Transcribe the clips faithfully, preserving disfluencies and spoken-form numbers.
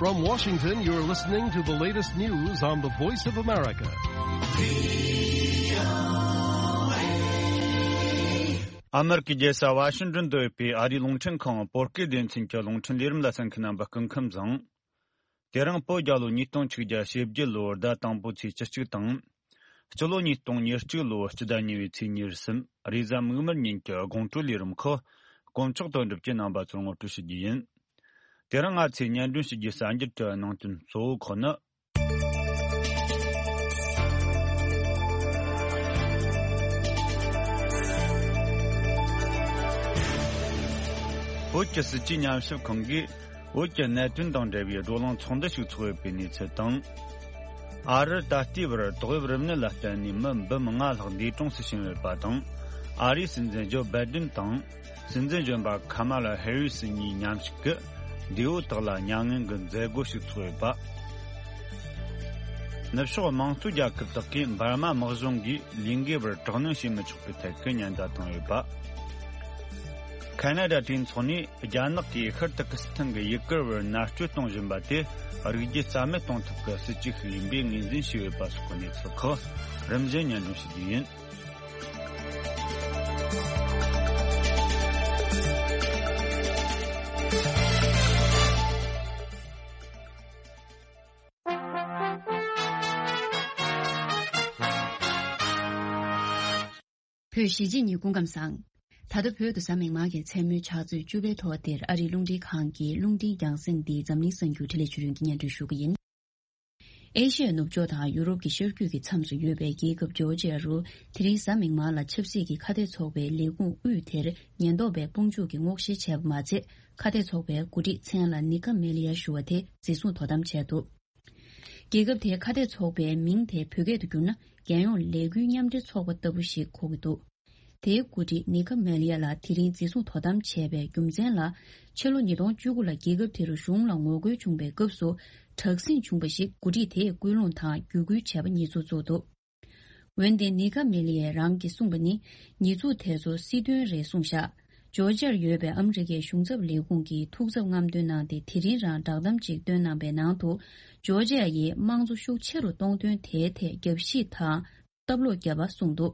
From Washington, you're listening to the latest news on the Voice of America. ཨ་མེ་རི་ཀའི་རྒྱལ་ས་ཝ་ཤིང་ཏོན་དུ་ཡོད་པའི་ཨ་རིའི་རླུང་འཕྲིན་ཁང་བོད་སྐད་སྡེ་ཚན་གྱི་རླུང་འཕྲིན་ལས་རིམ་ལ་གསན་མཁན་རྣམ་པ་སྐུ་ཁམས་བཟང་། དེ་རིང་བོད་རྒྱལ་ལོ་ཉིས་སྟོང་ཆིག་བརྒྱ་ཞེ་བརྒྱད་ལོའི་ཟླ་དང་པོའི་ཚེས་བཅུ་གཅིག་དང་། སྤྱི་ལོ་ཉིས་སྟོང་ཉེར་གཅིག་ལོའི་སྤྱི་ཟླ་གཉིས་པའི་ཚེས་ཉེར་གསུམ། རེས་གཟའ་མིག་དམར་ཉིན་གྱི་དགོང་དྲོའི་ལས་རིམ་ཁག་དཀོན་མཆོག་དོན་གྲུབ་ཀྱིས་རྣམ་པ་ཚོར་ངོ་སྤྲོད་ཞུ་རྒྱུ་ཡིན། དེ་རིང་ང་ཚོས་སྙན་སྒྲོན་ཞུ་རྒྱུའི་གསར་འགྱུར་གྱི་ནང་དོན་གཙོ་བོ་ཁག་ནི། བོད་ཀྱི་སྲིད་ཇུས་ཉམས་ཞིབ་ཁང་གིས་བོད་ཀྱི་གནད་དོན་དང་འབྲེལ་བའི་བགྲོ་གླེང་ཚོགས་འདུ་ཞིག་ཚོགས་ཡོད་པའི་གནས་ཚུལ་དང་། ཨ་རིར་ད་ལྟའི་བར་ཏོག་དབྱིབས་རིམས་ནད་ལ་བརྟེན་ནས་མི་འབུམ་ལྔ་ལྷག་འདས་གྲོངས་སུ་ཕྱིན་ཡོད་པ་དང་། ཨ་རིའི་སྲིད་འཛིན་ཇོ་བྷའི་ཏིན་དང་། སྲིད་འཛིན་གཞོན་པ་ཁ་མ་ལ་ཧེ་རི་སི་གཉིས་མཉམ་ཞུགས་ཀྱིས་འདས་པོ་དག་ལ་མྱ་ངན་གྱི་མཛད་སྒོ་ཞིག་ཚོགས་ཡོད་པ། ནུབ་ཕྱོགས་དམངས་གཙོའི་རྒྱལ་ཁབ་དག་གིས་འབར་མ་དམག་གཞུང་གིས་ལས་འགུལ་བར་དྲག་གནོན་བྱེད་མི་ཆོག་པའི་ཐད་ཀྱི་ཉེན་བརྡ་བཏང་ཡོད་པ། ཁ་ན་ཌ་གྲོས་ཚོགས་ནས་རྒྱ་ནག་གིས་ཤར་ཏུར་ཀི་སི་ཐན་གྱི་ཡུ་གུར་བར་མནར་གཅོད་གཏོང་བཞིན་པ་དེ་རིགས་རྒྱུད་རྩ་མེད་གཏོང་ཐབས་ཀྱི་སྲིད་ཇུས་ཤིག་ཡིན་པའི་ངོས་འཛིན་བྱས་ཡོད་པ་སོགས་ཀྱི་གནས་ཚུལ་ཁག་རིམ་བཞིན་སྙན་སྒྲོན་ཞུ་རྒྱུ་ཡིན། བོད་གཞིས་བྱེས་གཉིས་སྐུ་ཁམས་བཟང་། ད་ལྟ་བོད་དུ་གཟའ་མིག་དམར་གྱི་མཚན་མོའི་ཕྱག་ཚོད་བཅུ་པའི་ཐོག་འདིར་ཨ་རིའི་རླུང་འཕྲིན་ཁང་གི་རླུང་འཕྲིན་རྒྱང་སྲིང་འདི་འཛམ་གླིང་གསར་འགྱུར་འཕྲིན་ལས་ཆོས་སྒྲོན་གྱིས་སྙན་སྒྲོན་ཞུ་གི་ཡིན། ཨེ་ཤི་ཡའི་ནུབ་ཕྱོགས་དང་ཡུ་རོབ་ཀྱི་ཤར་རྒྱུད་ཀྱི་མཚམས་སུ་ཡོད་པའི་རྒྱལ་ཁབ་ཇོར་ཇི་ཡ་རུ་དེ་རིང་གཟའ་མིག་དམར་ལ་ཆབ་སྲིད་ཀྱི་ཁ་གཏད་ཚོགས་པའི་ལས་ཁུངས་དབུས་དེར་ཉེན་རྟོག་པས་དཔུང་འཇུག་གིས་སྔོག་བཤེར་བྱས་པ་མ་ཚད། ཁ་གཏད་ཚོགས་པའི་འགོ་ཁྲིད་མཚན་ལ་ནི་ཀ་མེ་ལི་ཡ་ཞུ་བ་དེ་འཛིན་བཟུང་དོ་དམ་བྱས་འདུག། རྒྱལ་ཁབ་དེའི་ཁ་གཏད་ཚོགས་པའི་མིང་དེ་བོད་སྐད་དུ་བསྒྱུར་ན་རྒྱལ་ཡོངས་ལས་འགུལ་མཉམ་འབྲེལ་ཚོགས་པ་ལྟ་བུ་ཞིག་གོ་གི་འདུག། དེའི་འགོ་ཁྲིད་ནི་ཀ་མེ་ལི་ཡ་ལགས་དེ་རིང་འཛིན་བཟུང་དོ་དམ་བྱས་པའི་རྒྱུ་མཚན་ལ། ཕྱི་ལོ་ཉིས་སྟོང་བཅུ་དགུ་ལ་རྒྱལ་ཁབ་དེ་རུ་གཞུང་ལ་ངོ་རྒོལ་བྱུང་བའི་སྐབས་སུ་དྲག་ཟིང་བྱུང་བ་ཞིག་འགོ་ཁྲིད་དེས་སྐུལ་སློང་དང་བརྒྱུད་སྐུལ་བྱས་པ་ཉེས་འཛུགས་བཙུགས་འདུག། འོན་ཏེ་ནི་ཀ་མེ་ལི་ཡས་རང་གིས་གསུངས་པ་ནི་ཉེས་འཛུགས་དེ་ཚོ་སྲིད་དོན་རེད་གསུངས་བཞག། ཇོར་ཇར་ཡོད་པའི་ཨ་མི་རི་ཀའི་གཞུང་ཚབ་ལས་ཁུངས་ཀྱིས་ཐུགས་འཚབ་རྔམ་སྟོན་གནང་སྟེ་དེ་རིང་རང་བསྒྲགས་གཏམ་ཅིག་བཏོན་གནང་པའི་ནང་དུ། ཇོར་ཇ་ཡིས་དམངས་གཙོ་ཤུགས་ཆེ་རུ་གཏོང་དོན་དེའི་ཐད་རྒྱབ་བཤིག་དང་སྟབས་ལོག་བརྒྱབ་པ་གསུངས་འདུག།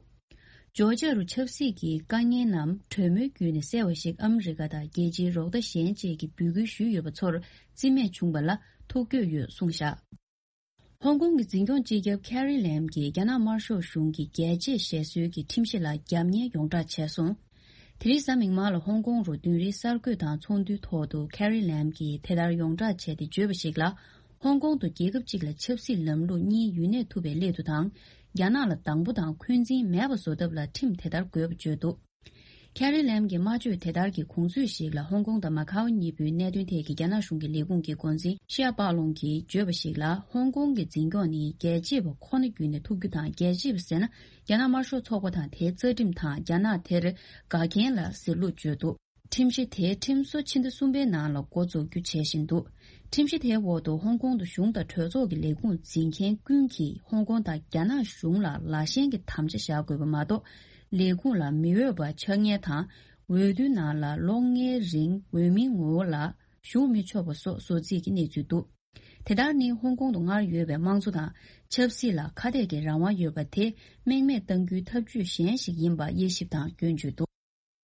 ཇོར་ཇ་རུ་ཆབ་སྲིད་ཀྱི་དཀའ་ངལ་རྣམས་གྲོས་མོལ་བརྒྱུད་ནས་སེལ་བ་ཞིག་ཨ་མི་རི་ཀ་དང་རྒྱལ་སྤྱིའི་རོགས་ཟླ་གཞན་བཅས་ཀྱིས་འབོད་སྐུལ་ཞུས་ཡོད་པ་ཚོར་རྩིས་མེད་བྱུང་བ་ལ་ཐུགས་འགྱོད་ཡོད་གསུངས་བཞག། ཧོང་ཀོང་གི་འཛིན་སྐྱོང་སྤྱི་ཁྱབ་ཁེ་རི་ལེམ་གྱིས་རྒྱ་ནག་དམར་ཤོག་གཞུང་གི་རྒྱལ་གཅེས་ཞེས་སྲོལ་གྱི་ཁྲིམས་གཞི་ལ་རྒྱབ་གཉེར་ཡོངས་བསྒྲགས་བྱས་སོང་། དེ་རིང་གཟའ་མིག་དམར་ལ་ཧོང་ཀོང་རུ་བདུན་རེའི་གསར་འགོད་དང་ཚོགས་འདུའི་ཐོག་ཏུ་ཁེ་རི་ལེམ་གྱིས་དེ་ལྟར་ཡོངས་བསྒྲགས་བྱས་ཏེ་བརྗོད་པ་ཞིག་ལ། ཧོང་ཀོང་དུ་རྒྱལ་ཁབ་གཅིག་ལ་ཆབ་སྲིད་ལམ་ལུགས་གཉིས་ཡུན་གནས་ཐུབ་པའི་སླད་དུ་དང་། རྒྱ་ནག་ལ་སྡང་པོ་དང་འཁོན་འཛིན་མེད་པ་བཟོ་ཐབས་ལ་ཁྲིམས་དེ་ལྟར་དགོས་པ་བརྗོད་འདུག། ཁེ་རི་ལེམ་གྱི་སྨྲ་བརྗོད་དེ་ལྟར་གྱི་གོང་ཚུལ་ཞིག་ལ་ཧོང་ཀོང་དང་མ་ཁའོ་གཉིས་པོའི་གནད་དོན་ཐད་ཀྱི་རྒྱ་ནག་གཞུང་གི་ལས་ཁུངས་ཀྱི་འགོ་འཛིན་ཤི་ཡ་པཱ་ལུང་གིས་བརྗོད་པ་ཞིག་ལ། ཧོང་ཀོང་གི་འཛིན་སྐྱོང་ནི་རྒྱལ་གཅེས་པ་ཁོ་ན་བརྒྱུད་ནས་ཐུབ་རྒྱུ་དང་། རྒྱལ་གཅེས་པ་ཟེར་ན་རྒྱ་ནག་དམར་ཤོག་ཚོགས་པ་དང་དེའི་རྩ་ཁྲིམས་དང་རྒྱ་ནག་དེར་དགའ་མཁན་ལ་ཟེར་ལུགས་བརྗོད་འདུག། ཁྲིམས་གཞི་དེའི་ཁྲིམས་བཟོ་ཕྱི་ཟླ་གསུམ་པའི་ནང་ལ་འགོ་འཛུགས་རྒྱུ་བྱེད་བཞིན་འདུག། ཁྲིམས་གཞི་དེའི་འོག་ཏུ་ཧོང་ཀོང་དུ་གཞུང་དང་གྲོས་ཚོགས་ཀྱི་ལས་ཁུངས་འཛིན་མཁན་ཀུན་གྱིས་ཧོང་ཀོང་དང་རྒྱ་ནག་གཞུང་ལ་ལག་ཤེས་ཀྱི་དམ་བཅའ་བཞག་དགོས་པ་མ་གཏོགས། ལས་ཁུངས་ལ་མི་འོས་པ་ཆགས་ཉེན་དང་། འོས་བསྡུའི་ནང་ལ་ལོ་ལྔའི་རིང་འོས་མིའི་ངོ་བོ་ལ་ཞུགས་མི་ཆོག་པ་སོགས་བཟོ་རྩིས་ཀྱི་གནས་ཚུལ་འདུག། དེ་ལྟར་ནི་ཧོང་ཀོང་དུ་སྔར་ཡོད་པའི་དམངས་གཙོ་དང་ཆབ་སྲིད་ལ་ཁ་གཏད་ཀྱི་རང་དབང་ཡོད་པ་དེ་རྨེག་མེད་གཏང་རྒྱུའི་ཐབས་ཇུས་གཞན་ཞིག་ཡིན་པ་དབྱེ་ཞིབ་དང་སྐྱོན་བརྗོད་འདུག།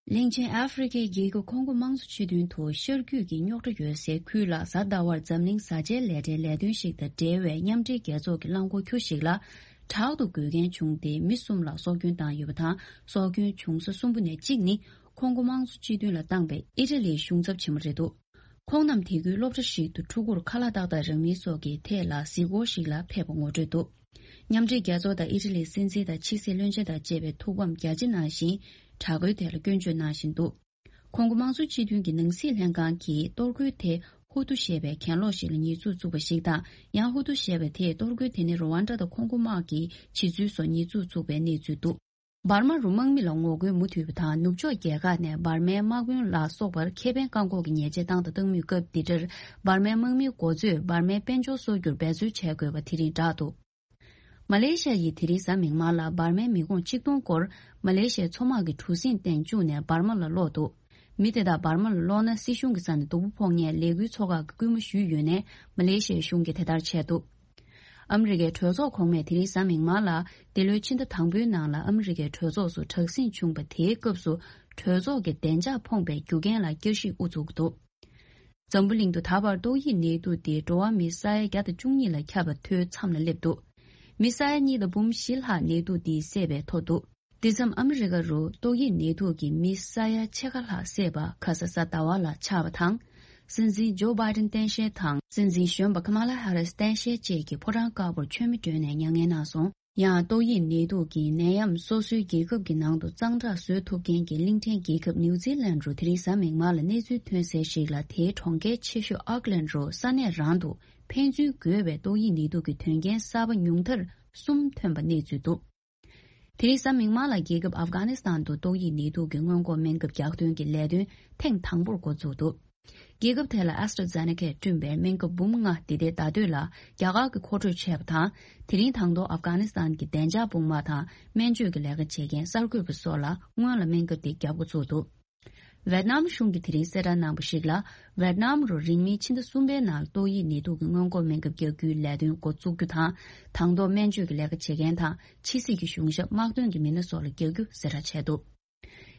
གླིང་ཆེན་ཨ་ཧྥེ་རི་ཁའི་རྒྱལ་ཁབ་ཁོང་གོ་དམངས་གཙོ་སྤྱི་མཐུན་དུ་ཤར་རྒྱུད་ཀྱི་རྙོག་དྲ་ཡོད་སའི་ཁུལ་ལ་གཟའ་ཟླ་བར་འཛམ་གླིང་བཟའ་བཅའི་ལས་གྲྭའི་ལས་དོན་ཞིག་དང་འབྲེལ་བའི་མཉམ་འབྲེལ་རྒྱལ་ཚོགས་ཀྱི་རླངས་འཁོར་ཁྱུ་ཞིག་ལ་དྲག་ཏུ་འགོས་མཁན་བྱུང་སྟེ་མི་གསུམ་ལ་སྲོག་སྐྱོན་བཏང་ཡོད་པ་དང་། སྲོག་སྐྱོན་བྱུང་ས་གསུམ་པོ་ནས་གཅིག་ནི་ཁོང་གོ་དམངས་གཙོ་སྤྱི་མཐུན་ལ་བཏང་པའི་ཨི་ཊ་ལིའི་གཞུང་ཚབ་ཆེན་མོ་རེད་འདུག། ཁོང་རྣམས་དེ་ཁུལ་སློབ་གྲྭ་ཞིག་ཏུ་ཕྲུ་གུར་ཁ་ལག་ཏག་ཏག་རག་མིན་སོགས་ཀྱི་ཐད་ལ་གཟིགས་སྐོར་ཞིག་ལ་ཕེབས་པ་ངོ་སྤྲོད་འདུག། མཉམ་འབྲེལ་རྒྱལ་ཚོགས་དང་ཨི་ཊ་ལིའི་སྲིད་འཛིན་དང་ཕྱི་སྲིད་བློན་ཆེན་དང་བཅས་པའི་ཐུགས་ཕམ་རྒྱ་ཆེ་གནང་ཞིང་། དྲག་རྒོལ་དེ་ལ་སྐྱོན་བརྗོད་གནང་བཞིན་འདུག། ཁོང་གོ་དམངས་གཙོ་སྤྱི་མཐུན་གྱི་ནང་སྲིད་ལྷན་ཁང་གིས་གཏོར་རྒོལ་དེ་ཧུ་ཏུ་ཞེས་པའི་གྱེན་ལོག་ཞིག་ལ་ཉེས་འཛུགས་བཙུགས་པ་ཞིག་དང་། ཡང་ཧུ་ཏུ་ཞེས་པ་དེས་གཏོར་རྒོལ་དེ་ནི་རུ་ཝན་ཌ་དང་ཁོང་གོ་དམག་གིས་བྱེད་ཚུལ་སོགས་ཉེས་འཛུགས་བཙུགས་པའི་གནས་ཚུལ་འདུག། འབར་མ་རུ་དམག་མི་ལ་ངོ་རྒོལ་མུ་མཐུད་པ་དང་། ནུབ་ཕྱོགས་རྒྱལ་ཁག་ནས་འབར་མའི་དམག་དཔོན་ལ་སོགས་པར་ཁེ་ཕན་བཀག་འགོག་གི་ཉེས་ཆད་བཏང་དང་བཏང་མུས་སྐབས་འདི་འདྲར། འབར་མའི་དམག་མིའི་འགོ་གཙོས་འབར་མའི་དཔལ་འབྱོར་གསོག་རྒྱུར་འབད་རྩོལ་བྱེད་དགོས་པ་དེ་རིང་བསྒྲགས་འདུག། མ་ལེ་ཤ་ཡིས་དེ་རིང་གཟའ་མིག་དམར་ལ་འབར་མའི་མི་གོང་ཆིག་སྟོང་སྐོར་མ་ལེ་ཤའི་མཚོ་དམག་གི་གྲུ་གཟིངས་སྟེང་བཅུག་ནས་འབར་མ་ལ་སློག་འདུག། མི་དེ་དག་འབར་མ་ལ་སློག་ན་སྲིད་གཞུང་གི་རྩ་ནས་སྡུག་པོ་ཕོག་ངེས་ལས་འགུལ་ཚོགས་ཁག་གིས་སྐུལ་མ་ཞུས་ཡོད་ནས་མ་ལེ་ཤི་ཡའི་གཞུང་གིས་དེ་ལྟར་བྱས་འདུག་ཨ་མི་རི་ཀའི་གྲོས་ཚོགས་གོང་མས་དེ་རིང་གཟའ་མིག་དམར་ལ་འདི་ལོའི་ཕྱི་ཟླ་དང་པོའི་ནང་ལ་ཨ་མི་རི་ཀའི་གྲོས་ཚོགས་སུ་དྲག་ཟིང་བྱུང་བ་དེའི་སྐབས་སུ་གྲོས་ཚོགས་ཀྱི་བདེ་འཇགས་ཕོངས་པའི་རྒྱུ་རྐྱེན་ལ་བསྐྱར་ཞིབ་དབུ་བཙུགས་འདུག་འཛམ་བུ་གླིང་དུ་ད་བར་ཏོག་དབྱིབས་ནད་དུག་འདིས་འགྲོ་བ་མི་ས་ཡ་བརྒྱ་དང་བཅུ་གཉིས་ལ་ཁྱབ་པ་ཐོའི་མཚམས་ལ་སླེབས་འདུག་མི་ས་ཡ་གཉིས་དང་འབུམ་བཞི་ལྷག་ནད་དུག་འདིས་བསད་པའི་ཐོ་འདུག་འདི་མཚམས་ཨ་མི་རི་ཀ་རུ་ཏོག་དབྱིབས་ནད་དུག་གིས་མི་ས་ཡ་ཕྱེད་ཀ་ལྷག་བསད་པ་ཁ་ས་གཟའ་ཟླ་བ་ལ་ཆགས་པ་དང་། སྲིད་འཛིན་ཇོ་བྷའི་ཏིན་སྟངས་དཔྱལ་དང་སྲིད་འཛིན་གཞོན་པ་ཁ་མ་ལ་ཧ་རིས་སྟངས་དཔྱལ་བཅས་ཀྱིས་ཕོ་བྲང་དཀར་པོར་མཆོད་མེ་སྤྲོས་ནས་མྱ་ངན་གནང་སོང་། ཡང་ཏོག་དབྱིབས་ནད་དུག་གི་ནད་ཡམས་སོ་སོའི་རྒྱལ་ཁབ་ཀྱི་ནང་དུ་གཙང་དྲག་བཟོ་ཐུབ་མཁན་གྱི་གླིང་ཕྲན་རྒྱལ་ཁབ་ནིའུ་ཛི་ལན་རུ་དེ་རིང་གཟའ་མིག་དམར་ལ་གནས་ཚུལ་ཐོན་གསལ་ཞིག་ལ། དེའི་གྲོང་ཁྱེར་ཆེ་ཤོས་ཨོག་ལན་རུ་ས་གནས་རང་དུ་ཕན་ཚུན་འགོས་པའི་ཏོག་དབྱིབས་ནད་དུག་གི་དོན་རྐྱེན་གསར་པ་ཉུང་མཐར་གསུམ་ཐོན་པ་གནས་ཚུལ་འདུག་དེ་རིང་གཟའ་མིག་དམར་ལ་རྒྱལ་ཁབ་ཨབ་གྷ་ནི་སི་ཐན་དུ་ཏོག་དབྱིབས་ནད་དུག་གི་སྔོན་འགོག་སྨན་ཁབ་རྒྱག་འདོན་གྱི་ལས་དོན་ཐེངས་དང་པོར་འགོ་བཙུགས་འདུག་རྒྱལ་ཁབ་དེ་ལ་ཨེ་སི་ཊ་ཛེ་ནེ་ཀའི་བསྐྲུན་པའི་སྨན་ཁབ་འབུམ་ལྔ་འདི་ཟླའི་ཟླ་སྟོད་ལ་རྒྱ་གར་གྱིས་མཁོ་སྤྲོད་བྱས་པ་དང་། དེ་རིང་དང་ཐོག་ཨབ་གྷ་ནི་སི་ཐན་གྱི་བདེ་འཇགས་དཔུང་དམག་དང་སྨན་བཅོས་ཀྱི་ལས་ཀ་བྱེད་མཁན་གསར་འགོད་པ་སོགས་ལ་སྔོན་ལ་སྨན་ཁབ་དེ་བརྒྱབ་འགོ་ཚུགས་འདུག་ཝེད་ནམ་གཞུང་གིས་དེ་རིང་གསལ་བསྒྲགས་གནང་པ་ཞིག་ལ། ཝེད་ནམ་རུ་རིང་མིན་ཕྱི་ཟླ་གསུམ་པའི་ནང་ཏོག་དབྱིབས་ནད་དུག་གི་སྔོན་འགོག་སྨན་ཁབ་རྒྱག་རྒྱུའི་ལས་དོན་འགོ་བཙུགས་རྒྱུ་དང་། དང་ཐོག་སྨན་བཅོས་ཀྱི་ལས་ཀ་བྱེད་མཁན་དང་ཕྱི་སྲིད་ཀྱི་གཞུང་ཞབས་དམག་དོན་གྱི་མི་སྣ་སོགས་ལ་རྒྱག་རྒྱུ་གསལ་བསྒྲགས་བྱས་འདུག་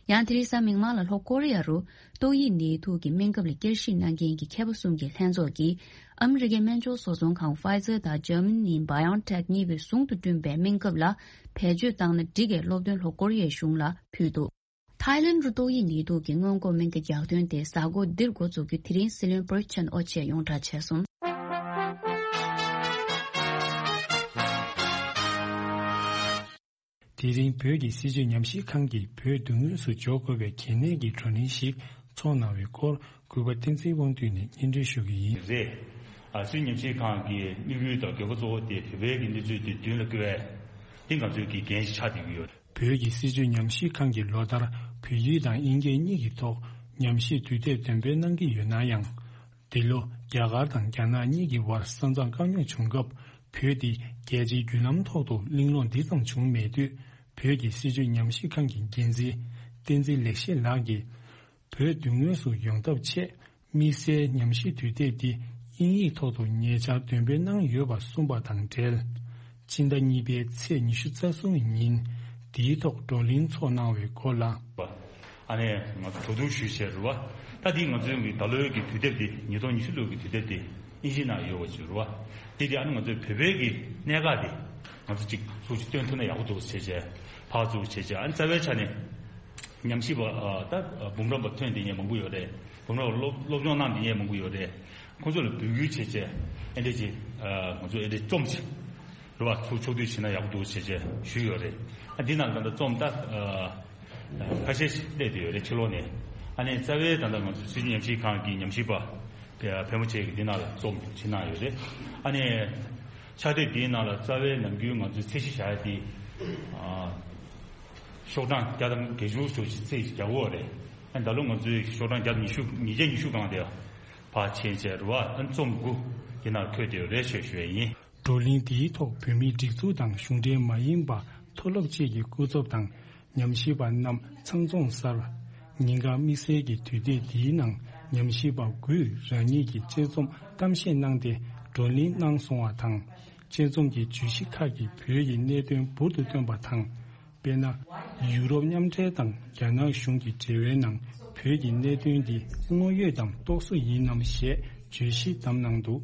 ཡང་དེ་རིང་གཟའ་མིག་དམར་ལ་ལྷོ་ཀོ་རི་ཡ་རུ་ཏོག་དབྱིབས་ནད་དུག་གི་སྨན་ཁབ་ལ་བསྐྱར་ཞིབ་གནང་མཁན་གྱི་མཁས་པ་གསུམ་གྱི་ལྷན་ཚོགས་ཀྱིས་ཨ་མི་རི་ཀའི་སྨན་སྦྱོར་བཟོ་ཚོང་ཁང་Pfizer་དང་Germany་BioNTech་གཉིས་པོས་ཟུང་དུ་བསྐྲུན་པའི་སྨན་ཁབ་ལ་བེད་སྤྱོད་བཏང་ན་འགྲིག་གས་སློབ་སྟོན་ལྷོ་ཀོ་རི་ཡའི་གཞུང་ལ་ཕུལ་འདུག་ཐའི་ལན་རུ་ཏོག་དབྱིབས་ནད་དུག་གི་སྔོན་འགོག་སྨན་ཁབ་རྒྱག་འདོན་དེ་གཟའ་འཁོར་འདིར་འགོ་འཛུགས་རྒྱུ་དེ་རིང་སྲིད་བློན་པུ་རེ་ཆན་ཨོ་ཆེ་ཡོངས་གྲགས་བྱས་སོང་། དེ་རིང་བོད་ཀྱི་སྲིད་བྱུས་ཉམས་ཞིབ་ཁང་གིས་བོད་མདོ་དབུས་སུ་འབྱོར་དགོས་པའི་གལ་གནད་ཀྱི་བགྲོ་གླེང་ཞིག་ཚོགས་གནང་བའི་སྐོར་གུས་པ་བསྟན་འཛིན་དབང་འདུས་ནས་སྙན་སྒྲོན་ཞུ་གི་ཡིན། རེད། ཨ་སྲིད་ཉམས་ཞིབ་ཁང་གི་དམིགས་ཡུལ་དང་འགན་ཁུར་གཙོ་བོ་དེ་བོད་པའི་གི་གནས་ཚུལ་དེ་མདུན་ལ་བསྐྱོད་ཡ་དེ་ང་ཚོའི་གི་འགན་ཞིག་ཆགས་བསྡད་ཀྱི་ཡོད། བོད་ཀྱི་སྲིད་བྱུས་ཉམས་ཞིབ་ཁང་གིས་ལོ་ལྟར་བོད་ཡིག་དང་དབྱིན་སྐད་གཉིས་ཀྱི་ཐོག་ཉམས་ཞིབ་དུས་དེབ་འདོན་སྤེལ་གནང་གི་ཡོད་ན་ཡང་། འདི་ལོ་རྒྱ་གར་དང་རྒྱ་ནག་གཉིས་ཀྱི་བར་ས་མཚམས་དཀའ་རྙོག་བྱུང་སྐབས་བོད་འདི་རྒྱལ་སྤྱིའི་བརྒྱུད་ལམ་ཐོག་ཏུ་གླེང་སློང་འདི་ཙམ་བྱུང་མེད་དུས། བོད་ཀྱི་སྲིད་བྱུས་ཉམས་ཞིབ་ཁང་གི་འགན་འཛིན་བསྟན་འཛིན་ལེགས་བཤད་ལགས་ཀྱིས། བོད་མདུན་ངོས་སུ་ཡོང་ཐབས་ཆེད་དམིགས་བསལ་ཉམས་ཞིབ་དུས་དེབ་འདི་དབྱིན་ཡིག་ཐོག་ཏུ་ཉེ་ཆར་འདོན་སྤེལ་གནང་ཡོད་པ་གསུངས་པ་དང་འབྲེལ། ཕྱི་ཟླ་གཉིས་པའི་ཚེས་ཉི་ཤུ་རྩ་གསུམ་ཉིན་འདིའི་ཐོག་བགྲོ་གླེང་ཚོགས་གནང་བའི་སྐོར་ལ། ཨ་ནེ་ང་ཚོ་གྲོས་བསྡུར་ཞུས་བྱས་རེད་བ། ད་འདི་ང་ཚོའི་གི་ད་ལོའི་གི་དུས་དེབ་འདི་ཉིས་སྟོང་ཉི་ཤུ་ལོའི་གི་དུས་དེབ་འདི་དབྱིན་ཇི་ནང་ཡོད་པ་ཅིག་རེད་བ། འདི་འདི་ཨ་ནེ་ང་ཚོའི་བོད་པའི་གི་གནད་འགག་འདི་ང་ཚོ་གཅིག་ཚུར་ཅིག་སྟོན་ཐུབ་ན་ཡག་པོ་འདུག་བྱས་བྱས་ཕར་ཚུར་བྱས་བྱས་ཨ་ནེ་རྩ་བའི་ཆ་ནས་ཉམས་ཞིབ་པ་ད་འབུམ་རམས་པ་ཐོན་བསྡད་མཁན་མང་པོ་ཡོད་རེད། འབུམ་རམས་པ་སློབ་སློབ་སྦྱོང་གནང་བསྡད་མཁན་མང་པོ་ཡོད་རེད། ཁོང་ཚོ་ལ་འབོད་སྐུལ་བྱས་བྱས་ཨེ་འདྲས་ཅིག་ང་ཚོ་ཨེ་འདྲས་རྩོམ་ཅིག་རེད་བ། ཚུར་ཕྱོགས་བསྡུས་བྱས་ན་ཡག་པོ་འདུག་བྱས་བྱས་ཞུས་ཡོད་རེད། ཨ་འདི་ནང་ད་ལྟ་རྩོམ་ད་ཁ་ཤས་ཤིག་སླེབས་བསྡད་ཡོད་རེད་ཕྱི་ལོགས་ནས། ཨ་ནི་རྩ་བའི་ད་ལྟ་ང་ཚོ་སྲིད་བྱུས་ཉམས་ཞིབ་ཁང་གི་ཉམས་ཞིབ་པ་ཕལ་མོ་ཆེ་གིས་འདི་ནང་ལ་རྩོམ་བྱེད་གནང་ཡོད་རེད། ཨ་ནི་ཕྱག་དེབ་འདིའི་ནང་ལ་རྩ་བའི་ནམ་རྒྱུན་ང་ཚོའི་ཚད་གཞི་བཞག་ཡ་དེ་ཤོག་གྲངས་བརྒྱ་དང་བརྒྱད་ཅུ་ཙམ་ཞིག་ཚད་གཞི་བརྒྱབ་ཡོད་རེད། ཨ་ནི་ད་ལོ་ང་ཚོའི་ཤོག་གྲངས་བརྒྱ་དང་ཉི་ཤུ་ཉིས་བརྒྱ་ཉི་ཤུ་སྒང་དེ་ཕར་ཕྱིན་བྱས་རེད་བ། ཨ་ནི་རྩོམ་དགུ་འདི་ནང་འཁོད་བསྡད་ཡོད་རེད་ཞེས་ཞུ་ཡ་ཡིན། བགྲོ་གླེང་འདིའི་ཐོག་བོད་མིའི་སྒྲིག་འཛུགས་དང་གཞུང་འབྲེལ་མ་ཡིན་པ་མཐོ་སློབ་བཅས་ཀྱི་སྐུ་ཚབ་དང་ཉམས་ཞིབ་པ་རྣམས་ཚང་འཛོམས་སར། ཉིན་གང་དམིགས་བསལ་གྱི་དུས་དེབ་འདིའི་ནང་ཉམས་ཞིབ་པ་དགུས་རང་ཉིད་ཀྱི་དཔྱད་རྩོམ་གཏམ་བཤད་གནང་སྟེ་བགྲོ་གླེང་གནང་སོང་བ་དང་། དཔྱད་རྩོམ་གྱི་བརྗོད་གཞི་ཁག་གིས་བོད་ཀྱི་གནད་དོན་འབུར་དུ་བཏོན་པ་དང་། དཔེར་ན། ཡུ་རོབ་མཉམ་འབྲེལ་དང་རྒྱ་ནག་གཞུང་གི་འབྲེལ་བའི་ནང་བོད་ཀྱི་གནད་དོན་འདི་དངོས་ཡོད་དམ་རྟོག་བཟོ་ཡིན་ནམ་ཞེས་བརྗོད་གཞི་བདམས་གནང་འདུག་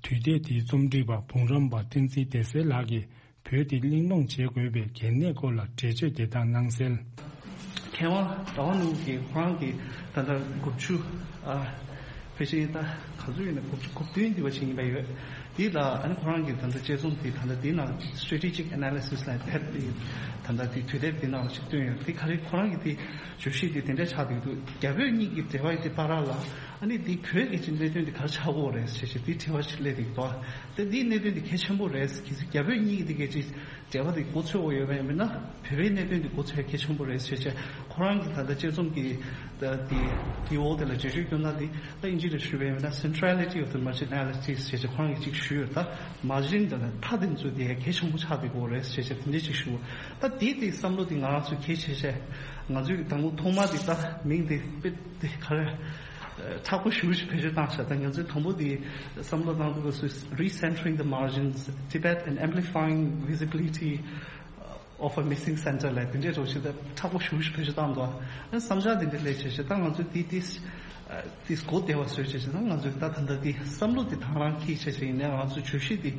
དུས་དེབ་འདིའི་རྩོམ་སྒྲིག་པ་འབུམ་རམས་པ་བསྟན་འཛིན་བདེ་གསལ་ལགས་ཀྱིས་བོད་འདི་གླེང་སློང་བྱེད་དགོས་པའི་གལ་གནད་སྐོར་ལ་འགྲེལ་བརྗོད་དེ་ལྟར་གནང་གསལ། མཁས་དབང་ཟླ་བ་ནོར་བུ་གིས་ཁོ་རང་གིས་ད་ལྟ་དགུ་བཅུ་ཨ་ཕལ་ཆེར་ད་ག་ཚོད་ཡིན་ན་དགུ་བཅུ་གོ་བདུན་འདི་བ་ཞིག་ཡིན་པ་ཡོད། དེ་ལ་ཨ་ནི་ཁོ་རང་གིས་ད་ལྟ་དཔྱད་རྩོམ་དེ་ད་ལྟ་དེའི་ནང་strategic analysis་ལ་ཕེབས་ཏེ་ད་ལྟ་དེ་དུས་དེབ་དེ་ནང་ལ་ཞིག་བཏོན་ཡོད། དེ་ག་རེ་ཁོ་རང་གིས་དེ་བརྗོད་གཞི་དེ་དེ་འདྲ་ཆགས་བསྡད་འདུག་རྒྱ་བོད་གཉིས་ཀྱི་འབྲེལ་བ་དེ་བར་ལ་ ཨ་ནི་འདི་བོད་ཀྱི་གནད་དོན་འདི་ག་རེ་ཆགས་ཀྱི་ཡོད་རེད་ཟེར་བྱས་འདི་དྲི་བ་ཞིག་སླེབས་འདུག་དོ། དེ་འདིའི་གནད་དོན་འདི་གལ་ཆེན་པོ་རེད། གལ་སྲིད་རྒྱ་བོད་གཉིས་ཀྱི་འདི་གལ་ཆེ་འབྲེལ་བ་འདི་མགོ་ཚོས་ཡོད་པ་ཡིན་ན། བོད་པའི་གནད་དོན་འདི་མགོ་ཚོས་གལ་ཆེན་པོ་རེད་ཟེར་བྱས་ཁོ་རང་གི་ད་ལྟ་དཔྱད་རྩོམ་གྱི་ད་འདི་འདི་འོག་དེ་ལ་འགྲེལ་བརྗོད་སྐྱོན་ན་འདི་ད་དབྱིན་ཇི་ལ་ཞུས་པ་ཡིན་ན། Centrality of the Marginalities ཟེར་བྱས་ཁོ་རང་གིས་ཅིག་ཞུས་ཡོད། ད་མར་ཇིན་དང་མཐའ་དེ་ཚོ་དེ་གལ་ཆེན་པོ་ཆགས་བསྡད་ཀྱི་ཡོད་རེད་ཟེར་བྱས་དེ་འདྲ་ཅིག་ཞུ། ད་དེ་དེ་བསམ་བློ་དེ་ང་རང་ཚོས་གལ་ཆེ་ཆེ་ང་ཚོས་དང་པོ་ཐོག་མ་དེ་ད་མིང་དེ་དཔེ་དེ་ག་རེ། མཁྲེགས་པོ་ཞེ་པོ་ཞིག་བེད་སྤྱོད་བཏང་ཤག་ད་ང་ཚོས་དང་པོ་དེ་བསམ་བློ་བཏང་དུས་སུ། Recentering the Margins, Tibet and Amplifying Visibility of a Missing Center ལབ་དེ་འདྲའི་རོགས་ཞིག་ད་མཁྲེགས་པོ་ཞེ་པོ་ཞིག་བེད་སྤྱོད་བཏང་འདུག་ཨ་བསམ་འཆར་དེ་འདྲ་སླེབས་བྱས་བྱས་ད་ང་ཚོས་དེ་དེ་དེ་གོ་བདེ་བ་བཟོས་བྱས་བྱས་ད་ང་ཚོས་ད་ད་ལྟ་དེ་བསམ་བློ་དེ་དང་རང་འཁྱེར་བྱས་བྱས་ཡིན་ནའི་ང་ཚོས་བརྗོད་གཞི་དེ་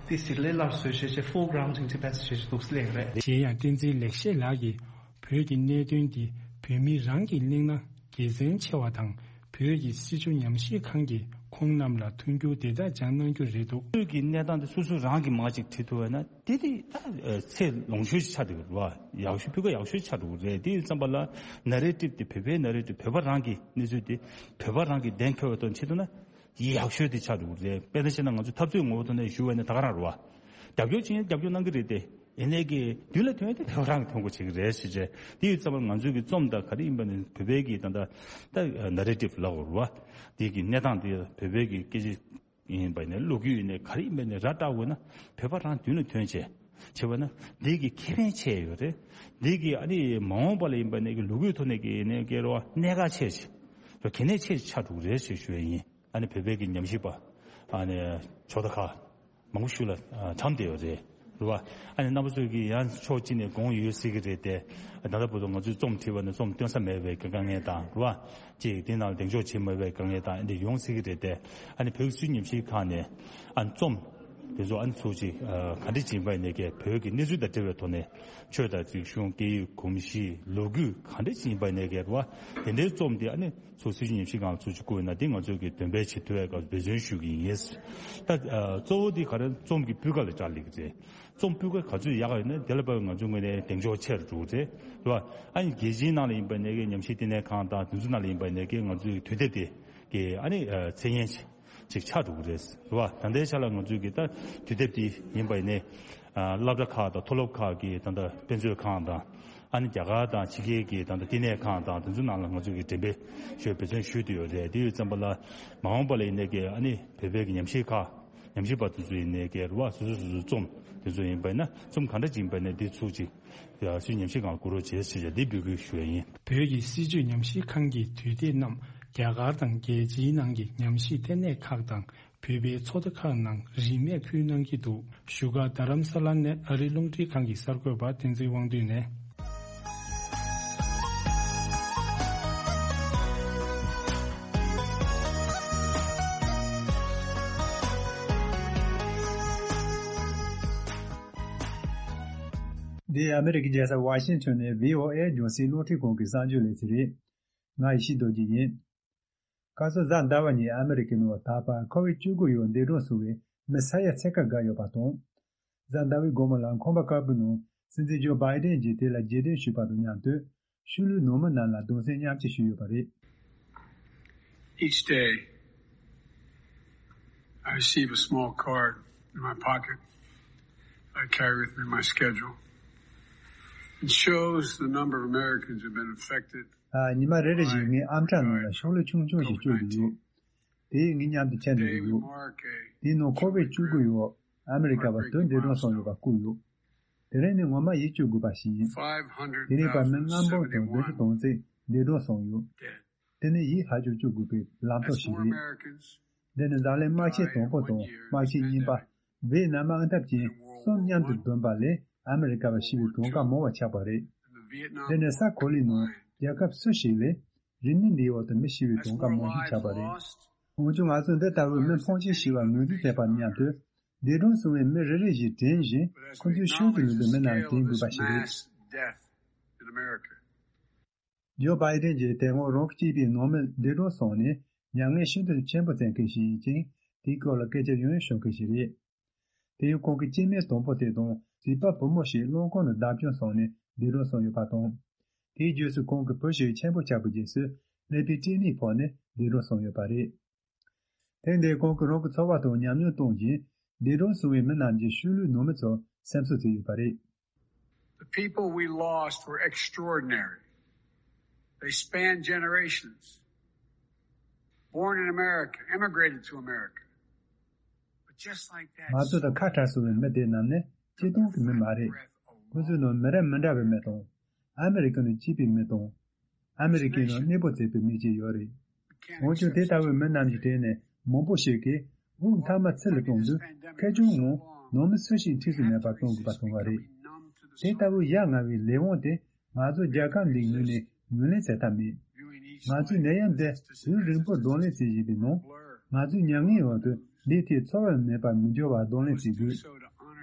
དེ་ཞིག་ལས་སླ་བཟོས་བྱས་བྱས། Foregrounding Tibet ཟེར་བྱས་འདུག་སླེབས་རེད། གཞན་ཡང་བསྟན་འཛིན་ལེགས་བཤད་ལགས་ཀྱིས། བོད་ཀྱི་གནད་དོན་འདི་བོད་མི་རང་གིས་གླེང་ན་དགེ་མཚན་ཆེ་བ་དང་། བོད་ཀྱི་སྲིད་བྱུས་ཉམས་ཞིབ་ཁང་གིས་ཁོང་རྣམས་ལ་མཐུན་འགྱུར་དེ་དག་སྦྱང་གནང་རྒྱུ་རེད་འདུག་བོད་ཀྱི་གནས་སྟངས་འདི་སོ་སོ་རང་གིས་མར་ཅིག་བྲིས་ཐུབ་པ་ན་དེ་དེ་ད་ཚད་ལོངས་ཤོར་ཅིག་ཆགས་འགྲོ་གི་རེད་བ། ཡག་ཤོས་སྤུས་ཀ་ཡག་ཤོས་ཆགས་འགྲོ་གི་རེད། དེ་ཡིན་ཙམ་པ་ལ་ནེ་རེ་ཊིབ་དེ་བོད་པའི་ནེ་རེ་ཊིབ་བོད་པ་རང་གི་གནས་ཚུལ་དེ་བོད་པ་རང་གིས་གདེང་འཁེལ་བའི་ཐོག་ནས་བྱེད་ཐུབ་ན། ཡག་ཤོས་དེ་ཆགས་འགྲོ་གི་རེད། དཔེར་ན་བཤད་ན་ང་ཚོ་འཐབ་རྩོད་ངོ་བོ་ཐོག་ནས་ཞུ་བ་ནི་ད་ག་རང་རེད་བ། རྒྱབ་སྐྱོར་བྱེད་ཡ་རྒྱབ་སྐྱོར་གནང་གི་རེད་དེ། ཡིན་ནའི་གི་མདུན་ལ་ཐོན་ཡ་དེ་བོད་རང་གི་ཐོན་དགོས་བྱེད་ཀྱི་རེད་ཟེར་བྱས། དེ་ཡི་ཙམ་པ་ང་ཚོའི་གི་རྩོམ་དང་ག་རེ་ཡིན་པ་ནི་བོད་པའི་གི་ད་ལྟ་ད་ནེ་རེ་ཊིབ་ལབ་དགོས་རེད་བ། དེ་གི་གནས་སྟངས་དེ་བོད་པའི་གི་སྐད་ཆ་ཡིན་པ་ནི་ལོ་རྒྱུས་ཡིན་ནའི་ག་རེ་ཡིན་པ་ནི་ར་སྤྲད་དགོས་ན་བོད་པ་རང་མདུན་ལ་ཐོན་བྱས་བྱས་པ་ན་འདི་གི་ཁེ་ཕན་ཆེ་ཡོད་རེད། འདི་གི་ཨ་ནི་མ་འོངས་པ་ལ་ཡིན་པ་ནི་གི་ལོ་རྒྱུས་ཐོག་ནས་གི་ནས་གི་རོ་གནད་འགག་ཆེ་ཆེ་གལ་གནད་ཆེ་ཆགས་འགྲོ་གི་རེད་ཞེས་ཞུ་ཡ་ཡིན། ཨ་ནི་བོད་པའི་གི་ཉམས་ཞིབ་པ་ཨ་ནི་ཇོ་བདག་ཁ་མང་པོ་ཞིག་ལ་ཨ་གྲམ་བསྡད་ཡོད་རེད། རེད་བ། ཨ་ནི་རྣམ་པ་ཚོས་ཀྱི་ཡང་ཕྱོགས་གཅིག་ནས་དགོངས་ཡོད་སྲིད་ཀྱི་རེད་དེ། ད་ལྟ་བར་དུ་ང་ཚོས་རྩོམ་བྲིས་པ་ནི་རྩོམ་སྟོན་ས་མེད་པའི་དཀའ་ངལ་དང་། རེད་བ། གཅིག་དེ་ནང་ལ་གདེང་འཇོག་བྱེད་མ་བའི་དཀའ་ངལ་དང་ཨ་འདི་ཡོང་སྲིད་ཀྱི་རེད་དེ། ཨ་ནི་བོད་ཀྱི་སྲིད་ཉམས་ཞིབ་ཁང་ནས་ཨ་ནི་རྩོམ་དེ་ཚོ་ཨ་ནི་ཚུགས་ཅིག་ག་འདྲ་ཅིག་ཡིན་པ་ཡིན་ནའི་གི་བོད་ཀྱི་གནས་ཚུལ་དང་འབྲེལ་བའི་ཐོག་ནས་ཆོས་དང་རིག་གཞུང་སྐད་ཡིག་གོམས་གཤིས་ལོ་རྒྱུས་ག་འདྲ་ཅིག་ཡིན་པ་ཡིན་ནའི་གི། རེད་བ། དེ་འདྲའི་རྩོམ་དེ་ཨ་ནི། སོ་སོའི་ཉམས་ཞིབ་སྒང་ཚུར་ཅིག་བསྐུར་ན་དེ་ང་ཚོས་ཀྱི་འདོན་སྤེལ་བྱེད་ཐུབ་པའི་སྐབས་འབད་བརྩོན་ཞུ་གི་ཡིན། ད་ཨ་གཙོ་བོ་དེ་ག་རེ་རྩོམ་གྱི་སྤུས་ཀ་ལ་བཀྲག་ལས་ཀྱི་རེད། རྩོམ་སྤུས་ཀ་ག་ཚོད་ཡག་ཡོད་ན་དེ་ལ་དཔག་པའི་ང་ཚོའི་ངོས་ནས་གདེང་འཇོག་ཆེ་རུ་འགྲོ་གི་རེད། རེད་བ། ཨ་ནི་རྒྱལ་སྤྱིའི་ནང་ལ་ཡིན་པ་ནས་ཀྱི་ཉམས་ཞིབ་ལྟེ་གནས་ཁང་དང་དེ་ཚོ་ནང་ལ་ཡིན་པ་ནས་ཀྱི་ང་ཚོའི་དུས་དེབ་དེ་གི་ཨ་ནི་ཨ་མཚན་སྙན་ཅིག་ཆགས་འགྲོ་གི་རེད། རེད་བ། ད་ལྟའི་ཆ་ལ་ང་ཚོའི་གི་ད་དུས་དེབ་དེ་ཡིན་པ་ཡིན་ནའི་ཨ་སློབ་གྲྭ་ཁག་དང་མཐོ་སློབ་ཁག་གི་ད་ལྟ་དཔེ་མཛོད་ཁང་དང་། ཨ་ནི་རྒྱ་གར་དང་ཕྱི་རྒྱལ་གྱི་ད་ལྟ་བསྟི་གནས་ཁང་དང་དེ་ཚོའི་ནང་ལ་ང་ཚོ་གིས་འགྲེམས་སྤེལ་ཞུ་འབད་བརྩོན་ཞུས་བསྡད་ཡོད་རེད། དེ་ཡོད་ཙམ་པ་ལ་མ་འོངས་པ་ལ་ཡིན་ནའི་གི་ཨ་ནི་བོད་པའི་གི་ཉམས་ཞིབ་ཁག་ཉམས་ཞིབ་པ་དེ་ཚོ་ཡིན་ནའི་གི་རེད་བ། སོ་སོ་སོ་སོའི་རྩོམ་དེ་ཚོ་ཡིན་པ་ཡིན་ན་རྩོམ་ག་འདྲ་ཅིག་ཡིན་པ་ཡིན་ནའི་དེ་ཚུར་ཅིག་ཡ་སུའི་ཉམས་ཞིབ་ཁང་བསྐུར་རོགས་བྱེད་ཟེར་བྱས་འདི་འབོད་སྐུལ་ཞུ་ཡ་ཡིན། བོད་ཀྱི་སྲིད་བྱུས་ཉམས་ཞིབ་ཁང་གི་དུས་དེབ་རྣམས་རྒྱ་གར་དང་རྒྱལ་སྤྱིའི་ནང་གི་ཉམས་ཞིབ་ལྟེ་གནས་ཁག་དང་། བོད་པའི་ཚོགས་སྡེ་ཁག་ནང་རིན་མེད་ཕུལ་གནང་གི་འདུག་བཞུགས་སྒར་རྡ་རམ་ས་ལ་ནས་ཨ་རིའི་རླུང་འཕྲིན་ཁང་གི་གསར་འགོད་པ་བསྟན་འཛིན་དབང་འདུས་ནས། འདི་ཨ་མི་རི་ཀའི་རྒྱལ་ས་ཝ་ཤིང་ཊོན་ནས་བྷི་ཨོ་ཨེ་རྒྱང་སྲིང་རླུང་འཕྲིན་ཁང་གི་གསར་འགྱུར་ལས་ཚན་རེད། ང་ཡེ་ཤེས་རྡོ་རྗེ་ཡིན། ཁ་སང་གཟའ་ཟླ་བ་ཉིན་ཨ་མི་རི་ཀའི་ནང་ད་བར་ཁོ་བིཌ་བཅུ་དགུ་ཡོད་འདས་གྲོངས་སོང་བའི་མི་ས་ཡ་ཕྱེད་ཀ་བརྒལ་ཡོད་པ་དང་། གཟའ་ཟླ་བའི་དགོང་མོ་ལ་ཁང་པ་དཀར་པོའི་ནང་སྲིད་འཛིན་ཇོ་བྷའི་ཌེན་གྱིས་དེ་ལ་རྗེས་དྲན་ཞུས་པ་དང་མཉམ་དུ་ཤུལ་ལུས་ནང་མི་རྣམས་ལ་གདུང་སེམས་མཉམ་སྐྱེད་ཞུས་ཡོད་པ་རེད། Each day, I receive a small card in my pocket I carry with me my schedule. It shows the number of Americans who've been affected. ཉི་མ་རེ་རེ་བཞིན་ངའི་ཨམ་ཕྲག་ནང་ལ་ཤོག་ལྷེ་ཆུང་ཆུང་ཞིག་བཅུག་གི་ཡོད། དེ་ངས་མཉམ་དུ་འཁྱེར་འགྲོ་གི་ཡོད། དེའི་ནང་ཁོ་བིཌ་བཅུ་དགུ་ཡོད་ཨ་མི་རི་ཀ་བ་དོན་འདས་གྲོངས་སོང་ཡོད་པ་བཀོད་ཡོད། དེ་རིང་ནི་ངོ་མ་ཡིད་སྐྱོ་དགོས་པ་ཞིག་ཡིན། དེ་རིང་བར་མི་ལྔ་འབུམ་དང་བདུན་ཅུ་དོན་གཅིག་འདས་གྲོངས་སོང་ཡོད། དེ་ནི་ཡིད་ཧ་ཅང་སྐྱོ་དགོས་པའི་ལམ་ཐོག་ཞིག་རེད། འདི་ནི་འཛམ་གླིང་དམག་ཆེན་དང་པོ་དང་དམག་ཆེན་གཉིས་པ་ཝེ་ནམ་དམག་འཐབ་ཅན་གསུམ་མཉམ་དུ་བསྡོམས་པ་ལས་ཨ་མི་རི་ཀ་བ་ཤི་བའི་གྲངས་ཀ་མང་བ་ཆགས་པ་རེད། འདི་ནི་ས་གོ་ལའི་ནང་རྒྱལ་ཁབ་སུ་ཞིག་ལས་རིག་གནས་འདིའི་འོག་ཏུ་མི་ཤི་བའི་གྲངས་ཀ་མང་ཤོས་ཆགས་པ་རེད། འོན་ཀྱང་ང་ཚོས་འདི་ལྟ་བུའི་མི་ཕོན་ཆེན་ཤི་བར་ངོས་འཛིན་བྱེད་པ་མཉམ་དུ། འདས་གྲོངས་སོང་བའི་མི་རེ་རེ་བཞིན་དྲན་བཞིན་ཁོ་ཚོའི་ཤུལ་དུ་མི་འདུག་མི་རྣམས་དྲན་དགོས་པ་ཞིག་རེད། ཇོ་བྷའི་ཌེན་གྱིས་དེ་སྔོན་རང་གི་གཅེས་པའི་ནང་མི་འདས་གྲོངས་སོང་ནས་མྱ་ངན་ཤིན་ཏུ་ཆེན་པོ་བསྩལ་མཁན་ཞིག་ཡིན་ཅིང་། དེའི་སྐོར་ལ་སྐད་ཆ་ཡང་ཡང་ཤོད་མཁན་ཞིག་རེད། དེ་ཡང་ཁོང་གི་སྐྱེ་དམན་དང་པོ་དེ་དང་བྱིས་པ་བུ་མོ་ཞིག་རླངས་འཁོར་ནང་བརྡབ་སྐྱོན་སོང་ནས་འདས་གྲོངས་སོང་ཡོད་པ་དང་། དེའི་རྗེས་སུ་ཁོང་གི་བུ་ཞིག་ཆེན་པོ་ཆགས་པའི་རྗེས་སུ་ ཀླད་པའི་སྐྲན་ནད་ཕོག་ནས་འདས་གྲོངས་སོང་ཡོད་པ་རེད། ཐེངས་འདིར་ཁོང་གིས་རང་གི་ཚོར་བ་དང་ཉམས་མྱོང་གཏོང་བཞིན། འདས་གྲོངས་སོང་བའི་མི་རྣམས་ཀྱི་ཤུལ་ལུས་ནང་མི་ཚོར་སེམས་གསོ་བྱས་ཡོད་པ་རེད། The people we lost were extraordinary. They spanned generations. Born in America, immigrated to America. But just like that, ང་ཚོ་དང་ཁ་བྲལ་སོང་བའི་མི་དེ་རྣམས་ནི་སྤྱིར་བཏང་གི་མི་མ་རེད། ཁོ་ཚོའི་ནང་མི་རབས་མི་འདྲ་བའི་མི་དང་། ཨ་མི་རི་ཀའི་ནང་སྐྱེས་པའི་མི་དང་། ཨ་མི་རི་ཀའི་ནང་གནས་སྤོ་བྱས་པའི་མི་བཅས་ཡོད་རེད། འོན་ཀྱང་དེ་ལྟ་བུའི་མི་རྣམས་ཀྱི་གྲས་ནས་མང་པོ་ཞིག་གིས་དབུགས་མཐའ་མ་ཚུར་ལ་གཏོང་དུས་ཁེར་རྐྱང་ངང་ནང་མི་སུ་ཞིག་འཁྲིས་སུ་མེད་པར་གཏོང་དགོས་པ་བྱུང་བ་རེད། དེ་ལྟ་བུའི་ཡ་ང་བའི་ལས་དབང་དེ་ང་ཚོ་རྒྱལ་ཁབ་འདིའི་ངོས་ནས་ངོས་ལེན་བྱེད་ཐབས་མེད། ང་ཚོའི་ནད་ཡམས་འདི་དུས་རིང་པོར་གདོང་ལེན་བྱེད་བཞིན་པའི་ནང་། ང་ཚོའི་མྱ་ངན་འོག་ཏུ་འདིའི་ཐད་ཚོར་བ་མེད་པར་མི་འགྱུར་བར་གདོང་ལེན་བྱེད་དགོས།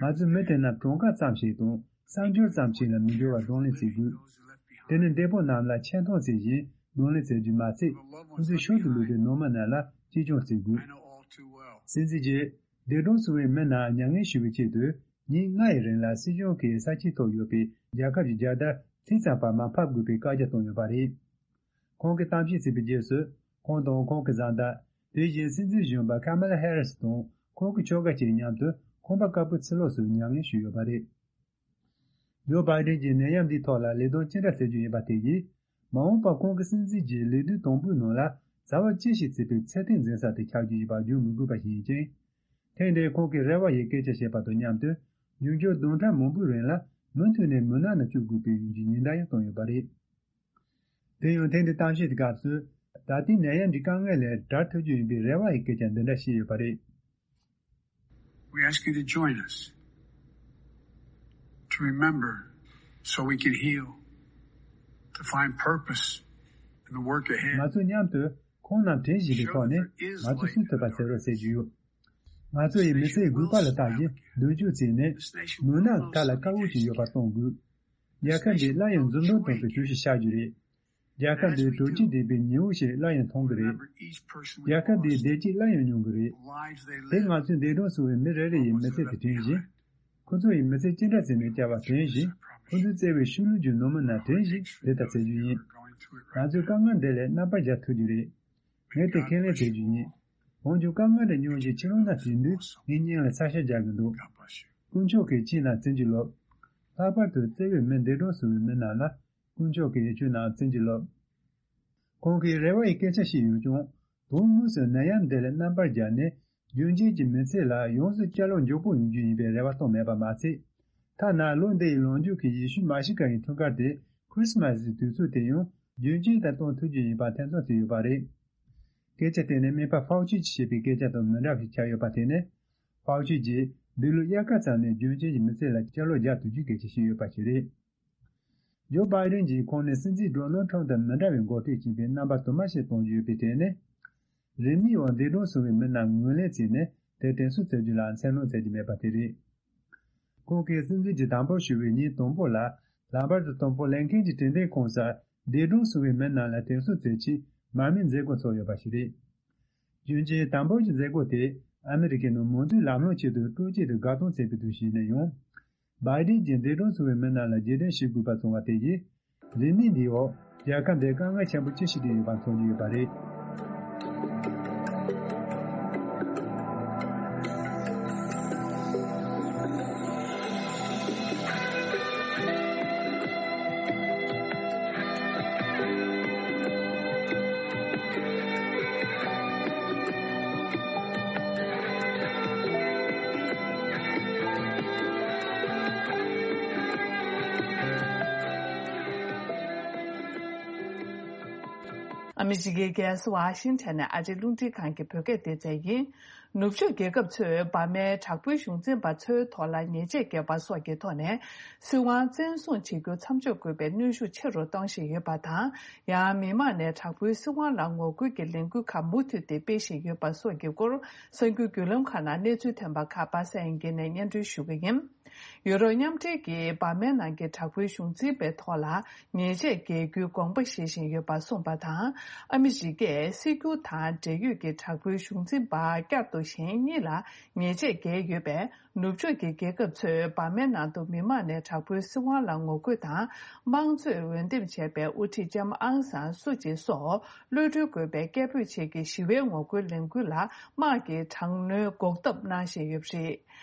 ང་ཚོའི་མི་དེ་རྣམས་གྲངས་ཀ་ཙམ་ཞིག་དང་། གསར་འབྱོར་ཙམ་ཞིག་ལ་མི་འགྱུར་བར་གདོང་ལེན་བྱེད་དགོས། དེ་ནི་འདས་པོ་རྣམས་ལ་ཆེ་མཐོང་བྱེད་བཞིན་གདོང་ལེན་བྱེད་རྒྱུ་མ་ཚད། ཁོ་ཚོའི་ཤུལ་དུ་ལུས་པའི་ནང་མི་རྣམས་ལ་གཅེས་སྐྱོང་བྱེད་དགོས། སྲིད་འཛིན་གྱིས་འདས་གྲོངས་སོང་བའི་མི་རྣམས་མྱ་ངན་ཞུ་བའི་ཆེད་དུ་ཉིན་ལྔ་ཡི་རིང་ལ་སྲིད་གཞུང་གིས་ས་ཆའི་ཐོག་ཡོད་པའི་རྒྱལ་ཁབ་ཀྱི་རྒྱལ་དར་ཐིག་ཙམ་བར་མ་ཕབ་དགོས་པའི་བཀའ་རྒྱ་བཏང་ཡོད་པ་རེད། ཁོང་གིས་གཏམ་བཤད་བྱས་པའི་རྗེས་སུ། ཁོང་དང་ཁོང་གི་བཟའ་ཟླ། དེ་བཞིན་སྲིད་འཛིན་གཞོན་པ་ཀ་མ་ལ་ཧེ་རིས་དང་ཁོང་གི་ཁྱོ་ག་བཅས་མཉམ་དུ་ཁང་པ་དཀར་པོའི་ཕྱི་ལོགས་སུ་མྱ་ངན་ཞུས་ཡོད་པ་རེད། ཇོ་བྷའི་ཌེན་གྱིས་ནད་ཡམས་འདིའི་ཐོག་ལ་ལས་དོན་ཅི་འདྲ་བྱེད་རྒྱུ་ཡིན་པ་དེ་ཡིས། མ་འོངས་པར་ཁོང་གི་སྲིད་འཛིན་གྱི་ལས་དུས་དང་པོའི་ནང་ལ་བྱ་བ་ཅི་ཞིག་བྱེད་པའི་ཚད་ལྡན་འཛིན་ས་དེ་ཆགས་རྒྱུ་ཡིན་པ་བརྗོད་མི་དགོས་པ་ཞིག་ཡིན་ཅིང་། ཐེངས་འདིར་ཁོང་གིས་རེ་བ་ཡི་སྐད་ཆ་བཤད་པ་དང་མཉམ་དུ། འབྱུང་འགྱུར་བདུན་ཕྲག་མང་པོའི་རིང་ལ་མུ་མཐུད་ནས་མུན་ནག་ནང་བཅུག་དགོས་པའི་ཡོང་རྒྱུའི་ཉེན་བརྡ་ཡང་བཏང་ཡོད་པ་རེད། དེ་ཡང་ཐེངས་འདིའི་གཏམ་བཤད་ཀྱི་སྐབས་སུ། ད་ལྟའི་ནད་ཡམས་ཀྱི་དཀའ་ངལ་ལས་བྲལ་ཐུབ་རྒྱུ་ཡིན་པའི་རེ་བ་ཡི་སྐད་ཆ་འདི་འདྲ་བཤད་ཡོད་པ་རེད། We ask you to join us, to remember, so we can heal, to find purpose in the work ahead. ང་ཚོ་མཉམ་དུ་ཁོང་རྣམས་དྲན་བཞིན་པའི་ཐོག་ནས་ང་ཚོ་སུན་ཐུབ་པ་བྱེད་རོགས་ཟེར་རྒྱུ་ཡོད། ང་ཚོ་ཡི་མི་ཚེའི་དགོས་པ་ལ་བལྟ་བཞིན་མདུན་སྐྱོད་བྱས་ནས། མུན་ནག་མཐའ་ལ་དཀར་པོ་ཞིག་ཡོད་པ་མཐོང་དགོས། རྒྱལ་ཁབ་འདི་སླར་ཡང་འཛུམ་མདངས་ཐོན་པའི་དུས་ཤིག་ཤར་རྒྱུ་རེད། རྒྱལ་ཁབ་འདིར་དྲོ་སྐྱིད་ལྡན་པའི་ཉི་འོད་ཞིག་སླར་ཡང་མཐོང་གི་རེད། རྒྱལ་ཁབ་འདིའི་བདེ་སྐྱིད་སླར་ཡང་མྱོང་གི་རེད། དེ་ང་ཚོས་འདས་གྲོངས་སོང་བའི་མི་རེ་རེ་ཡི་མི་ཚེ་དེ་དྲན་བཞིན། ཁོ་ཚོ་ཡི་མི་ཚེ་ཅི་འདྲ་བྱས་ནས་བསྐྱལ་བ་དྲན་བཞིན། ཁོ་ཚོས་བརྩེ་བའི་ཤུལ་ལུས་ཀྱི་ནང་མི་རྣམས་དྲན་བཞིན་དེ་ལྟར་བྱེད་རྒྱུ་ཡིན། ང་ཚོས་དཀའ་ངལ་འདི་ལས་རྣམ་པར་རྒྱལ་ཐུབ་རྒྱུ་རེད། ངས་དེ་ཁས་ལེན་བྱེད་རྒྱུ་ཡིན། འོན་ཀྱང་དཀའ་ངལ་འདི་མྱོང་བཞིན་ཕྱིར་ལོག་ན་དེ་དུས་ངའི་སྙིང་ལ་ཚ་ཤ་རྒྱག་གི་འདུག། དཀོན་མཆོག་གིས་ཁྱེད་རྣམས་བརྩོན་གྱིས་རློབས། ལྷག་པར་དུ་བརྩེ་བའི་མི་འདས་གྲོངས་སོང་བའི་མི་རྣམས་ལ་དཀོན་མཆོག་གིས་ཁྱོད་རྣམས་བརྩོན་གྱིས་རློབས། ཁོང་གིས་རེ་བ་ཡི་སྐད་ཆ་བཤད་ཡོད་ཀྱང་། དོན་དངོས་སུ་ནད་ཡམས་འདི་ལས་རྣམ་པར་རྒྱལ་ནས་རྒྱུན་གཅན་གྱི་མི་ཚེ་ལ་ཡོངས་སུ་བསྐྱར་ལོག་མགྱོགས་པོ་ཡོང་རྒྱུ་ཡིན་པའི་རེ་བ་བཏང་མེད་པ་མ་ཚད། ཐ་ན་ལོ་འདི་ཡི་ལོ་མཇུག་གི་ཡེ་ཤུ་མ་ཤི་ཀ་ཡི་འཁྲུངས་སྐར་དེ་ཁྲི་སི་མ་སི་ཡི་དུས་ཚོད་དེ་ཡང་རྒྱུན་གཅན་དུ་གཏོང་ཐུབ་རྒྱུ་ཡིན་པ་ཐེ་ཚོམ་ཟ་ཡོད་པ་རེད། སྐད་ཆ་དེ་ནི་སྨན་པ་ཧྥའོ་ཆི་གིས་བཤད་པའི་སྐད་ཆ་དང་མི་འདྲ་བ་ཞིག་ཆགས་ཡོད་པ་དེ་ནི། ཧྥའོ་ཆི་གིས་འདི་ལོའི་དབྱར་ཁ་ཙམ་ནས་རྒྱུན་གཅན་གྱི་མི་ཚེ་ལ་བསྐྱར་ལོག་རྒྱག་ཐུབ་རྒྱུའི་སྐད་ཆ་བཤད་ཡོད་པ་ཞིག་རེད། ཇོ་བྷའི་ཌེན་གྱིས་ཁོང་ནི་སྲིད་འཛིན་ཌོ་ནལ་ཁྲམ་དང་མི་འདྲ་བའི་འགོ་ཁྲིད་ཅིག་ཡིན་པའི་རྣམ་པ་དུ་མ་ཞིག་གཏོང་རྒྱུ་ཡོད་པའི་གྲས་ནི། རིན་མེད་འོག་འདས་གྲོངས་སོང་བའི་མི་རྣམས་ངོས་ལེན་བྱས་ནས་དེར་དྲན་གསོ་བྱ་རྒྱུ་ལ་འཚེར་སྣང་བྱེད་ཀྱི་མེད་པ་དེ་རེད། ཁོང་གིས་སྲིད་འཛིན་གྱི་དམ་པོར་ཞུ་བའི་ཉིན་དང་པོ་ལ་ལམ་བར་དུ་དང་པོ་ལིན་ཁན་གྱི་དྲན་རྟེན་ཁོངས་སུ་འདས་གྲོངས་སོང་བའི་མི་རྣམས་ལ་དྲན་གསོ་མཛད་ཆེད་མར་མེའི་མཛད་སྒོ་ཚོགས་ཡོད་པ་ཞིག་རེད། རྒྱུན་གཅན་དམ་པོར་གྱི་མཛད་སྒོ་དེ་ཨ་མི་རི་ཀའི་ནང་མང་གཙོའི་ལམ་ལྷོང་ཆེད་དུ་སྤྲོ་སྐྱིད་དུ་དགའ་སྟོན་བྱེད་པའི་དུས་ཤིག་ཡིན་ན་ཡང་། བྷའི་ཌེན་གྱིས་འདས་གྲོངས་སོང་བའི་མི་རྣམས་ལ་རྗེས་དྲན་ཞུ་དགོས་པ་བྱུང་བ་དེ་ཡིས། རིན་མེད་འདིའི་འོག་རྒྱལ་ཁབ་འདིར་དཀའ་ངལ་ཆེན་པོ་ཅི་ཞིག་བརྒྱབ་ཡོད་པ་མཚོན་རྒྱུ་ཡོད་པ་རེད། ཨ་མི་རི་ཀའི་རྒྱལ་ས་ཝ་ཤིང་ཊོན་ནས་ཨ་རིའི་རླུང་འཕྲིན་ཁང་གི་བོད་སྐད་སྡེ་ཚན་ཡིན། ནུབ་ཕྱོགས་རྒྱལ་ཁབ་ཚོས་འབར་མའི་དྲག་པོའི་གཞུང་འཛིན་པ་ཚོའི་ཐོག་ལ་ཉེས་ཆད་བཀལ་བ་སོགས་ཀྱི་ཐོག་ནས་སྲིད་དབང་བཙན་བཟུང་བྱེད་རྒྱུ་མཚམས་འཇོག་དགོས་པའི་གནོན་ཤུགས་ཆེ་རུ་གཏོང་བཞིན་ཡོད་པ་དང་། ཡང་མི་མང་ནས་དྲག་པོའི་སྲིད་དབང་ལ་ངོ་རྒོལ་གྱི་ལས་འགུལ་ཁག་མུ་མཐུད་དེ་སྤེལ་བཞིན་ཡོད་པ་སོགས་ཀྱི་སྐོར་གསར་འགྱུར་བརྒྱུད་ལམ་ཁག་ནང་གནས་ཚུལ་ཐོན་པ་ཁག་པ་སངས་དབྱངས་སྐྱིད་ནས་སྙན་སྒྲོན་ཞུ་གི་ཡིན། ཡུ་རོབ་མཉམ་འབྲེལ་གྱིས་འབར་མའི་ནང་གི་དྲག་པོའི་གཞུང་འཛིན་པའི་ཐོག་ལ་ཉེས་ཆད་འགེལ་རྒྱུའི་དགོངས་པ་བཞེས་བཞིན་ཡོད་པ་གསུངས་པ་དང་། ཨ་མི་རི་ཀས་སྲིད་སྐྱོང་དང་འབྲེལ་ཡོད་ཀྱི་དྲག་པོའི་གཞུང་འཛིན་པ་བསྐྱར་དུ་གཞན་གཉིས་ལ་ཉེས་ཆད་འགེལ་ཡོད་པས། ནུབ་ཕྱོགས་ཀྱི་རྒྱལ་ཁབ་ཚོས་འབར་མའི་ནང་དུ་མི་མང་ནས་དྲག་པོའི་སྲིད་དབང་ལ་ངོ་རྒོལ་དང་། དམངས་གཙོས་འོས་འདེམས་བྱས་པའི་དབུ་ཁྲིད་ལྕམ་ཨང་སང་སུ་ཅི་སོགས་གློད་གྲོལ་དགོས་པའི་སྐད་འབོད་བྱེད་ཀྱི་ཞི་བའི་ངོ་རྒོལ་ལས་འགུལ་ལ་དམག་གིས་དྲག་གནོན་འགོག་ཐབས་གནང་བཞིན་ཡོད་པ་རེད།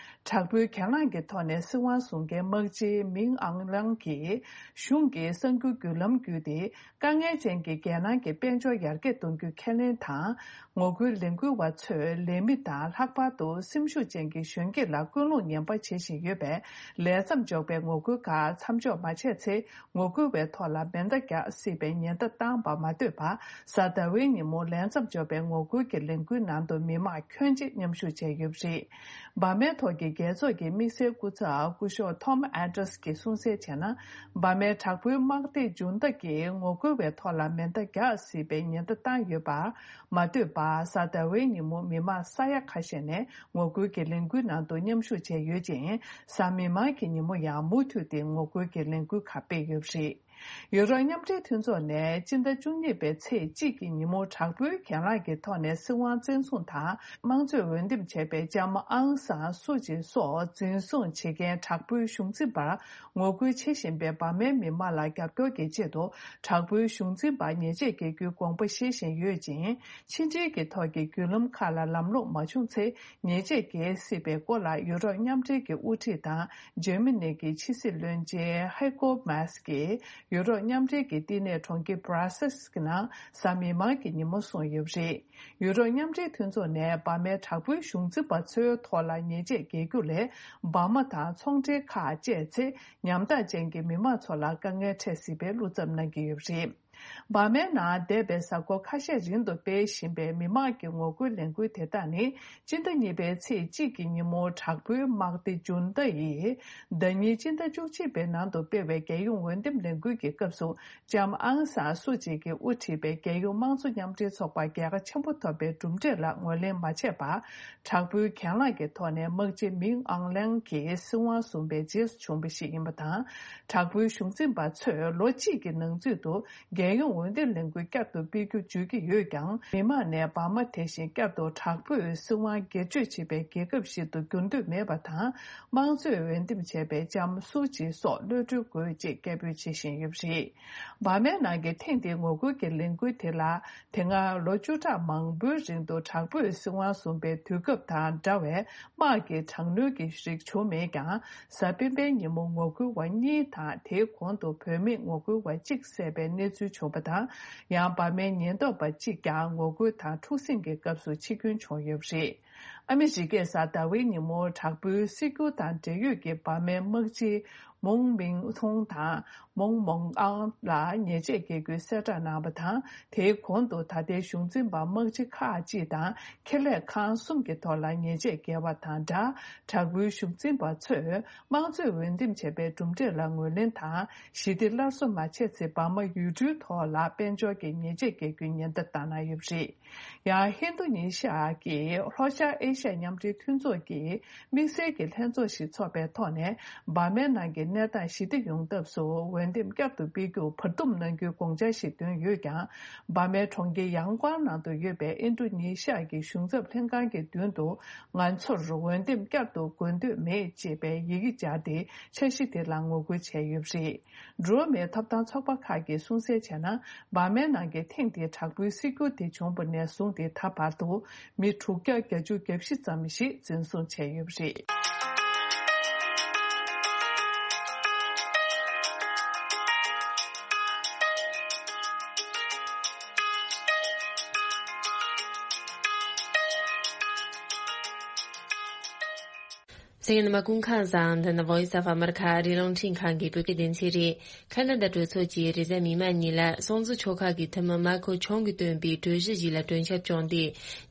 དྲག་པོའི་གྱེན་ལངས་ཀྱི་ཐོག་ནས་སྲིད་དབང་བཟུང་མཁན་དམག་སྤྱི་མིང་ཨང་ལང་གིས་གཞུང་གི་གསར་འགྱུར་བརྒྱུད་ལམ་བརྒྱུད་དེ། དཀའ་ངལ་ཅན་གྱི་རྒྱལ་ནང་གི་དཔལ་འབྱོར་ཡར་རྒྱས་གཏོང་རྒྱུ་ཁས་ལེན་དང་། ངོ་རྒོལ་ལས་འགུལ་བ་ཚོས་ལས་མི་དང་ལྷག་པར་དུ་སེམས་ཤུགས་ཅན་གྱི་གཞོན་སྐྱེས་ལ་སྐུལ་སློང་ངན་པ་བྱེད་བཞིན་ཡོད་པས། ལས་མཚམས་འཇོག་པའི་ངོ་རྒོལ་ཁག་མཚམས་འཇོག་མ་བྱས་ཚེ། ངོ་རྒོལ་བའི་ཐོག་ལ་མེ་མདའ་རྒྱག་སྲིད་པའི་ཉེན་བརྡ་བཏང་བ་མ་ཟད་པར། གཟའ་ཟླ་བའི་ཉིན་མོ་ལས་མཚམས་འཇོག་པའི་ངོ་རྒོལ་གྱི་ལས་འགུལ་ནང་དུ་མི་མང་ཁྱོན་ཆེ་མཉམ་ཞུགས་བྱས་ཡོད་པ་རེད། འབར་མའི་ཐོག་གི་རྒྱལ་ཚོགས་ཀྱི་དམིགས་བསལ་སྐུ་ཚབ་སྐུ་ཞབས་ཐོམ་ཨན་ཏྲས་ཀྱིས་གསུངས་གསལ་བྱས་ན། འབར་མའི་དྲག་པོའི་དམག་སྡེ་ཇུན་ཏ་གིས་ངོ་རྒོལ་བའི་ཐོག་ལ་མེ་མདའ་རྒྱག་སྲིད་པའི་ཉེན་བརྡ་བཏང་ཡོད་པ། མ་ཟད་པར། གཟའ་ཟླ་བའི་ཉིན་མོ་མི་མང་ས་ཡ་ཁ་ཤས་ནས་ངོ་རྒོལ་གྱི་ལས་འགུལ་ནང་དུ་མཉམ་ཞུགས་བྱས་ཡོད་ཅིང་། གཟའ་མིག་དམར་གྱི་ཉིན་མོ་ཡང་མུ་མཐུད་དེ་ངོ་རྒོལ་གྱི་ལས་འགུལ་ཁག་སྤེལ་ཡོད་པ་རེད། ཡུ་རོབ་མཉམ་འབྲེལ་མཐུན་ཚོགས་ནས་སྤྱི་ཟླ་བཅུ་གཉིས་པའི་ཚེས་གཅིག་གི་ཉིན་མོ་དྲག་པོའི་གྱེན་ལངས་ཀྱི་ཐོག་ནས་སྲིད་དབང་བཙན་བཟུང་དང་། དམངས་གཙོས་འོས་འདེམས་བྱས་པའི་ལྕམ་ཨང་སང་སུ་ཅི་སོགས་འཛིན་བཟུང་བྱེད་མཁན་དྲག་པོའི་གཞུང་འཛིན་པར་ངོ་རྒོལ་བྱེད་བཞིན་པའི་འབར་མའི་མི་མང་ལ་རྒྱབ་སྐྱོར་གྱི་ཆེད་དུ། དྲག་པོའི་གཞུང་འཛིན་པར་ཉེས་ཆད་འགེལ་རྒྱུའི་དགོངས་པ་བཞེས་བཞིན་ཡོད་ཅིང་། ཕྱི་འབྲེལ་གྱི་ཐོག་གི་བརྒྱུད་ལམ་ཁག་ལ་ལམ་ལྷོང་མ་བྱུང་ཚེ། ཉེས་ཆད་འགེལ་སྲིད་པའི་སྐོར་ལ་ཡུ་རོབ་མཉམ་འབྲེལ་གྱི་དབུ་ཁྲིད་དང་འཇར་མ་ནི་གི་ཕྱི་སྲིད་བློན་ཆེན་ཧའི་ཀོ་མཱས་ཀྱིས་ཡུ་རོབ་མཉམ་འབྲེལ་གྱི་བསྟི་གནས་གྲོང་ཁྱེར་Brussels་གྱི་ནང་གཟའ་མིག་དམར་གྱི་ཉིན་མོ་གསུངས་ཡོད་པ་རེད། ཡུ་རོབ་མཉམ་འབྲེལ་མཐུན་ཚོགས་ནས་འབར་མའི་དྲག་པོའི་གཞུང་འཛིན་པ་ཚོའི་ཐོག་ལ་ཉེས་ཆད་འགེལ་རྒྱུ་ལས། འབར་མ་དང་ཚོང་འབྲེལ་ཁག་བཅད་ཚེ། ཉམ་ཐག་ཅན་གྱི་མི་མང་ཚོ་ལ་དཀའ་ངལ་འཕྲད་སྲིད་པའི་བློ་འཚབ་གནང་གི་ཡོད་པ་རེད། འབར་མའི་ནང་འདས་པའི་གཟའ་འཁོར་ཁ་ཤས་རིང་དུ་སྤེལ་བཞིན་པའི་མི་མང་གི་ངོ་རྒོལ་ལས་འགུལ་དེ་དག་ནི། སྤྱི་ཟླ་གཉིས་པའི་ཚེས་གཅིག་གི་ཉིན་མོ་དྲག་པོའི་དམག་སྡེ་ཇུན་ཏ་ཡིས། ཟླ་ཉིན་སྤྱི་ཟླ་བཅུ་གཅིག་པའི་ནང་དུ་སྤེལ་བའི་རྒྱལ་ཡོངས་འོས་འདེམས་ལས་འགུལ་གྱི་སྐབས་སུ། ལྕམ་ཨང་སང་སུ་ཅི་གིས་དབུ་ཁྲིད་པའི་རྒྱལ་ཡོངས་དམངས་གཙོ་མཉམ་འབྲེལ་ཚོགས་པ་རྒྱལ་ཁ་ཆེན་པོ་ཐོབ་པའི་གྲུབ་འབྲས་ལ་ངོས་ལེན་མ་བྱས་པར། དྲག་པོའི་གྱེན་ལངས་ཀྱི་ཐོག་ནས་དམག་སྤྱི་མིང་ཨང་ལན་གྱི་སྲིད་དབང་བཟུང་བའི་རྗེས་སུ་བྱུང་བ་ཞིག་ཡིན་པ་དང་། དྲག་པོའི་གཞུང་འཛིན་པ་ཚོས་ལོ་གཅིག་གི་ནང་ཚུད་དུ། རྒྱལ་ཡོངས་འོས་འདེམས་ལས་འགུལ་བསྐྱར་དུ་སྤེལ་རྒྱུ་བརྗོད་ཀྱི་ཡོད་ཀྱང་། མི་མང་ནས་འབར་མ་དེ་བཞིན་བསྐྱར་དུ་དྲག་པོས་སྲིད་དབང་སྒེར་གཅོད་བྱེད་པའི་རྒྱལ་ཁབ་ཞིག་ཏུ་འགྱུར་འདོད་མེད་པ་དང་། དམངས་གཙོས་འོས་འདེམས་བྱས་པའི་ལྕམ་སུ་ཅི་སོགས་གློད་གྲོལ་དགོས་ཅེས་སྐད་འབོད་བྱེད་བཞིན་ཡོད་པ་རེད། འབར་མའི་ནང་གི་ཐེངས་འདིའི་ངོ་རྒོལ་གྱི་ལས་འགུལ་དེ་ལ། དེ་སྔ་ལོ་བཅུ་ཕྲག་མང་པོའི་རིང་དུ་དྲག་པོས་སྲིད་དབང་བཟུང་པའི་དུས་སྐབས་དང་འདྲ་བའི་དམག་གི་དྲག་གནོན་གྱི་རིགས་བྱུང་མེད་ཀྱང་། གཟའ་སྤེན་པའི་ཉིན་མོ་ངོ་རྒོལ་བ་གཉིས་དང་། དེའི་གོང་དུ་བོད་མི་ངོ་རྒོལ་བ་གཅིག་བསད་པའི་གནས་ཚུལ་བྱུང་བ་དང་། ཡང་འབར་མའི་ཉེན་རྟོག་པ་གཅིག་ཀྱང་ངོ་རྒོལ་དང་འཁྲུག་ཟིང་གི་སྐབས་སུ་འཆི་སྐྱོན་བྱུང་ཡོད་པ་རེད། ཨ་མི་རི་ཀས་གཟའ་ཟླ་བའི་ཉིན་མོ་དྲག་པོའི་སྲིད་སྐྱོང་དང་འབྲེལ་ཡོད་ཀྱི་འབར་མའི་དམག་སྤྱི་མོང་མིང་ཐུང་དང་མོང་མོང་ཨང་ལ་ཉེས་ཆད་འགེལ་རྒྱུའི་གསལ་བསྒྲགས་གནང་བ་དང་། དེའི་གོང་དུ་ད་ལྟའི་གཞུང་འཛིན་པ་དམག་སྤྱི་ཁག་ཅིག་དང་ཁེ་ལས་ཁང་གསུམ་གྱི་ཐོག་ལ་ཉེས་ཆད་འགེལ་བ་དང་སྦྲགས། དྲག་པོའི་གཞུང་འཛིན་པ་ཚོས་དམངས་གཙོས་འོས་འདེམས་བྱས་པའི་གྲུབ་འབྲས་ལ་ངོས་ལེན་དང་། ཞི་བདེ་སླར་གསོ་མ་བྱས་ཚེ། འབར་མ་ཡུལ་གྲུའི་ཐོག་ལ་དཔལ་འབྱོར་གྱི་ཉེས་ཆད་འགེལ་རྒྱུའི་ཉེན་བརྡ་བཏང་གནང་ཡོད་པ་རེད། ཡང་ཧིན་རྡུ་ཉི་ཤ་གི་ལྷོ་ཤར་ཨེ་ཤ་ཡ་མཉམ་འབྲེལ་མཐུན་ཚོགས་ཀྱི་དམིགས་བསལ་གྱི་ལྷན་ཚོགས་ཤིག་འཚོགས་པའི་ཐོག་ནས། འབར་མའི་ནང་གི་གནས་སྟངས་ཞི་བདེ་ཡོང་ཐབས་སུ་འོས་འདེམས་བསྐྱར་དུ་སྤེལ་རྒྱུར་བར་འདུམ་གནང་རྒྱུའི་དགོངས་འཆར་ཞིག་བཏོན་ཡོད་ཀྱང་། འབར་མའི་གྲོང་ཁྱེར་ཡང་ཀོང་ནང་དུ་ཡོད་པའི་ཨིན་རྡུ་ཉི་ཤ་གི་གཞུང་ཚབ་ལྷན་ཁང་གི་མདུན་དུ། ང་ཚོར་འོས་འདེམས་བསྐྱར་དུ་དགོས་འདོད་མེད་ཅེས་པའི་ཡི་གེ་སྦྱར་ཏེ། འཆར་གཞི་དེ་ལ་ངོ་རྒོལ་བྱས་ཡོད་པ་རེད། འགྲོ་བ་མིའི་ཐོབ་ཐང་ཚོགས་པ་ཁག་གིས་གསུངས་གསལ་བྱས་ན། འབར་མའི་ནང་གི་ཐེངས་འདིའི་དྲག་པོའི་སྲིད་འགྱུར་དེ་བྱུང་བ་ནས་བཟུང་སྟེ། ད་བར་དུ་མི་དྲུག་བརྒྱ་བརྒྱད་ཅུ་གྱ་བཞི་ཙམ་ཞིག་འཛིན་བཟུང་བྱས་ཡོད་པ་རེད། གསན་མཁན་རྣམ་པ་སྐུ་ཁམས་བཟང་། འདི་ནི་Voice of America ཨ་རིའི་རླུང་འཕྲིན་ཁང་གི་བོད་སྐད་སྡེ་ཚན་རེད། ཁ་ན་ཌ་གྲོས་ཚོགས་ཀྱིས་རེས་གཟའ་མིག་དམར་ཉིན་ལ་སྲོང་བཙན་ཆོལ་ཁ་གི་འཐུས་མི་མར་ཁེ་ཆུང་གིས་བཏོན་པའི་གྲོས་གཞི་ཞིག་ལ་གྲོས་འཆར་བསྐྱངས་ཏེ།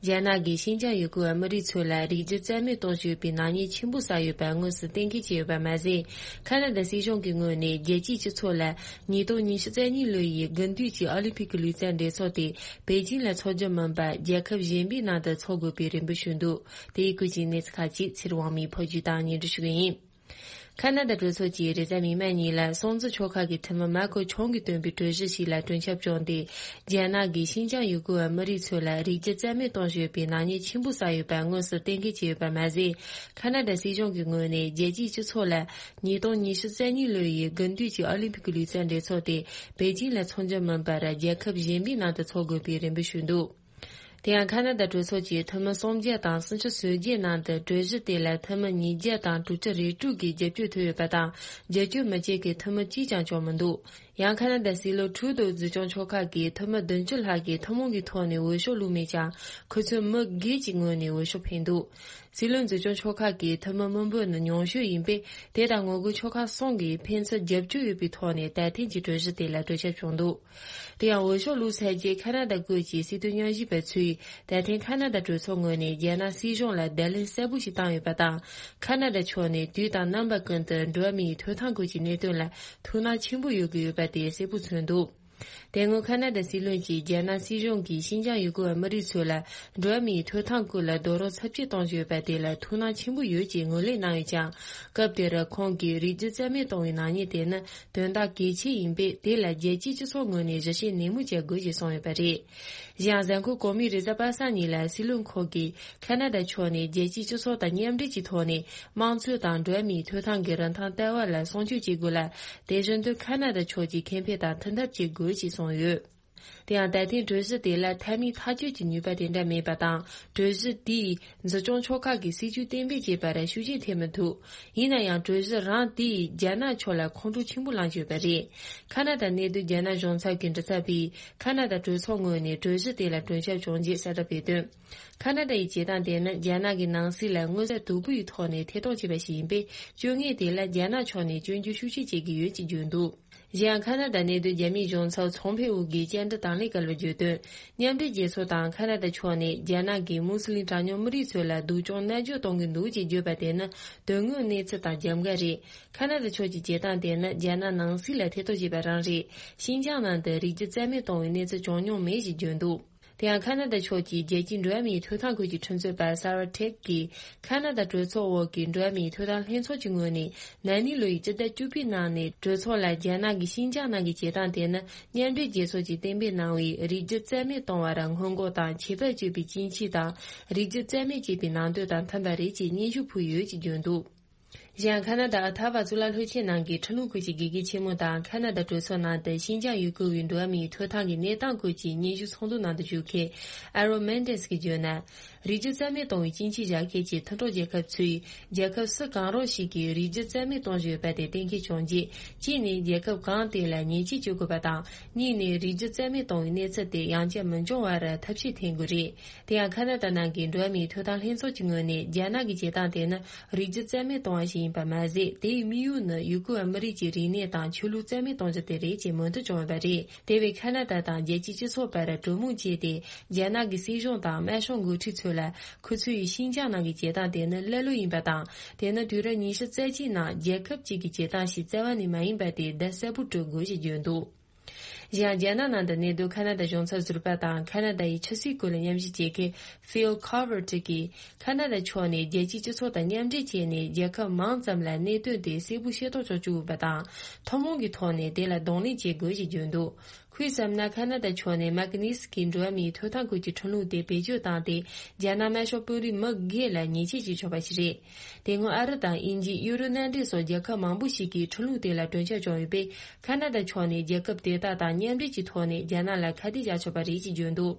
རྒྱ་ནག་གིས་ཤིན་ཅང་ཡུལ་གྱི་ཨ་མི་རིགས་ཚོ་ལ་རིགས་རྒྱུད་རྩ་མེད་གཏོང་བཞིན་ཡོད་པའི་ནག་ཉེས་ཆེན་པོ་བསགས་ཡོད་པ་དངོས་སུ་གཏན་འཁེལ་བྱས་ཡོད་པ་མ་ཟད། ཁ་ན་ཌ་སྲིད་གཞུང་གི་ངོས་ནས་རྒྱལ་སྤྱིའི་སྤྱི་ཚོགས་ལ་ཉིས་སྟོང་ཉི་ཤུ་རྩ་གཉིས་ལོ་ཡི་དགུན་དུས་ཀྱི་ཨོ་ལིམ་ཕིག་གི་ལུས་རྩལ་འགྲན་ཚོགས་དེ་པེ་ཅིང་ལ་འཚོགས་རྒྱུ་མིན་པར་རྒྱལ་ཁབ་གཞན་པའི་ནང་དུ་འཚོགས་དགོས་པའི་རེ་འབོད་ཞུས་འདུག་དེ་ཡི་སྐོར་གྱི་གནས་ཚུལ་ཁག་ཅིག་ཚེ་རིང་དབང་མོས་ཕབ་སྒྱུར་དང་སྙན་སྒྲོན་ཞུ་གི་ཡིན། ཁ་ན་ཌ་གྲོས་ཚོགས་ཀྱི་རེས་གཟའ་མིག་དམར་ཉིན་ལ་སྲོང་བཙན་ཆོལ་ཁ་གི་འཐུས་མི་མཱ་ཁོ་ཆོང་གིས་བཏོན་པའི་གྲོས་གཞི་ཞིག་ལ་གྲོས་འཆར་བྱུང་སྟེ། རྒྱ་ནག་གིས་ཤིན་ཅང་ཡུ་གུར་བ་མི་རིགས་ཚོ་ལ་རིགས་རྒྱུད་རྩ་མེད་གཏོང་བཞིན་ཡོད་པའི་ནག་ཉེས་ཆེན་པོ་བསགས་ཡོད་པ་དངོས་སུ་གཏན་འཁེལ་བྱས་ཡོད་པ་མ་ཟད། ཁ་ན་ཌ་སྲིད་གཞུང་གི་ངོས་ནས་རྒྱལ་སྤྱིའི་སྤྱི་ཚོགས་ལ་ཉིས་སྟོང་ཉི་ཤུ་རྩ་གཉིས་ལོ་ཡི་དགུན་དུས་ཀྱི་ཨོ་ལིམ་ཕིག་གི་ལུས་རྩལ་འགྲན་ཚོགས་དེ་པེ་ཅིང་ལ་འཚོགས་རྒྱུ་མིན་པར་རྒྱལ་ཁབ་གཞན་པའི་ནང་དུ་འཚོགས་དགོས་པའི་རེ་འབོད་ཞུས་འདུག་དེ་ཡང་ཁ་ན་ཌ་གྲོས་ཚོགས་ཀྱི་འཐུས་མི་སུམ་བརྒྱ་དང་སུམ་ཅུ་སོ་བརྒྱད་ནང་དུ་གྲོས་གཞི་དེ་ལ་འཐུས་མི་ཉིས་བརྒྱ་དང་དྲུག་ཅུ་རེ་དྲུག་གིས་རྒྱབ་སྐྱོར་ཐོབ་ཡོད་པ་དང་། རྒྱབ་སྐྱོར་མི་བྱེད་མཁན་འཐུས་མི་གཅིག་ཀྱང་བྱུང་མི་འདུག་ཡང་ཁ་ན་ཌ་སྲིད་བློན་ཁྲུ་དོ་འཛིན་སྐྱོང་ཕྱོགས་ཁག་གི་འཐུས་མི་བདུན་ཅུ་ལྷག་གིས་ཐུན་མོང་གི་ཐོག་ནས་འོས་ཤོག་བླུགས་མེད་ཀྱང་། ཁོ་ཚོས་མི་སྒེར་གྱི་ངོས་ནས་འོས་ཤོག་འཕེན་འདུག་སྲིད་བློན་འཛིན་སྐྱོང་ཕྱོགས་ཁག་གི་འཐུས་མི་མི་འབོར་ནི་ཉུང་ཤོས་ཡིན་པས། དེ་དང་ངོ་རྒོལ་ཕྱོགས་ཁག་གསུམ་གྱིས་ཕན་ཚུན་རྒྱབ་སྐྱོར་ཡོད་པའི་ཐོག་ནས་ད་ཐེངས་ཀྱི་གྲོས་གཞི་དེ་ལ་གྲོས་འཆར་བྱུང་འདུག་དེ་ཡང་འོས་ཤོག་བླུགས་ཚར་རྗེས་ཁ་ན་ཌ་སྐོར་གྱི་སྲིད་དོན་ཉམས་ཞིབ་པ་ཚོས། ད་ཐེངས་ཁ་ན་ཌ་གྲོས་ཚོགས་ངོས་ནས་རྒྱ་ནག་སྲིད་གཞུང་ལ་བརྡ་ལན་གསལ་པོ་ཞིག་བཏང་ཡོད་པ་དང་། ཁ་ན་ཌ་ཕྱོགས་ནས་དུས་དང་རྣམ་པ་ཀུན་ཏུ་འགྲོ་བ་མིའི་ཐོབ་ཐང་སྐོར་གྱི་གནད་དོན་ལ་ཐུགས་སྣང་ཆེན་པོ་ཡོད་ཀྱི་ཡོད་པ་དེ་གསལ་པོ་མཚོན་འདུག་དེ་སྔོན་ཁ་ན་ཌ་སྲིད་བློན་གྱིས་རྒྱ་ནག་སྲིད་གཞུང་གིས་ཤིན་ཅང་ཡུ་གུར་བ་མི་རིགས་ཚོ་ལ་འགྲོ་བ་མིའི་ཐོབ་ཐང་སྐོར་ལ་རྡོག་རོལ་ཚབས་ཆེ་གཏོང་བཞིན་ཡོད་པ་དེ་ལ་ཐུགས་སྣང་ཆེན་པོ་ཡོད་ཅེས་ངོས་ལེན་གནང་ཡོད་ཀྱང་། སྐབས་དེར་ཁོང་གིས་རིགས་རྒྱུད་རྩ་མེད་གཏོང་བའི་ནག་ཉེས་དེ་ནི་དོན་དག་གལ་ཆེ་ཡིན་པས། དེ་ལ་རྒྱལ་སྤྱིའི་སྤྱི་ཚོགས་ངོས་ནས་ཞིབ་བཤེར་ནན་མོ་བྱ་དགོས་ཞེས་གསུངས་ཡོད་པ་རེད། གཞན་གཟའ་འཁོར་གོང་མའི་རེས་གཟའ་པ་སངས་ཉིན་ལ་སྲིད་བློན་ཁོང་གིས་ཁ་ན་ཌ་ཕྱོགས་ནས་རྒྱལ་སྤྱིའི་སྤྱི་ཚོགས་དང་མཉམ་འབྲེལ་གྱི་ཐོག་ནས་དམངས་གཙོ་དང་འགྲོ་བ་མིའི་ཐོབ་ཐང་གི་རིན་ཐང་ལྟ་བ་ལ་སྲུང་སྐྱོབ་བྱེད་དགོས་ལ། དེ་བཞིན་དུ་ཁ་ན་ཌ་ཕྱོགས་ཀྱིས་ཁེ་ཕན་དང་མཐུན་ཐབས་བྱེད་དགོས་ཞེས་གསུངས་ཡོད། དེ་ཡང་ད་ཐེངས་གྲོས་གཞི་དེ་ལ་མཐའ་མའི་ཐག་གཅོད་ཀྱི་ནུས་པ་དེ་འདྲ་མེད་པ་དང་། གྲོས་གཞི་དེས་འཛིན་སྐྱོང་ཕྱོགས་ཁག་གི་སྲིད་ཇུས་གཏན་འབེབས་བྱས་པར་ཤུགས་རྐྱེན་ཐེབས་མི་ཐུབ། ཡིན་ན་ཡང་གྲོས་གཞི་རང་དེས་རྒྱ་ནག་ཕྱོགས་ལ་ཁོང་ཁྲོ་ཆེན་པོ་བསླངས་ཡོད་པ་རེད། ཁ་ན་ཌ་གནས་སྡོད་རྒྱ་ནག་གཞུང་ཚབ་ཀྱི་མགྲིན་ཚབ་པས་ཁ་ན་ཌ་གྲོས་ཚོགས་ངོས་ནས་གྲོས་གཞི་དེ་ལ་གྲོས་འཆར་བྱུང་རྗེས་གསལ་བསྒྲགས་སྤེལ་དོན། ཁ་ན་ཌ་ཡི་བྱེད་སྟངས་དེ་ནི་རྒྱ་ནག་གི་ནང་སྲིད་ལ་མངོན་གསལ་དོད་པོ་ཡི་ཐོག་ནས་ཐེ་གཏོགས་བྱས་པ་ཞིག་ཡིན་པས། སྤྱོད་ངན་དེ་ལ་རྒྱ་ནག་ཕྱོགས་ནས་སྐྱོན་བརྗོད་ཤུགས་ཆེ་བྱེད་ཀྱི་ཡོད་ཅེས་བརྗོད་འདུག་གཞན་ཡང་ཁ་ན་ཌ་གནས་སྡོད་རྒྱ་མིའི་གཞུང་ཚབ་ཚོང་ཕེ་ཝུ་གིས་བཅར་འདྲི་དང་ལེན་སྐབས་ལ་བརྗོད་དོན། མཉམ་འབྲེལ་རྒྱལ་ཚོགས་དང་ཁ་ན་ཌ་ཕྱོགས་ནས་རྒྱ་ནག་གི་མུ་སི་ལིམ་གྲངས་ཉུང་མི་རིགས་ཚོ་ལ་སྡུག་སྦྱོང་མནར་གཅོད་གཏོང་གི་འདུག་ཅེས་བརྗོད་པ་དེ་ནི་དོན་དངོས་གནས་ཚུལ་དང་རྒྱབ་འགལ་རེད། ཁ་ན་ཌ་ཕྱོགས་ཀྱི་བྱེད་སྟངས་དེ་ནི་རྒྱ་ནག་ནང་སྲིད་ལ་ཐེ་གཏོགས་བྱས་པ་རང་རེད། ཤིན་ཅང་ནང་དུ་རིགས་རྒྱུད་རྩ་མེད་གཏོང་བའི་གནས་ཚུལ་བྱུང་མྱོང་མེད་ཅེས་བརྗོད་འདུག་དེ་ཡང་ཁ་ན་ཌ་ཕྱོགས་ཀྱི་རྒྱལ་སྤྱིའི་འགྲོ་བ་མིའི་ཐོབ་ཐང་ཁུལ་གྱི་ཁྲིམས་རྩོད་པ་སར་བ་ཐེག་གིས་ཁ་ན་ཌ་གྲོས་ཚོགས་འོག་གི་འགྲོ་བ་མིའི་ཐོབ་ཐང་ལྷན་ཚོགས་ཀྱི་ངོས་ནས་ན་ནིང་ལོ་ཡི་སྤྱི་ཟླ་བཅུ་པའི་ནང་ནས་གྲོས་ཚོགས་ལ་རྒྱ་ནག་གིས་ཤིན་ཅང་ནང་གི་བྱེད་སྟངས་དེ་ནི་མཉམ་འབྲེལ་རྒྱལ་ཚོགས་ཀྱིས་གཏན་འབེབས་གནང་བའི་རིགས་རྒྱུད་རྩ་མེད་གཏོང་བར་སྔོན་འགོག་དང་ཁྱད་པར་གཅོད་པའི་སྐྱིན་ཆས་དང་། རིགས་རྒྱུད་རྩ་མེད་ཅེས་པའི་ནང་དོན་དང་མཐུན་པ་རེད་ཅེས་སྙན་ཞུ་ཕུལ་ཡོད་ཅེས་བརྗོད་འདུག་གཞན་ཁ་ན་ཌ་ཨ་ཐ་བ་གཙུག་ལག་སློབ་ཆེན་ནང་གི་ཁྲིམས་ལུགས་ཁུལ་གྱི་དགེ་རྒན་ཆེན་མོ་དང་ཁ་ན་ཌ་གྲོས་ཚོགས་ནང་དུ་ཤིན་ཅང་ཡུ་གུར་བའི་འགྲོ་བ་མིའི་ཐོབ་ཐང་གི་གནས་སྟངས་སྐོར་གྱི་སྙན་ཞུ་ཚོགས་འདུ་ནང་དུ་ཞུགས་མཁན་ཨ་རོ་མེན་ཏེས་ཀྱིས་བརྗོད་ན། རིགས་རྒྱུད་རྩ་མེད་གཏོང་བའི་སྐྱིན་ཆས་བཞག་མཁན་གྱི་མཐུན་གྲོགས་རྒྱལ་ཁབ་ཚོས་རྒྱལ་ཁབ་སུ་གང་རུང་ཞིག་གིས་རིགས་རྒྱུད་རྩ་མེད་གཏོང་བཞིན་ཡོད་པ་དེ་གཏན་འཁེལ་བྱུང་རྗེས། གཅིག་ནས་རྒྱལ་ཁབ་གང་དེ་ལ་ཉེས་ཆད་གཅོད་དགོས་པ་དང་། གཉིས་ནས་རིགས་རྒྱུད་རྩ་མེད་གཏོང་བའི་གནས་ཚུལ་དེ་ཡང་བསྐྱར་མི་འབྱུང་བར་ཐབས་ཤེས་འཐེན་དགོས་རེད། དེ་ཡང་ཁ་ན་ཌ་ནང་གི་འགྲོ་བ་མིའི་ཐོབ་ཐང་ལྷན་ཚོགས་ཀྱི་ངོས་ནས་རྒྱ་ནག་གི་བྱེད་སྟངས་དེ་ནི་རིགས་རྒྱུད་རྩ་མེད་གཏོང་བ་ཞིག་ཡིན་པ་མ་ཟད། དེའི་དམིགས་ཡུལ་ནི་ཡུ་གུར་བ་མི་རིགས་ཀྱི་རིག་གནས་དང་ཆོས་ལུགས་རྩ་མེད་གཏོང་རྒྱུ་དེ་རེད་ཅེས་མོས་མཐུན་བྱུང་ཡོད་པ་རེད། དེ་བས་ཁ་ན་ཌ་དང་རྒྱལ་སྤྱིའི་སྤྱི་ཚོགས་བར་གྲོས་མོལ་བྱས་ཏེ། རྒྱ་ནག་གི་སྲིད་གཞུང་དང་དམར་ཤོག་འགོ་ཁྲིད་ཚོ་ལ་ཁོ་ཚོས་ཤིན་ཅང་ནང་གི་བྱེད་སྟངས་དེ་ནི་ཀླད་ཀློ་ཡིན་པ་དང་། དེ་ནི་དུས་རབས་ཉི་ཤུ་རྩ་གཅིག་ནང་རྒྱལ་ཁབ་ཅིག་གི་བྱེད་སྟངས་ཤིག་རྩ་བ་ནས་མ་ཡིན་པ་དེ་བརྡ་གསལ་པོ་སྤྲོད་དགོས་ཞེས་བརྗོད་འདུག་གཞན་རྒྱ་ནག་ནང་དུ་གནས་སྡོད་ཁ་ན་ཌ་གཞུང་ཚབ་ཟུར་པ་དང་ཁ་ན་ཌ་ཡི་ཆབ་སྲིད་སྐོར་ལ་མཉམ་ཞུགས་བྱེད་མཁན་Phil Covert གྱིས་ཁ་ན་ཌ་ཕྱོགས་ནས་རྒྱལ་སྤྱིའི་སྤྱི་ཚོགས་དང་མཉམ་འབྲེལ་བྱས་ནས་རྒྱལ་ཁབ་མང་ཙམ་ལ་གནད་དོན་དེ་གསལ་པོ་ཤེས་རྟོགས་ཆོག་བཅུག་དགོས་པ་དང་། ཐུན་མོང་གི་ཐོག་ནས་དེ་ལ་གདོང་ལེན་བྱེད་དགོས་ཞེས་བརྗོད་འདུག་ཁོས་བསམ་ན་ཁ་ན་ཌ་ཕྱོགས་ནས་མག་ནི་སི་ཀི་འགྲོ་བ་མིའི་ཐོབ་ཐང་སྐོར་གྱི་ཁྲིམས་ལུགས་དེ་བེད་སྤྱོད་བཏང་སྟེ། རྒྱ་ནག་དམར་ཤོག་དཔོན་རིགས་མི་སྒེར་ལ་ཉེས་ཆད་གཅོད་ཆོག་པ་ཞིག་རེད། དེ་སྔོན་ཨ་རི་དང་དབྱིན་ཇི། ཡུ་རོབ་མནའ་འབྲེལ་སོགས་རྒྱལ་ཁབ་མང་པོ་ཞིག་གིས་ཁྲིམས་ལུགས་དེ་ལ་གྲོས་འཆར་བྱུང་ཡོད་པས། ཁ་ན་ཌ་ཕྱོགས་ནས་རྒྱལ་ཁབ་དེ་དག་དང་མཉམ་འབྲེལ་གྱི་ཐོག་ནས་རྒྱ་ནག་ལ་ཁ་གཏད་བཅག་ཆོག་པ་རེད་ཅེས་བརྗོད་འདུག་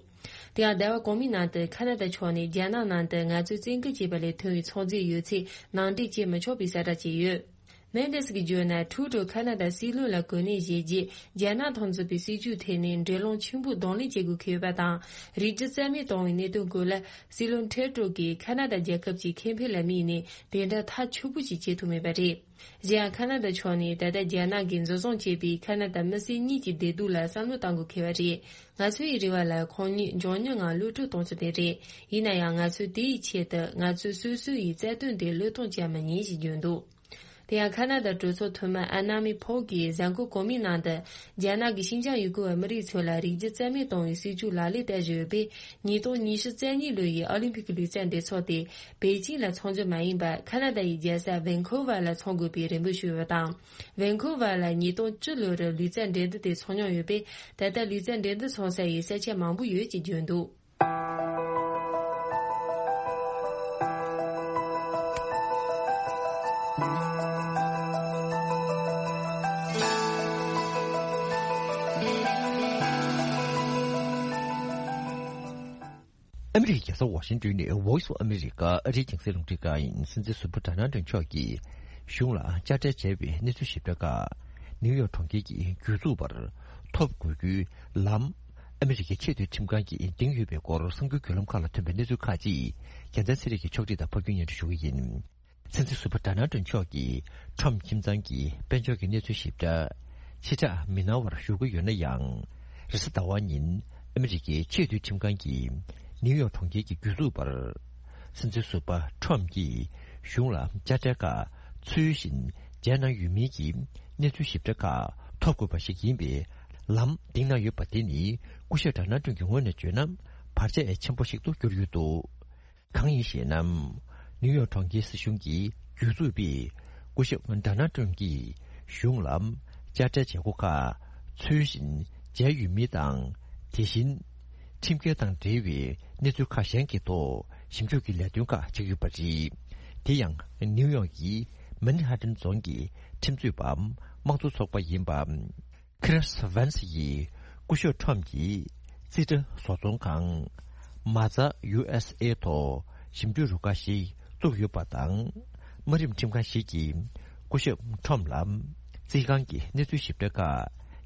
དེ་ཡང་ཟླ་བ་གོང་མའི་ནང་དུ་ཁ་ན་ཌ་ཕྱོགས་ནས་རྒྱ་ནག་ནང་དུ་ང་ཚོས་བཙན་སྐུལ་བྱས་པ་ལས་ཐོན་པའི་ཚོང་རྫས་ཡོད་ཚད་ནང་འདྲེན་བྱེད་མི་ཆོག་པའི་གསལ་བསྒྲགས་བྱས་ཡོད། མེན་ཏེས་ཀྱིས་བརྗོད་ན། ཁྲུ་ཏྲོ་ཁ་ན་ཌ་སྲིད་བློན་ལ་གོ་གནས་བཞེས་རྗེས། རྒྱ་ནག་དང་མཚུངས་པའི་སྲིད་ཇུས་ཐད་ནས་འགྲན་སློང་ཆེན་པོ་གདོང་ལེན་བྱེད་དགོས་ཁེལ་ཡོད་པ་དང་། རིགས་རྒྱུད་རྩ་མེད་གཏོང་བའི་གནད་དོན་སྐོར་ལ་སྲིད་བློན་ཁྲེ་ཏྲོ་གིས་ཁ་ན་ཌ་རྒྱལ་ཁབ་ཀྱི་ཁེ་ཕན་ལ་དམིགས་ནས་དེ་འདྲ་ཐག་ཆོད་པོ་ཞིག་བྱེད་ཐུབ་མེད་པ་རེད། གཞན་ཡང་ཁ་ན་ཌ་ཕྱོགས་ནས་ད་ལྟ་རྒྱ་ནག་གིས་འཛིན་བཟུང་བྱས་པའི་ཁ་ན་ཌ་མི་སེར་གཉིས་ཀྱི་བདེ་སྡུག་ལ་བསམ་བློ་གཏང་དགོས་ཁེལ་བ་རེད། ང་ཚོའི་རེ་བ་ལ་ཁོང་གཉིས་མགྱོགས་མྱུར་ངང་གློད་གྲོལ་གཏོང་རྒྱུ་དེ་རེད། ཡིན་ན་ཡང་ང་ཚོས་དེའི་ཆེད་དུ་ང་ཚོས་སོ་སོ་ཡི་རྩ་དོན་དེ་བློས་གཏོང་བྱ་མི་ཉན་ཞེས་བརྗོད་འདུག་དེ་ཡང་ཁ་ན་ཌ་གྲོས་ཚོགས་འཐུས་མི་ཨན་ན་མི་ཕོག་གིས་གཟའ་འཁོར་གོང་མའི་ནང་དུ། རྒྱ་ནག་གིས་ཤིན་ཅང་ཡུལ་སྐོར་བ་མི་རིགས་ཚོ་ལ་རིགས་རྒྱུད་རྩ་མེད་གཏོང་བའི་སྲིད་ཇུས་ལག་ལེན་བསྟར་བཞིན་ཡོད་པས། ཉིས་སྟོང་ཉི་ཤུ་རྩ་གཉིས་ལོ་ཡི་ཨོ་ལིམ་ཕིག་གི་ལུས་རྩལ་འགྲན་ཚོགས་དེ་པེ་ཅིང་ལ་འཚོགས་རྒྱུ་མ་ཡིན་པར། ཁ་ན་ཌ་ཡི་རྒྱལ་ས་ཝན་ཁོ་ཝར་ལ་འཚོགས་དགོས་པའི་རེ་འབོད་ཞུས་ཡོད་པ་དང་། ཝན་ཁོ་ཝར་ལ་ཉིས་སྟོང་བཅུ་ལོ་རུ་ལུས་རྩལ་འགྲན་བསྡུར་དེ་འཚོགས་མྱོང་ཡོད་པས། ད་ལྟ་ལུས་རྩལ་འགྲན་བསྡུར་འཚོགས་ས་ཡི་ས་ཆ་མང་པོ་ཡོད་ཅེས་བརྗོད་འདུག། ཨ་མི་རི་ཀའི་རྒྱལ་ས་ཝ་ཤིང་ཏོན་ནས་Voice of America ཨ་རིའི་རྒྱང་སྲིང་རླུང་འཕྲིན་ཁང་ཡིན། སྲིད་འཛིན་ཟུར་པ་ཌོ་ནལ་ཊམ་མཆོག་གིས་གཞུང་ལ་དཔྱ་ཁྲལ་བྱས་པའི་གནས་ཚུལ་ཞིབ་ཕྲ་ཁག་ནིའུ་ཡོག་གྲོང་ཁྱེར་གྱི་གྱོད་འཛུགས་པར་ཐོབ་དགོས་རྒྱུའི་ལམ། ཨ་མི་རི་ཀའི་ཆེས་མཐོའི་ཁྲིམས་ཁང་གིས་འདིང་ཡོད་པའི་སྐོར་གསར་འགྱུར་བརྒྱུད་ལམ་ཁག་ལ་ཐོན་པའི་གནས་ཚུལ་ཁག་ཅིག་རྒྱལ་མཚན་ཚེ་རིང་གིས་ཕྱོགས་སྒྲིག་དང་ཕབ་སྒྱུར་སྙན་སྒྲོན་ཞུ་གི་ཡིན། སྲིད་འཛིན་ཟུར་པ་ཌོ་ནལ་ཊམ་མཆོག་གིས་ཁྲོམ་ཁྱིམ་ཚང་གི་དཔལ་འབྱོར་གྱི་གནས་ཚུལ་ཞིབ་ཕྲ་ཕྱི་བསྒྲགས་མི་གནང་བར་བཞུགས་ཀྱི་ཡོད་ན་ཡང་། རེས་གཟའ་ཟླ་བ་ཉིན་ཨ་མི་རི་ཀའི་ཆེས་མཐོའི་ཁྲིམས་ཁང་གིས་ནིའུ་ཡོག་གྲོང་ཁྱེར་གྱི་གྱོད་འཛུགས་པར། སྲིད་འཛིན་ཟུར་པ་ཁྲོམ་གྱིས་གཞུང་ལ་དཔྱ་ཁྲལ་ཁག་ཚུལ་བཞིན་འཇལ་གནང་ཡོད་མིན་གྱི་གནས་ཚུལ་ཞིབ་ཕྲ་ཁག་ཐོབ་དགོས་པ་ཞིག་ཡིན་པའི་ལམ་འདིང་གནང་ཡོད་པ་དེ་ནི་སྐུ་ཞབས་ཌོ་ནལ་ཊམ་གྱི་ངོས་ནས་བརྗོད་ན་བར་ཆད་ཆེན་པོ་ཞིག་ཏུ་གྱུར་ཡོད་འདུག། གང་ཡིན་ཞེ་ན། ནིའུ་ཡོག་གྲོང་ཁྱེར་སྲིད་གཞུང་གི་གྱོད་འཛུགས་པས་སྐུ་ཞབས་ཌོ་ནལ་ཊམ་གྱིས་གཞུང་ལ་དཔྱ་ཁྲལ་བྱེད་སྒོ་ཁག་ཚུལ་བཞིན་འཇལ་ཡོད་མིན་དང་། དེ་བཞིན་ཁྲིམས་འགལ་དང་འབྲེལ་བའི་གནས་ཚུལ་ཁག་གཞན་གྱི་ཐོག་ཞིབ་འཇུག་གི་ལས་དོན་ཁག་བྱེད་ཀྱི་ཡོད་པ་རེད། དེ་ཡང་ནིའུ་ཡོག་གི་མན་ཧ་ཏན་རྫོང་གི་ཁྲིམས་རྩོད་པ་དམངས་གཙོ་ཚོགས་པ་ཡིན་པ། ཁི་རིས་ཝན་སི་ཡིས་སྐུ་ཞབས་ཁྲོམ་གྱི་རྩིས་ཁྲ་བཟོ་ཚོང་ཁང་མ་ཛ་ཡུ་ཨེས་ཨེ་ཐོག་ཞིབ་འཇུག་རུ་ཁག་ཞིག་བཙུགས་ཡོད་པ་དང་། དམའ་རིམ་ཁྲིམས་ཁང་ཞིག་གིས་སྐུ་ཞབས་ཁྲོམ་ལ་རྩིས་ཁང་གི་གནས་ཚུལ་ཞིབ་ཕྲ་ཁག་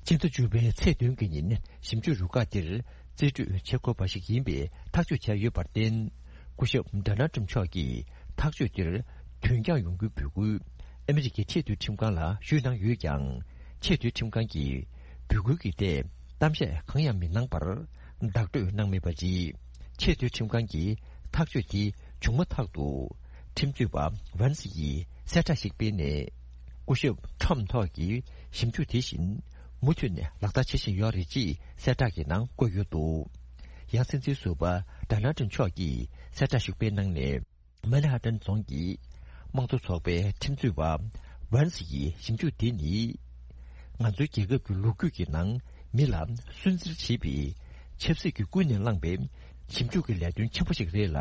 ཕྱི་ཟླ་བཅུ་པའི་ཚེས་བདུན་གྱི་ཉིན་ཞིབ་འཇུག་རུ་ཁག་འདིར་རྩིས་སྤྲོད་བྱེད་དགོས་པ་ཞིག་ཡིན་པའི་ཐག་གཅོད་བྱས་ཡོད་པར་བརྟེན། སྐུ་ཞབས་ཌོ་ནལ་ཊམ་མཆོག་གིས་ཐག་གཅོད་འདིར་དོན་འཁྱོངས་ཡོང་རྒྱུའི་འབོད་སྐུལ་ཨ་མི་རི་ཀའི་ཆེས་མཐོའི་ཁྲིམས་ཁང་ལ་ཞུས་གནང་ཡོད་ཀྱང་། ཆེས་མཐོའི་ཁྲིམས་ཁང་གིས་འབོད་སྐུལ་གྱི་ཐད་གཏམ་བཤད་གང་ཡང་མི་གནང་བར་བདག་སྤྲོད་གནང་མེད་པ་རེད། ཆེས་མཐོའི་ཁྲིམས་ཁང་གིས་ཐག་གཅོད་དེ་བྱུང་མ་ཐག་ཏུ་ཁྲིམས་རྩོད་པ་ཝན་སི་ཡིས་གསལ་བསྒྲགས་ཤིག་སྤེལ་ནས། སྐུ་ཞབས་ཁྲོམ་ཐོག་གི་ཞིབ་འཇུག་དེ་བཞིན་མུ་མཐུད་ནས་ལག་བསྟར་བྱེད་བཞིན་ཡོད་རེད་ཅེས་གསལ་བསྒྲགས་ཀྱི་ནང་བཀོད་ཡོད་འདུག། ཡང་སྲིད་འཛིན་ཟུར་པ་ཌོ་ནལ་ཊམ་མཆོག་གིས་གསལ་བསྒྲགས་ཤིག་སྤེལ་གནང་ནས། མན་ཧ་ཏན་རྫོང་གི་དམངས་གཙོ་ཚོགས་པའི་ཁྲིམས་རྩོད་པ་ཝན་སི་ཡི་ཞིབ་འཇུག་དེ་ནི། ང་ཚོའི་རྒྱལ་ཁབ་ཀྱི་ལོ་རྒྱུས་ཀྱི་ནང་མི་ལ་སུན་གཙེར་བྱེད་པའི་ཆབ་སྲིད་ཀྱི་ཀུན་ནས་བསླངས་པའི་ཞིབ་འཇུག་གི་ལས་དོན་ཆེན་པོ་ཞིག་རེད་ལ།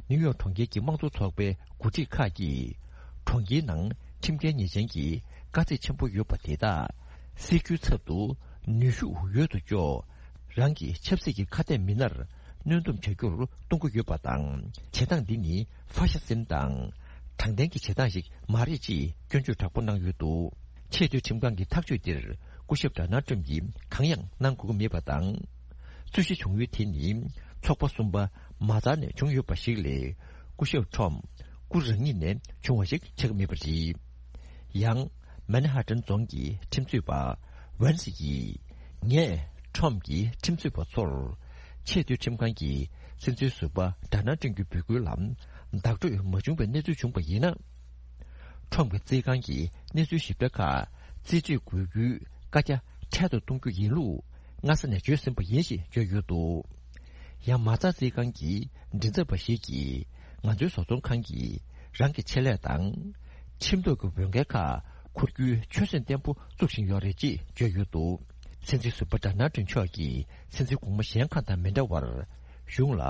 ནིའུ་ཡོག་གྲོང་ཁྱེར་གྱི་དམངས་གཙོ་ཚོགས་པའི་འགོ་ཁྲིད་ཁག་གིས་གྲོང་ཁྱེར་ནང་ཁྲིམས་འགལ་ཉེས་ཅན་གྱི་དཀའ་ཚེགས་ཆེན་པོ་ཡོད་པ་དེ་དག་སེལ་རྒྱུའི་ཚབ་ཏུ་ནུས་ཤུགས་ཡོད་དོ་ཅོག་རང་གི་ཆབ་སྲིད་ཀྱི་ཁ་གཏད་མི་སྣར་གནོན་སྡོམ་བྱ་རྒྱུར་གཏོང་གི་ཡོད་པ་དང་། བྱེད་སྟངས་འདི་ནི་ཧྥ་ཤི་སིམ་དང་དྲང་བདེན་གྱི་བྱེད་སྟངས་ཤིག་མ་རེད་ཅེས་སྐྱོན་བརྗོད་དྲག་པོ་གནང་ཡོད་འདུག། ཆེས་མཐོའི་ཁྲིམས་ཁང་གི་ཐག་གཅོད་འདིར་སྐུ་ཞབས་ཌོ་ནལ་ཊམ་གྱིས་གང་ཡང་གནང་དགོས་ཀྱི་མེད་པ་དང་། རྩོད་གཞི་བྱུང་ཡུལ་དེ་ནི་ཚོགས་པ་གསུམ་པ་མ་རྩ་ནས་བྱུང་ཡོད་པ་ཞིག་ལས། སྐུ་ཞབས་ཁྲོམ་སྐུ་རང་ཉིད་ནས་བྱུང་བ་ཞིག་ཆགས་ཀྱི་མེད་པ་རེད། ཡང་། མན་ཧ་ཏན་རྫོང་གི་ཁྲིམས་རྩོད་པ་ཝན་སི་ཡིས། ངས་ཁྲོམ་གྱི་ཁྲིམས་རྩོད་པ་ཚོར། ཆེས་མཐོའི་ཁྲིམས་ཁང་གི་སྲིད་འཛིན་ཟུར་པ་ཌོ་ནལ་ཊམ་གྱི་འབོད་སྐུལ་ལ་བདག་སྤྲོད་མ་བྱུང་བའི་གནས་ཚུལ་བྱུང་བ་ཡིན་ན། ཁྲོམ་གྱི་རྩིས་ཁང་གིས་གནས་ཚུལ་ཞིབ་ཕྲ་ཁག་རྩིས་སྤྲོད་དགོས་རྒྱུའི་བཀའ་རྒྱ་འཕྲལ་དུ་གཏོང་རྒྱུ་ཡིན་ལུགས་སྔ་ས་ནས་བརྗོད་ཟིན་པ་ཡིན་ཞེས་བརྗོད་ཡོད་འདུག། ཡང་མ་རྩ་རྩིས་ཁང་གི་མགྲིན་ཚབ་པ་ཞིག་གིས་ང་ཚོའི་བཟོ་ཚོང་ཁང་གིས་རང་གི་ཆེད་ལས་དང་ཁྲིམས་ཐོག་གི་འོས་འགན་ཁག་འཁུར་རྒྱུའི་ཆོད་སེམས་བརྟན་པོ་བཙུགས་བཞིན་ཡོད་རེད་ཅེས་བརྗོད་ཡོད་འདུག། སྲིད་འཛིན་ཟུར་པ་ཌོ་ནལ་ཊམ་མཆོག་གིས་སྲིད་འཛིན་གོང་མ་གཞན་ཁག་དང་མི་འདྲ་བར་གཞུང་ལ་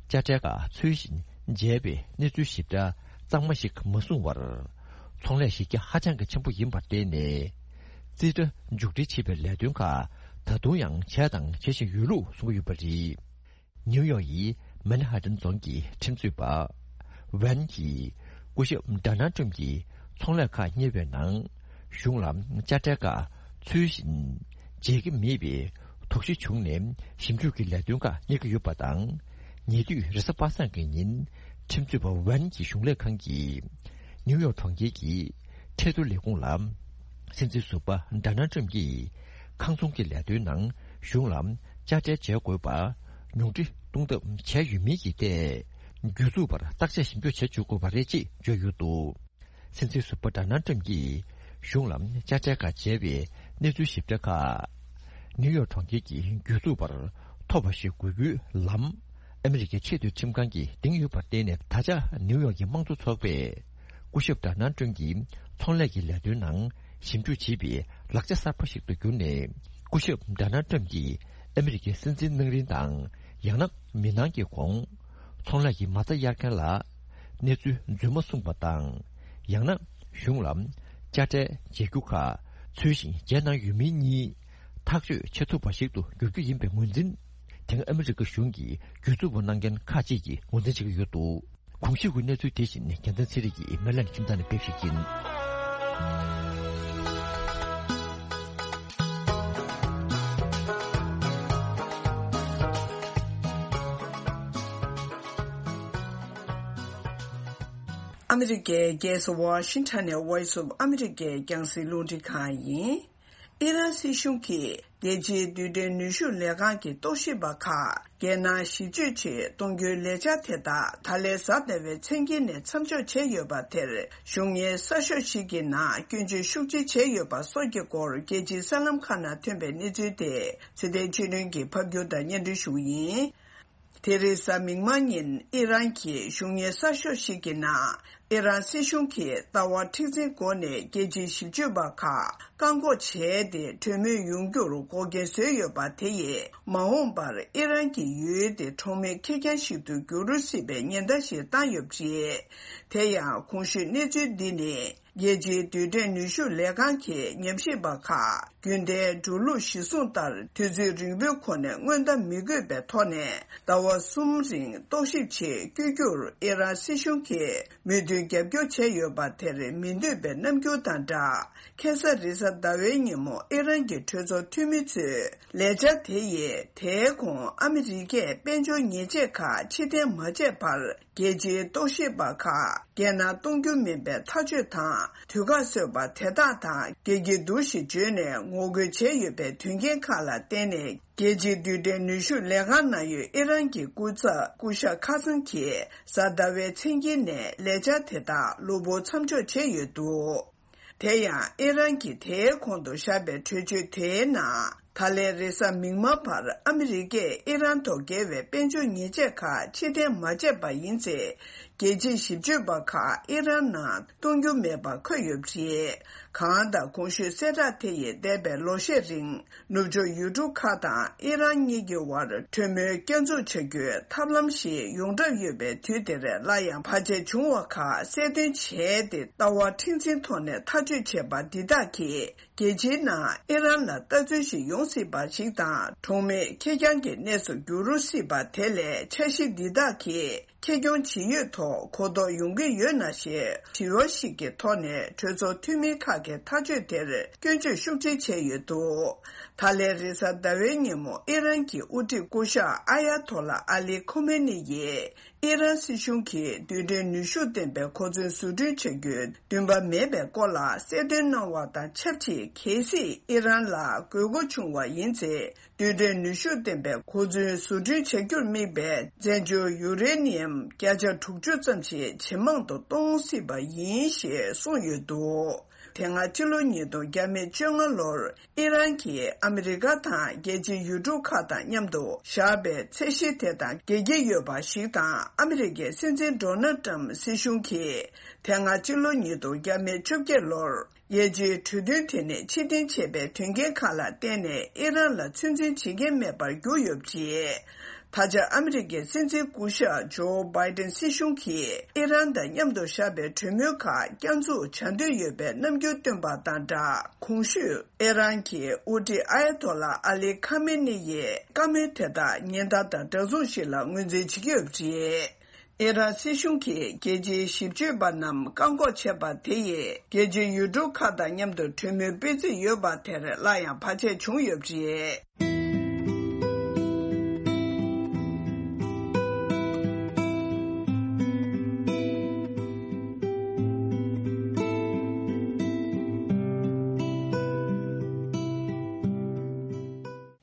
དཔྱ་ཁྲལ་ཁག་ཚུལ་བཞིན་འཇལ་བའི་གནས་ཚུལ་ཞིབ་ཕྲ་གཙང་མ་ཞིག་མ་གསུངས་བར། ཚོང་ལས་གཞི་རྒྱ་ཧ་ཅང་གི་ཆེན་པོ་ཡིན་པར་བརྟེན་ནས། རྩིས་ཁྲ་མཇུག་སྒྲིལ་བྱེད་པའི་ལས་དོན་ཁག་ད་དུང་ཡང་བྱས་དང་བྱེད་བཞིན་ཡོད་ལུགས་གསུངས་ཀྱི་ཡོད་པ་རེད། ནིའུ་ཡོག་ཡི་མན་ཧ་ཏན་རྫོང་གི་ཁྲིམས་རྩོད་པ་ཝན་གྱིས་སྐུ་ཞབས་ཌོ་ནལ་ཊམ་གྱིས་ཚོང་ལས་ཁག་གཉེར་བའི་ནང་གཞུང་ལ་དཔྱ་ཁྲལ་ཁག་ཚུལ་བཞིན་འཇལ་གྱི་མེད་པའི་དོགས་གཞི་བྱུང་ནས་ཞིབ་འཇུག་གི་ལས་དོན་ཁག་གཉེར་གྱི་ཡོད་པ་དང་། ཉེ་དུས་རེས་གཟའ་པ་སངས་ཀྱི་ཉིན་ཁྲིམས་རྩོད་པ་ཝན་གྱི་གཞུང་ལས་ཁང་གིས་ནིའུ་ཡོག་གྲོང་ཁྱེར་གྱི་ཁྲལ་བསྡུར་ལས་ཁུངས་ལ་སྲིད་འཛིན་ཟུར་པ་ཌོ་ནལ་ཊམ་གྱིས་ཁང་ཚོང་གི་ལས་དོན་ནང་གཞུང་ལ་དཔྱ་ཁྲལ་འཇལ་དགོས་པ་ཉུང་འཕྲི་གཏོང་ཐབས་བྱས་ཡོད་མིན་གྱི་ཐད་གྱོད་འཛུགས་པར་བརྟག་དཔྱད་ཞིབ་འཇུག་བྱེད་བཅུག་དགོས་པ་རེད་ཅེས་བརྗོད་ཡོད་འདུག། སྲིད་འཛིན་ཟུར་པ་ཌོ་ནལ་ཊམ་གྱིས་གཞུང་ལ་དཔྱ་ཁྲལ་ཁག་འཇལ་བའི་གནས་ཚུལ་ཞིབ་ཕྲ་ཁག་ནིའུ་ཡོག་གྲོང་ཁྱེར་གྱི་རྒྱུད་ཚོགས་པར་ཐོབ་པ་ཞིག་དགོས་རྒྱུའི་ལམ། ཨ་མི་རི་ཀའི་ཆེས་མཐོའི་ཁྲིམས་ཁང་གིས་འདིང་ཡོད་པར་བརྟེན་ནས། ད་ཆ་ནིའུ་ཡོག་གི་དམངས་གཙོ་ཚོགས་པས་སྐུ་ཞབས་ཌོ་ནལ་ཊམ་གྱི་ཚོང་ལས་ཀྱི་ལས་དོན་ནང་ཞིབ་འཇུག་བྱེད་པའི་ལག་ཆ་གསར་པ་ཞིག་ཏུ་གྱུར་ནས། སྐུ་ཞབས་ཌོ་ནལ་ཊམ་གྱིས་ཨ་མི་རི་ཀའི་སྲིད་འཛིན་གནང་རིང་དང་། ཡང་ན་མི་གནང་གི་གོང་ཚོང་ལས་ཀྱི་མ་རྩ་གཡར་མཁན་ལ་གནས་ཚུལ་རྫུན་མ་གསུངས་པ་དང་། ཡང་ན་གཞུང་ལ་དཔྱ་ཁྲལ་འཇལ་རྒྱུ་ཁག་ཚུལ་བཞིན་འཇལ་གནང་ཡོད་མིན་གཉིས་ཐག་གཅོད་བྱེད་ཐུབ་པ་ཞིག་ཏུ་འགྱུར་རྒྱུ་ཡིན་པའི་ངོས་འཛིན། དེ་སྔ་ཨ་མི་རི་ཀ་གཞུང་གིས་རྒྱུད་འཛུགས་པ་གནང་མཁན་ཁག་ཅིག་གིས་ངོས་འཛིན་བྱེད་ཀྱི་ཡོད་འདུག་གོང་ཞུས་ཀྱི་གནས་ཚུལ་དེ་བཞིན་རྒྱལ་མཚན་ཚེ་རིང་གིས་མེ་ལན་ཁྱིམ་ཚང་ནས་སྤེལ་བ་ཞིག་ཡིན། ཨ་མི་རི་ཀའི་རྒྱལ་ས་ཝ་ཤིང་ཊོན་ནས་Voice of America་རྒྱང་སྲིང་རླུང་འཕྲིན་ཁང་ཡིན། ཨི་རན་སྲིད་གཞུང་གིས་རྒྱལ་སྤྱིའི་རྡུལ་ཕྲན་ནུས་ཤུགས་ལས་ཁང་གི་རྟོག་ཞིབ་པ་ཁག་རྒྱལ་ནང་ཞིབ་དཔྱོད་ཆེད་གཏོང་རྒྱུའི་ལས་འཆར་དེ་དག་ད་ལན་གཟའ་ཟླ་བའི་མཚན་དཀྱིལ་ནས་མཚམས་འཇོག་བྱས་ཡོད་པ་དེར། གཞུང་གཉེར་གསར་ཤོག་ཞིག་གི་ནང་སྐྱོན་བརྗོད་ཤུགས་ཆེ་བྱས་ཡོད་པ་སོགས་ཀྱི་སྐོར། རྒྱལ་སྤྱིའི་གསར་ལམ་ཁག་ནང་ཐོན་པའི་གནས་ཚུལ་དེ་ཚེ་བརྟན་ཆོས་སྒྲོན་གྱིས་ཕབ་སྒྱུར་དང་སྙན་སྒྲོན་ཞུ་གི་ཡིན། དེ་རིང་གཟའ་མིག་དམར་ཉིན་ཨི་རན་གྱི་གཞུང་གཉེར་གསར་ཤོག་ཞིག་གི་ནང་། ཨི་རན་སྲིད་གཞུང་གིས་ལྟ་བ་མཁྲེགས་འཛིན་སྒོ་ནས་རྒྱལ་སྤྱིའི་ཞིབ་དཔྱོད་པ་ཁག་བཀག་འགོག་བྱས་ཏེ། གྲོས་མོལ་ཡོང་རྒྱུར་འགོག་རྐྱེན་བཟོས་ཡོད་པ་དེ་ཡིས། མ་འོངས་པར་ཨི་རན་གྱི་ཡུལ་དེ་གྲོགས་མེད་ཁེར་རྐྱང་ཞིག་ཏུ་འགྱུར་སྲིད་པའི་ཉེན་བརྡ་ཞིག་བཏང་ཡོད་པ་རེད། དེ་ཡང་གོང་ཞུས་གནས་ཚུལ་འདི་ནི། རྒྱལ་སྤྱིའི་རྡུལ་ཕྲན་ནུས་ཤུགས་ལས་ཁང་གི་ཉམས་ཞིབ་པ་ཁག་རྒྱུན་ལྡན་འགྲོ་ལུགས་གཞིར་བཟུང་ལྟར། དུས་ཚོད་རིང་པོའི་གོང་ནས་སྔོན་བརྡ་མི་དགོས་པའི་ཐོག་ནས་ཟླ་བ་གསུམ་རིང་རྟོག་ཞིབ་ཆེད་བསྐྱོད་རྒྱུར་ཨི་རན་སྲིད་གཞུང་གིས་མོས་མཐུན་རྒྱབ་སྐྱོར་བྱས་ཡོད་པ་དེར་མི་འདོད་པའི་རྣམ་འགྱུར་དང་སྦྲགས། ཁ་སང་རེས་གཟའ་ཟླ་བའི་ཉིན་མོ་ཨི་རན་གྱི་གྲོས་ཚོགས་འཐུས་མི་ཚོས་ལས་འཆར་དེ་ཡིས། དེའི་གོང་ཨ་མི་རི་ཀས་དཔལ་འབྱོར་ཉེས་ཆད་ཁག་ཕྱིར་འཐེན་མ་བྱས་བར། རྒྱལ་སྤྱིའི་རྟོག་ཞིབ་པ་ཁག་རྒྱལ་ནང་གཏོང་རྒྱུ་མིན་པའི་ཐག་གཅོད་དང་། དུས་བཀག་བཟོས་པ་དེ་དག་དང་འགལ་གྱི་འདུག་ཞེས་བརྗོད་ནས་ངོ་རྒོལ་བྱས་ཡོད་པའི་དོན་རྐྱེན་ཁག་ལ་བརྟེན་ནས། རྒྱལ་སྤྱིའི་རྡུལ་ཕྲན་ནུས་ཤུགས་ལས་ཁང་ནང་ཡོད་ཨི་རན་གྱི་སྐུ་ཚབ་སྐུ་ཞབས་ཁ་སང་གིས་གཟའ་ཟླ་བའི་མཚན་དཀྱིལ་ནས་ལས་འཆར་དེ་དག་གློ་བུར་མཚམས་འཇོག་བྱས་ཡོད་འདུག་དེ་ཡང་ཨི་རན་གྱིས་དེའི་གོང་དུ་བཞག་པའི་གྲོས་ཆོད་དེའི་ནང་། ད་ལན་རེས་གཟའ་མིག་དམར་བར་ཨ་མི་རི་ཀས་ཨི་རན་ཐོག་འགེལ་བའི་དཔལ་འབྱོར་ཉེས་ཆད་ཁག་ཕྱིར་འཐེན་མ་བྱས་པ་ཡིན་ཚེ། རྒྱལ་སྤྱིའི་ཞིབ་དཔྱོད་པ་ཁག་ཨི་རན་ནང་གཏོང་རྒྱུ་མེད་པ་འཁོད་ཡོད་པ་རེད། གང་ལྟར་གོང་ཞུས་གསལ་བསྒྲགས་དེ་ཡིས་འདས་པའི་ལོ་ཤས་རིང་། ནུབ་ཕྱོགས་ཡུལ་གྲུ་ཁག་དང་ཨི་རན་གཉིས་ཀྱི་དབར་གྲོས་མོལ་བསྐྱར་འཛུགས་བྱ་རྒྱུའི་ཐབས་ལམ་ཞིག་ཡོངས་གྲགས་ཡོད་པའི་དུས་དེར། སླར་ཡང་བར་ཆད་བྱུང་བ་ཁག་གསལ་སྟོན་བྱས་ཏེ། ལྟ་བ་མཁྲེགས་འཛིན་ཐོག་ནས་ཐག་གཅོད་བྱས་པ་འདི་དག་གིས། རྒྱལ་སྤྱིའི་ནང་ཨི་རན་ལ་ལྟ་ཚུལ་ཞིག་ཡོང་སྲིད་པ་ཞིག་དང་། གྲོགས་མེད་ཁེར་རྐྱང་གི་གནས་སུ་འགྱུར་སྲིད་པ་དེ་ལས། འཆར་གཞི་འདི་དག་གིས་ཁེ་གྱོང་ཇི་ཡོད་ཐོག་གོ་རྟོགས་ཡོང་གི་ཡོད་ན་ཞེས་དྲི་བ་ཞིག་གི་ཐོག་ནས། གྲོས་ཚོགས་འཐུས་མི་ཁག་གིས་ཐག་གཅོད་དེར་སྐྱོན་བརྗོད་ཤུགས་ཆེ་བྱས་ཡོད་འདུག་ད་ལན་རེས་གཟའ་ཟླ་བའི་ཉིན་མོ་ཨི་རན་གྱི་དབུ་ཁྲིད་སྐུ་ཞབས་ཨ་ཡ་ཐོ་ལ་ཨ་ལི་ཁོ་མེ་ནི་ཡིས། ཨི་རན་སྲིད་གཞུང་གིས་རྡུལ་ཕྲན་ནུས་ཤུགས་ལྡན་པའི་གོ་མཚོན་བཟོ་སྐྲུན་བྱ་རྒྱུའི་འདུན་པ་མེད་པའི་སྐོར་ལ་གསལ་སྟོན་གནང་བ་དང་ཆབས་ཅིག་གལ་སྲིད་ཨི་རན་ལ་དགོས་མཁོ་བྱུང་བ་ཡིན་ཚེ། རྡུལ་ཕྲན་ནུས་ཤུགས་ལྡན་པའི་གོ་མཚོན་བཟོ་སྐྲུན་བྱ་རྒྱུར་དམིགས་པའི་བཙན་བྱོལ་ཡུ་རེ་ནི་ཡམ་བརྒྱ་ཆ་དྲུག་ཅུ་ཙམ་ཞིག་ཇེ་མང་དུ་གཏོང་སྲིད་པ་ཡིན་ཞེས་གསུངས་ཡོད་འདུག་དེ་སྔ་ཕྱི་ལོ་ཉིས་སྟོང་བརྒྱ་མེད་བཅོ་ལྔ་ལོར། ཨི་རན་གྱིས་ཨ་མི་རི་ཀ་དང་རྒྱལ་སྤྱིའི་ཡུལ་གྲུ་ཁག་དང་མཉམ་དུ་བཞག་པའི་ཚད་གཞི་དེ་དང་འགལ་གྱི་ཡོད་པ་ཞིག་དང་། ཨ་མི་རི་ཀའི་སྲིད་འཛིན་ཌོ་ནལ་ཏྲམ་སྲིད་གཞུང་གིས་དེ་སྔ་ཕྱི་ལོ་ཉིས་སྟོང་བརྒྱ་མེད་བཅོ་བརྒྱད་ལོར་རྒྱལ་སྤྱིའི་གྲོས་མཐུན་དེ་ནས་ཕྱིར་འཐེན་བྱས་པའི་དོན་རྐྱེན་ཁག་ལ་བརྟེན་ནས། ཨི་རན་ལ་ཚོད་འཛིན་བྱེད་མཁན་མེད་པར་གྱུར་ཡོད་པ་རེད། ད་ཆ་ཨ་མི་རི་ཀའི་སྲིད་འཛིན་སྐུ་ཞབས་ཇོ་བྷའི་ཏན་སྲིད་གཞུང་གིས་ཨི་རན་དང་མཉམ་དུ་བཞག་པའི་གྲོས་མོལ་ཁག་བསྐྱར་འཛུགས་བྱ་འདོད་ཡོད་པའི་རྣམ་འགྱུར་བཏོན་པ་དང་སྦྲགས། གོང་ཞུས་ཨི་རན་གྱི་དབུ་ཁྲིད་ཨ་ཡ་ཐོ་ལ་ཨ་ལི་ཁ་མེ་ནི་ཡིས་བཀའ་མོལ་དེ་དག་ཉེན་བརྡ་དང་འདྲ་མཚུངས་ཤིག་ལ་ངོས་འཛིན་བྱེད་ཀྱི་ཡོད་པ་རེད། ཨི་རན་སྲིད་གཞུང་གིས་རྒྱལ་སྤྱིའི་ཞིབ་དཔྱོད་པ་རྣམས་བཀག་འགོག་བྱས་པ་དེ་ཡིས། རྒྱལ་སྤྱིའི་ཡུལ་གྲུ་ཁག་དང་མཉམ་དུ་གྲོས་མོལ་སྤེལ་རྩིས་ཡོད་པ་དེར་སླར་ཡང་བར་ཆད་བྱུང་ཡོད་པ་རེད།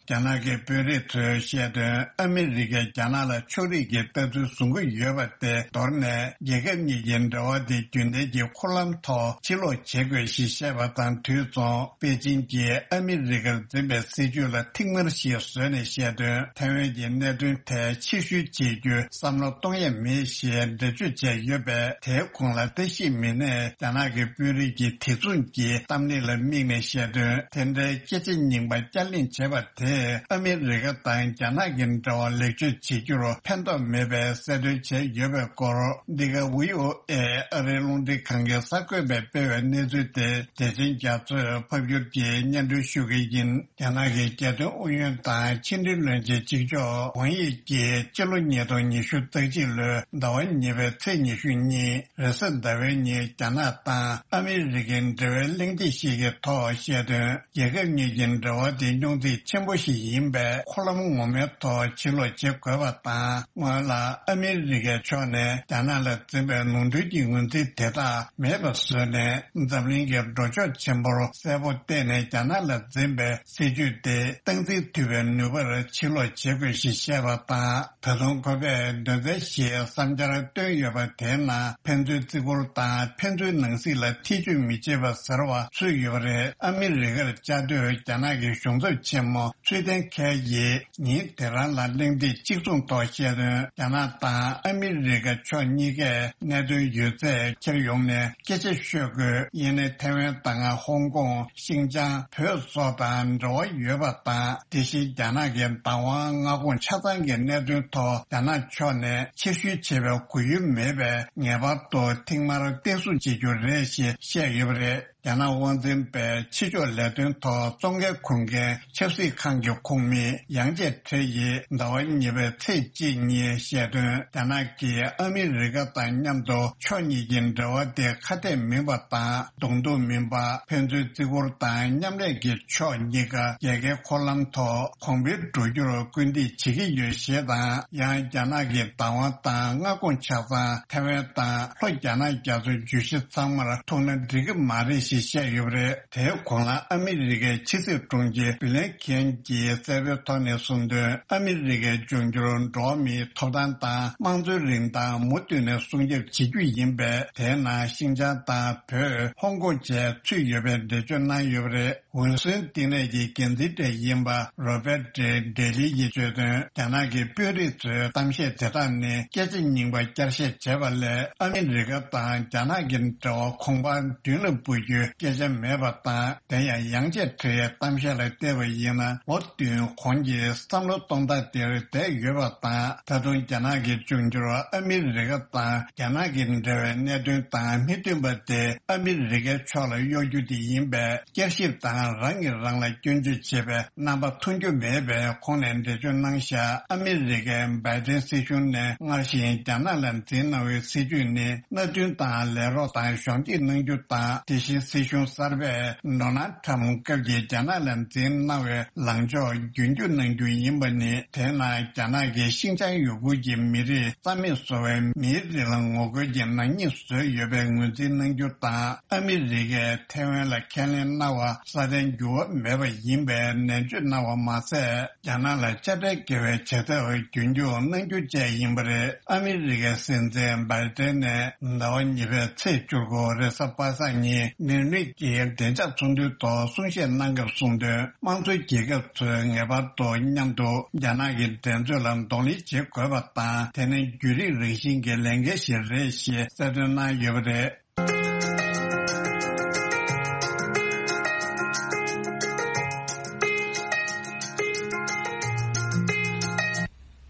རྒྱ་ནག་གི་དཔོན་རིགས་ཚོས་བཤད་དོན། ཨ་མི་རི་ཀས་རྒྱ་ནག་ལ་ཕྱོགས་རིས་ཀྱི་ལྟ་ཚུལ་བཟུང་གི་ཡོད་པ་དེ་མདོར་ནས་རྒྱལ་ཁབ་གཉིས་ཀྱི་འབྲེལ་བ་དེ་རྒྱུན་ལྡན་གྱི་འཁོར་ལམ་ཐོག་ཕྱིར་ལོག་བྱེད་དགོས་ཞེས་བཤད་པ་དང་དུས་མཚུངས། པེ་ཅིན་གྱིས་ཨ་མི་རི་ཀར་འཛིན་པའི་སྲིད་ཇུས་ལ་ཐིག་དམར་ཞིག་བཟོས་ནས་བཤད་དོན། ཐའེ་ཝན་གྱི་གནད་དོན་ཐད་ཕྱིར་བཤོལ་བྱེད་རྒྱུའི་བསམ་བློ་གཏོང་ཡས་མེད་ཞེས་འགྲེལ་བརྗོད་བྱས་ཡོད་པས། དེའི་གོང་ལ་བཀྲ་ཤིས་མི་སྣས་རྒྱ་ནག་གི་དཔོན་རིགས་ཀྱི་དེ་མཚུངས་ཀྱི་གཏམ་གླེང་ལ་དམིགས་ནས་བཤད་དོན། དེ་འདྲའི་སྐད་ཆ་རྙིང་པ་བསྐྱར་གླེང་བྱས་པ་དེས་ཨ་མི་རི་ཀ་དང་རྒྱ་ནག་གི་འབྲེལ་བ་ལེགས་བཅོས་བྱེད་རྒྱུར་ཕན་ཐོགས་མེད་པའི་གསལ་སྟོན་བྱས་ཡོད་པའི་སྐོར། འདི་ག་བྷི་ཨོ་ཨེ་ཨ་རིའི་རླུང་འཕྲིན་ཁང་གི་གསར་འགོད་པས་སྤེལ་བའི་གནས་ཚུལ་དེ་བདེ་ཆེན་རྒྱ་མཚོས་ཕབ་སྒྱུར་གྱིས་སྙན་སྒྲོན་ཞུ་གི་ཡིན། རྒྱ་ནག་གི་རྒྱལ་དོན་ཨུ་ཡོན་དང་ཕྱི་འབྲེལ་བློན་ཆེན་གཅིག་ལྕོགས་ཝང་དབྱི་ཀྱིས་སྤྱི་ལོ་ཉིས་སྟོང་ཉི་ཤུ་རྩ་གཅིག་ལོའི་ཟླ་བ་གཉིས་པའི་ཚེས་ཉི་ཤུ་གཉིས་རེས་གཟའ་ཟླ་བའི་ཉིན་རྒྱ་ནག་དང་ཨ་མི་རི་ཀའི་འབྲེལ་བའི་གླེང་སྟེགས་ཤིག་གི་ཐོག་བཤད་དོན། རྒྱལ་ཁབ་གཉིས་ཀྱི་འབྲེལ་བ་དེ་རྙོག་འཛིང་ཆེན་པོ་ཞིག་ཡིན་པས། འཁོར་ལམ་ངོ་མའི་ཐོག་ཕྱིར་ལོག་བྱེད་དགོས་པ་དང་། སྔོན་ལ་ཨ་མི་རི་ཀའི་ཕྱོགས་ནས་རྒྱ་ནག་ལ་འཛིན་པའི་ནོར་འཁྲུལ་གྱི་ངོས་འཛིན་དེ་དག་མེད་པ་བཟོས་ནས། འཛམ་གླིང་གི་འགྲོ་ཕྱོགས་ཆེན་པོར་གསལ་པོ་བསྟན་ནས། རྒྱ་ནག་ལ་འཛིན་པའི་སྲིད་ཇུས་དེ་སྟངས་འཛིན་ཐུབ་པའི་ནུས་པར་ཕྱིར་ལོག་བྱེད་དགོས་ཞེས་བཤད་པ་དང་། ད་དུང་ཁོ་པས་དོན་ཚན་བཞིའི་བསམ་འཆར་བཏོན་ཡོད་པ། དེའི་ནང་ཕན་ཚུན་བརྩི་བཀུར་དང་ཕན་ཚུན་ནང་སྲིད་ལ་ཐེ་ཇུས་མི་བྱེད་པ་ཟེར་བ་ཚུད་ཡོད་པ་རེད། ཨ་མི་རི་ཀར་བཅའ་སྡོད་རྒྱ་ནག་གི་གཞུང་ཚབ་ཆེན་མོ་ཚུལ་ལྡན་ཁེ་ཡིས་ཉིན་དེ་རང་ལ་གླེང་སྟེགས་གཅིག་མཚུངས་ཐོག་བཤད་དོན། རྒྱ་ནག་དང་ཨ་མི་རི་ཀ་ཕྱོགས་གཉིས་ཀས་གནད་དོན་ཡོད་ཚད་འཁྱེར་ཡོང་ནས་སྐད་ཆ་ཤོད་དགོས། ཡིན་ནའི་ཐའེ་ཝན་དང་ཧོང་ཀོང་། ཤིན་ཅང་། བོད་སོགས་དང་འབྲེལ་བ་ཡོད་པ་དང་། དེ་བཞིན་རྒྱ་ནག་གི་བདག་དབང་མངའ་ཁོངས་ཆ་ཚང་གི་གནད་དོན་ཐོག་རྒྱ་ནག་ཕྱོགས་ནས་ཕྱིར་བཤོལ་བྱེད་པའི་གོ་ཡུལ་མེད་པས། ངེས་པར་དུ་ཐིག་དམར་བསྟན་སྲུང་བྱེད་རྒྱུ་རེད་ཅེས་བཤད་ཡོད་པ་རེད། རྒྱ་ནག་དབང་འཛིན་པས་ཕྱི་ཕྱོགས་ལས་དོན་ཐོག་གཙོ་འགན་འཁུར་མཁན་ཆབ་སྲིད་ཁང་གི་ཁོངས་མི་ཡང་ཅེ་ཁྲེ་ཡིས་ཟླ་བ་གཉིས་པའི་ཚེས་གཅིག་ཉིན་བཤད་དོན། རྒྱ་ནག་གིས་ཨ་མི་རི་ཀ་དང་མཉམ་དུ་ཕྱོགས་གཉིས་ཀྱི་འབྲེལ་བ་དེ་ཁ་གཏད་མིན་པ་དང་གདོང་ཐུག་མིན་པ། ཕན་ཚུན་བརྩི་བཀུར་དང་མཉམ་ལས་ཀྱི་ཕྱོགས་གཉིས་ཀ་རྒྱལ་ཁའི་འཁོར་ལམ་ཐོག་གོང་འཕེལ་འགྲོ་རྒྱུར་སྐུལ་འདེད་བྱེད་ཀྱི་ཡོད་ཞེས་དང་། ཡང་རྒྱ་ནག་གི་བདག་དབང་དང་མངའ་ཁོངས་ཆ་ཚང་ཐའེ་ཝན་དང་ལྷོ་རྒྱ་ནག་རྒྱ་མཚོའི་བརྗོད་གཞི་ཚང་མར་ཐུག་ན་འགྲིག་གི་མ་རེད་ཞེས་བཤད་ཡོད་པ་རེད། དེའི་གོང་ལ་ཨ་མི་རི་ཀའི་ཕྱི་སྲིད་དྲུང་ཆེ་བྷི་ལན་ཁེན་གྱིས་གསལ་པོའི་ཐོག་ནས་གསུངས་དོན། ཨ་མི་རི་ཀའི་འབྱུང་འགྱུར་འགྲོ་བ་མིའི་ཐོབ་ཐང་དང་དམངས་གཙོའི་རིན་ཐང་མུ་མཐུད་ནས་སྲུང་སྐྱོབ་བྱེད་རྒྱུ་ཡིན་པས། དེའི་ནང་ཤིན་ཅང་དང་བོད། ཧོང་ཀོང་བཅས་ཚུད་ཡོད་པའི་འགྲེལ་བརྗོད་གནང་ཡོད་པ་རེད། འོས་ཟིན་བསྟི་གནས་ཀྱི་འགན་འཛིན་གྲས་ཡིན་པ་རོ་བེ་ཏྲི་ཌེ་ལི་ཡིས་བརྗོད་དོན། རྒྱ་ནག་གི་དཔོན་རིགས་ཚོའི་གཏམ་བཤད་དེ་དག་ནི་སྐད་ཆ་རྙིང་པ་བསྐྱར་བཤད་བྱས་པ་ལས། ཨ་མི་རི་ཀ་དང་རྒྱ་ནག་གི་འབྲེལ་བ་གོང་འཕེལ་མདུན་ལ་འབུད་རྒྱུའི་སྐད་ཆ་མེད་པ་དང་། དེ་ཡང་ཡང་ཅེ་ཁྲེ་ཡི་གཏམ་བཤད་ལ་བལྟས་པ་ཡིན་ན། ལོ་བདུན་གོང་གི་བསམ་བློ་གཏོང་སྟངས་དེར་བསྡད་ཡོད་པ་དང་། ད་དུང་རྒྱ་ནག་གི་འབྱུང་འགྱུར་ཨ་མི་རི་ཀ་དང་རྒྱ་ནག་གི་འབྲེལ་བའི་གནད་དོན་དང་མི་མཐུན་པ་དེ་ཨ་མི་རི་ཀའི་ཕྱོགས་ལ་གཡོ་རྒྱུ་དེ་ཡིན་པས། བསྐྱར་ཞིབ་དང་རང་གིས་རང་ལ་སྐྱོན་བརྗོད་བྱེད་པའི་རྣམ་པ་མཐོང་རྒྱུ་མེད་པའི་ཁོང་ནས་འགྲེལ་བརྗོད་གནང་བཞག་ཨ་མི་རི་ཀའི་བྷའི་ཏིན་སྲིད་གཞུང་ནས་སྔར་བཞིན་རྒྱ་ནག་ལ་འཛིན་གནང་བའི་སྲིད་ཇུས་ནི་མནའ་མཐུན་དང་ལས་རོགས་དང་གཞོགས་འདེགས་གནང་རྒྱུ་དང་། དེ་བཞིན་སྲིད་གཞུང་གསར་པས་ཌོ་ནལ་ཊམ་སྐབས་ཀྱི་རྒྱ་ནག་ལ་འཛིན་གནང་བའི་ལངས་ཕྱོགས་རྒྱུན་སྐྱོང་གནང་རྒྱུ་ཡིན་པ་ནི། དེས་ན་རྒྱ་ནག་གིས་ཤིན་ཅང་ཡུ་གུར་གྱི་མི་རིགས་རྩ་མེད་བཟོ་བའི་མིའི་རིགས་ལ་ངོ་རྒོལ་གྱི་ནག་ཉེས་བཟོས་ཡོད་པའི་ངོས་འཛིན་གནང་རྒྱུ་དང་། ཨ་མི་རི་ཀས་ཐའེ་ཝན་ལ་ཁས་ལེན་གནང་བ་སྲ་བརྟན་འགྱུར་བ་མེད་པ་ཡིན་པའི་ནན་བརྗོད་གནང་བ་མ་ཟད། རྒྱ་ནག་ལ་དཔྱ་ཁྲལ་འགེལ་བའི་བྱེད་ཐབས་རྒྱུན་འཁྱོངས་གནང་རྒྱུ་བཅས་ཡིན་པ་རེད། ཨ་མི་རི་ཀའི་སྲིད་འཛིན་བྷའི་ཏན་ནས་ཟླ་བ་གཉིས་པའི་ཚེས་བཅུ་དགུ་རེས་གཟའ་པ་སངས་ཉིན་མིའུ་ནིག་གི་བདེ་འཇགས་ཚོགས་འདུའི་ཐོག་གསུང་བཤད་གནང་སྐབས་གསུངས་དོན། དམངས་གཙོའི་རྒྱལ་ཁབ་ཚོས་ངེས་པར་དུ་མཉམ་དུ་རྒྱ་ནག་གི་འགྲན་རྩོད་ལ་གདོང་ལེན་བྱེད་དགོས་པ་དང་། དེ་ནི་བརྒྱུད་རིམ་རང་བཞིན་གྱི་ལས་འགན་ཞིག་རེད་ཞེས་གསལ་སྟོན་གནང་ཡོད་པ་རེད།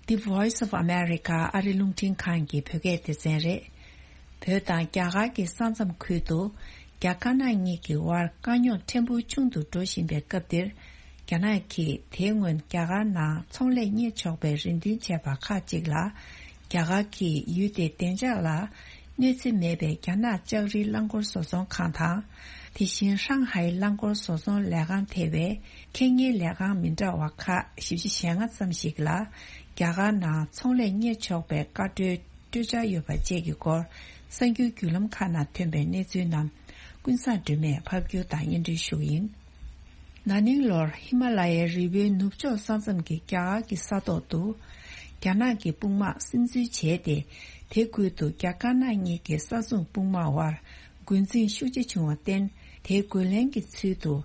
The Voice of America ཨ་རི་རླུང་འཕྲིན་ཁང་གི་བོད་སྐད་སྡེ་ཚན་རེད། བོད་དང་རྒྱ་གར་གྱི་ས་མཚམས་ཁུལ་དུ་རྒྱ་དཀར་ནག་གཉིས་ཀྱི་དབར་དཀའ་རྙོག་ཕྲན་བུ་ཆུང་དུ་འགྲོ་བཞིན་པའི་སྐབས་འདིར། རྒྱ་ནག་གིས་དེའི་སྔོན་རྒྱ་གར་ནང་ཚོང་ལས་གཉེར་ཆོག་པའི་རེ་འདུན་བྱས་པ་ཁག་ཅིག་ལ། རྒྱ་གར་གྱིས་ཡུལ་དེའི་བདེ་འཇགས་ལ་གནོད་འཚེ་མེད་པའི་རྒྱ་ནག་ལྕགས་རིའི་རླངས་འཁོར་བཟོ་ཚོང་ཁང་དང་། དེ་བཞིན་ཧྲང་ཧའེ་རླངས་འཁོར་བཟོ་ཚོང་ལས་ཁང་ཐེ་བའི་ཁེ་ཉེན་ལས་ཁང་མི་འདྲ་བ་ཁག་བཞི་བཅུ་ཞེ་ལྔ་ཙམ་ཞིག་ལ། རྒྱ་གར་ནང་ཚོང་ལས་གཉེར་ཆོག་པའི་བཀའ་འཁྲོལ་སྤྲོད་འཆར་ཡོད་པ་བཅས་ཀྱི་སྐོར། གསར་འགྱུར་བརྒྱུད་ལམ་ཁག་ནང་ཐོན་པའི་གནས་ཚུལ་རྣམས་ཀུན་བཟང་སྒྲོལ་མས་ཕབ་སྒྱུར་དང་སྙན་སྒྲོན་ཞུ་གི་ཡིན། ན་ནིང་ལོར་ཧི་མ་ལ་ཡའི་རི་བོའི་ནུབ་ཕྱོགས་ས་མཚམས་ཀྱི་རྒྱ་གར་གྱི་ས་ཐོག་ཏུ། རྒྱ་ནག་གི་དཔུང་དམག་སིམ་འཛུལ་བྱས་ཏེ། དེ་ཁུལ་དུ་རྒྱ་དཀར་ནག་གཉིས་ཀྱི་ས་སྲུང་དཔུང་དམག་དབར་འགོ་འཛིང་ཤུགས་ཆེ་བྱུང་བར་བརྟེན། དེའི་རྒོལ་ལན་གྱི་ཚུལ་དུ།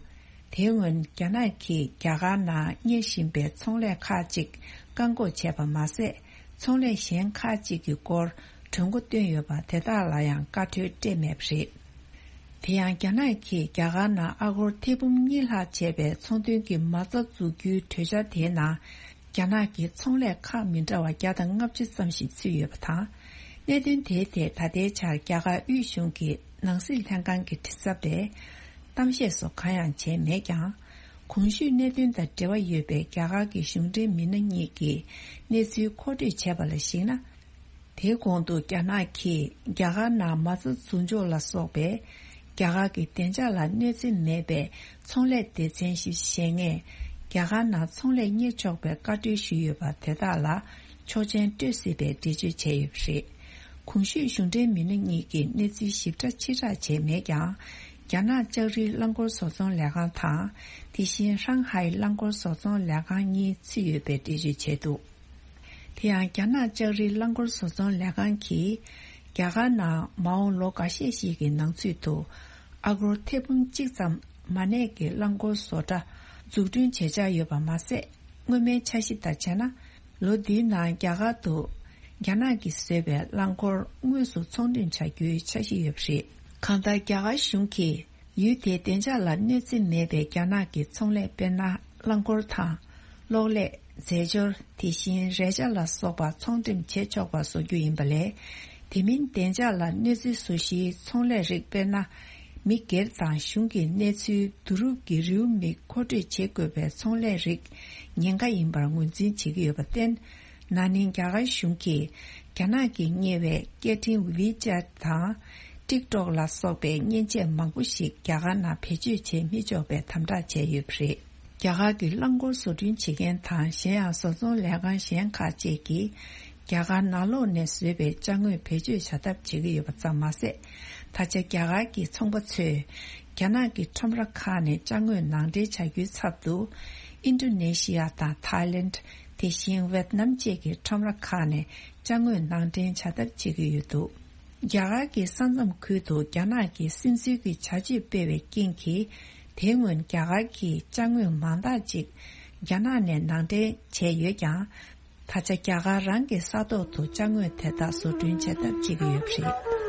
དེ་སྔོན་རྒྱ་ནག་གིས་རྒྱ་གར་ནང་གཉེར་བཞིན་པའི་ཚོང་ལས་ཁག་ཅིག་བཀག་འགོག་བྱས་པ་མ་ཟད། ཚོང་ལས་གཞན་ཁག་ཅིག་གི་སྐོར་གྲོས་འགོ་བཏོན་ཡོད་པ་དེ་དག་ལ་ཡང་བཀའ་འཁྲོལ་སྤྲད་མེད་པ་རེད། དེ་ཡང་རྒྱ་ནག་གིས་རྒྱ་གར་ནང་ཨ་སྒོར་ཐེར་འབུམ་གཉིས་ལྷག་བྱས་པའི་ཚོང་དོན་གྱི་མ་རྩ་འཛུགས་རྒྱུའི་གྲོས་འཆར་དེའི་ནང་། རྒྱ་ནག་གི་ཚོང་ལས་ཁག་མི་འདྲ་བ་བརྒྱ་དང་ལྔ་བཅུ་ཙམ་ཞིག་ཚུད་ཡོད་པ་དང་། གནད་དོན་དེའི་ཐད་ད་ལྟའི་ཆར་རྒྱ་གར་དབུས་གཞུང་གི་ནང་སྲིད་ལྷན་ཁང་གི་མགྲིན་ཚབ་པས་གཏམ་བཤད་སོགས་གང་ཡང་བྱས་མེད་ཀྱང་། གོང་ཞུས་གནད་དོན་དང་འབྲེལ་བ་ཡོད་པའི་རྒྱ་གར་གྱི་གཞུང་འབྲེལ་མི་སྣ་གཉིས་ཀྱིས་གནས་ཚུལ་མཁོ་སྤྲོད་བྱས་པ་ལ་གཞིགས་ན། དེའི་གོང་དུ་རྒྱ་ནག་གིས་རྒྱ་གར་ནང་མ་རྩ་འཛུགས་འཇོག་ལ་སོགས་པའི་རྒྱ་གར་གྱི་བདེ་འཇགས་ལ་གནོད་འཚེ་མེད་པའི་ཚོང་ལས་སྡེ་ཚན་ཞིག་བཞེངས་ནས་རྒྱ་གར་ནང་ཚོང་ལས་གཉེར་ཆོག་པའི་བཀའ་འཁྲོལ་ཞུས་ཡོད་པ་དེ་དག་ལ་ཆོག་མཆན་སྤྲོད་སྲིད་པའི་འགྲེལ་བརྗོད་བྱས་ཡོད་པ་རེད། གོང་ཞུས་གཞུང་འབྲེལ་མི་སྣ་གཉིས་ཀྱིས་གནས་ཚུལ་ཞིབ་ཕྲ་ཕྱིར་བསྒྲགས་བྱས་མེད་ཀྱང་། རྒྱ་ནག་ལྕགས་རིའི་རླངས་འཁོར་བཟོ་ཚོང་ལས་ཁང་དང་། དེ་བཞིན་ཧྲང་ཧའེ་རླངས་འཁོར་བཟོ་ཚོང་ལས་ཁང་གཉིས་ཚུད་ཡོད་པའི་འགྲེལ་བརྗོད་བྱས་འདུག་དེ་ཡང་རྒྱ་ནག་ལྕགས་རིའི་རླངས་འཁོར་བཟོ་ཚོང་ལས་ཁང་གིས། རྒྱ་གར་ནང་མ་འོངས་ལོ་འགའ་ཤས་ཤིག་གི་ནང་ཚུད་དུ། ཨ་སྒོར་ཐེར་འབུམ་གཅིག་ཙམ་མ་གནས་ཀྱི་རླངས་འཁོར་བཟོ་གྲྭ་འཛུགས་སྐྲུན་བྱེད་འཆར་ཡོད་པ་མ་ཟད། སྔོན་མའི་འཆར་གཞི་ལྟར་བྱས་ན། ལོ་འདིའི་ནང་རྒྱ་གར་དུ། རྒྱ་ནག་གིས་བཟོས་པའི་རླངས་འཁོར་དངོས་སུ་ཚོང་འགྲེམས་བྱ་རྒྱུའི་འཆར་གཞི་ཡོད་པ་རེད། གང་ལྟར་རྒྱ་གར་གཞུང་གིས། ཡུལ་དེའི་བདེ་འཇགས་ལ་གནོད་འཚེ་མེད་པའི་རྒྱ་ནག་གི་ཚོང་ལས་དཔེར་ན། རླངས་འཁོར་དང་། གློག་ཀླད། རྫས་སྦྱོར། དེ་བཞིན་རས་ཆ་ལ་སོགས་པ་ཚོང་འགྲེམས་བྱེད་ཆོག་པ་བཟོ་རྒྱུ་ཡིན་པ་ལས། དེ་མིན་བདེ་འཇགས་ལ་གནོད་འཚེ་བཟོ་གཞིའི་ཚོང་ལས་རིགས་དཔེར་ན། མི་སྒེར་དང་གཞུང་གི་གནས་ཚུལ་བསྡུ་རུབ་ཀྱི་རེའུ་མིག་མཁོ་སྤྲོད་བྱེད་དགོས་པའི་ཚོང་ལས་རིགས་ཉེན་ཁ་ཡིན་པར་ངོས་འཛིན་བྱེད་ཀྱི་ཡོད་པར་བརྟེན། ན་ནིང་རྒྱ་གར་གཞུང་གིས་རྒྱ་ནག་གིས་གཉེར་བའི་སྐད་འཕྲིན་ཝི་ཅེ་ཊི་དང་ཊིག་ཊོག་ལ་སོགས་པའི་མཉེན་ཆས་མང་པོ་ཞིག་རྒྱ་གར་ནང་བེད་སྤྱོད་བྱེད་མི་ཆོག་པའི་དམ་དྲག་བྱས་ཡོད་པ་རེད། རྒྱ་གར་གྱི་རླངས་འཁོར་བཟོ་སྐྲུན་བྱེད་མཁན་དང་གཞན་ཡང་བཟོ་ཚོང་ལས་ཁང་གཞན་ཁག་ཅིག་གིས་རྒྱ་གར་ནང་ལོགས་ནས་བཟོས་པའི་ཅ་དངོས་བེད་སྤྱོད་བྱ་ཐབས་བྱེད་ཀྱི་ཡོད་པ་ཙམ་མ་ཟད། ད་ཆ་རྒྱ་གར་གྱི་ཚོང་པ་ཚོས་རྒྱ་ནག་གི་ཁྲོམ་ར་ཁག་ནས་ཅ་དངོས་ནང་འདྲེན་བྱ་རྒྱུའི་ཚབ་ཏུ། ཨིན་ཌོ་ནེ་ཤི་ཡ་དང་ཐའི་ལེནཌ། དེ་བཞིན་ཝེད་ནམ་བཅས་ཀྱི་ཁྲོམ་ར་ཁག་ནས་ཅ་དངོས་ནང་འདྲེན་བྱ་ཐབས་བྱེད་ཀྱི་ཡོད་འདུག་རྒྱ་གར་གྱི་ས་མཚམས་ཁུལ་དུ་རྒྱ་ནག་གིས་སིམ་འཛུལ་གྱི་བྱ་སྤྱོད་སྤེལ་བའི་རྐྱེན་གྱིས། དེ་སྔོན་རྒྱ་གར་གྱིས་ཅ་དངོས་མང་དག་ཅིག་རྒྱ་ནག་ནས་ནང་འདྲེན་བྱས་ཡོད་ཀྱང་། ད་ཆ་རྒྱ་གར་རང་གི་ས་ཐོག་ཏུ་ཅ་དངོས་དེ་དག་བཟོ་སྐྲུན་བྱེད་ཐབས་བྱེད་ཀྱི་ཡོད་པ་རེད།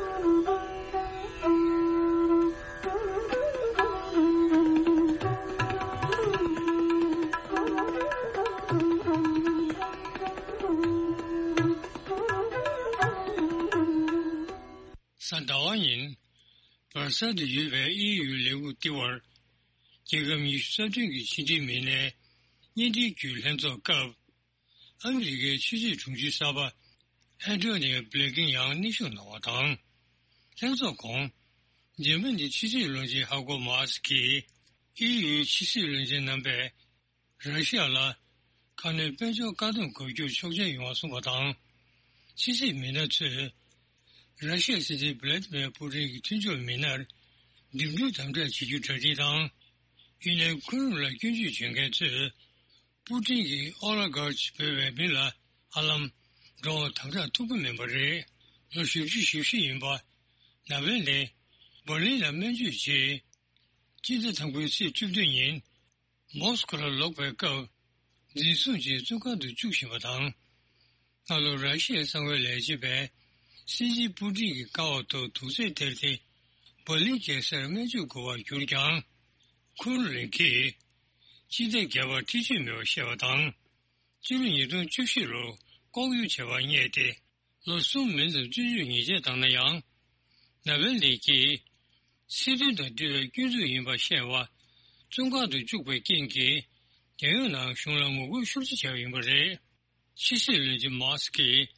གཟའ་ཟླ་བ་ཉིན། སྦར་སལ་དུ་ཡོད་པའི་ཨི་ཡུ་ལས་ཁུངས་ལྟེ་བར། རྒྱལ་ཁབ་ཉི་ཤུ་རྩ་བདུན་གྱི་ཕྱི་འབྲེལ་མི་སྣའི་བརྙན་འཕྲིན་བརྒྱུད་ལྷན་ཚོགས་སྐབས། ཨ་མི་རི་ཀའི་ཕྱི་སྲིད་དྲུང་ཆེ་གསར་པ་ཨན་ཐོ་ནི་ཡོ་བྷི་ལིན་ཀེན་ཡང་གནས་བཞུགས་གནང་བ་དང་། ལྷན་ཚོགས་གོང་། འཇར་མ་ནིའི་ཕྱི་སྲིད་བློན་ཆེན་ཧ་ཀོ་མཱ་སི་གིས་ཨི་ཡུའི་ཕྱི་སྲིད་བློན་ཆེན་རྣམ་པས་ར་ཤི་ཡ་ལ་ཁ་སྣོན་དཔལ་འབྱོར་བཀག་སྡོམ་འགོག་རྒྱུར་ཆོག་མཆན་ཡོང་བ་གསུངས་པ་དང་། ཕྱི་སྲིད་མི་སྣ་ཚོས་ར་ཤི་ཡའི་སྲིད་འཛིན་བྷི་ལ་ཏི་མེར་པུ་ཏིན་གྱི་མཐུན་ཕྱོགས་མི་སྣར་འགྲིམ་འགྲུལ་དམ་དྲག་བྱེད་རྒྱུའི་གྲ་སྒྲིག་དང་། ཡུན་ནན་ཁུ་རིམ་ལ་སྐྱོན་བརྗོད་བྱེད་མཁན་ཚོས། པུ་ཏིན་གྱིས་ཨོ་ལ་གྷར་ཅི་འབོད་པའི་མི་ལ་ཧ་ལམ་འགྲོ་བ་དམ་དྲག་ཐུབ་ཀྱི་མིན་པ་རེད། ལོ་བཞི་བཅུ་ཞེ་བཞི་ཡིན་པ་ནཱ་ཝེ་ལེ་འབར་ལིན་ལ་སྨན་བཅོས་རྗེས། སྤྱི་ཟླ་དང་པོའི་ཚེས་བཅུ་བདུན་ཉིན་མོ་སི་ཀོ་ལ་ལོག་པའི་སྐབས་འཛིན་བཟུང་བྱས་བཙོན་ཁང་དུ་བཅུག་བཞིན་པ་དང་། སྔ་ལོ་ར་ཤི་ཡའི་གསང་བའི་ལས་བྱེད་པས་སྲིད་འཛིན་པུ་ཏིན་གྱི་ཀ་བ་ཐོག་དུག་རྫས་སྟེར་ཏེ་འབར་ལིན་རྒྱལ་སར་སྨན་བཅོས་དགོས་པར་གྱུར་ཀྱང་། ཁུར་རེན་གྱིས་སྤྱི་ཟླ་བརྒྱད་པར་འཁྲིག་སྤྱོད་མེད་པར་བཤད་པ་དང་། ཕྱི་ལོ་ཉིས་སྟོང་བཅུ་བཞི་ལོར་ལྐོག་གཡུག་བྱས་པར་བསྙད་དེ་ལོ་གསུམ་མིན་ཙམ་བཙོན་འཇུག་ཉེས་ཆད་བཏང་ན་ཡང་། ནཱ་ཝེ་ལེ་གྱིས་སྲིད་དོན་དང་འབྲེལ་བའི་སྐྱོན་འཛུགས་ཡིན་པར་བཤད་པ་བཙོན་ཁང་དུ་བཅུག་པའི་རྐྱེན་གྱིས་རྒྱལ་ཡོངས་ནང་གཞུང་ལ་ངོ་རྒོལ་ཤུགས་ཆེ་བྱས་པ་ཡིན་པ་རེད། ཕྱི་སྲིད་བློན་ཆེན་མཱ་སི་ཀིས་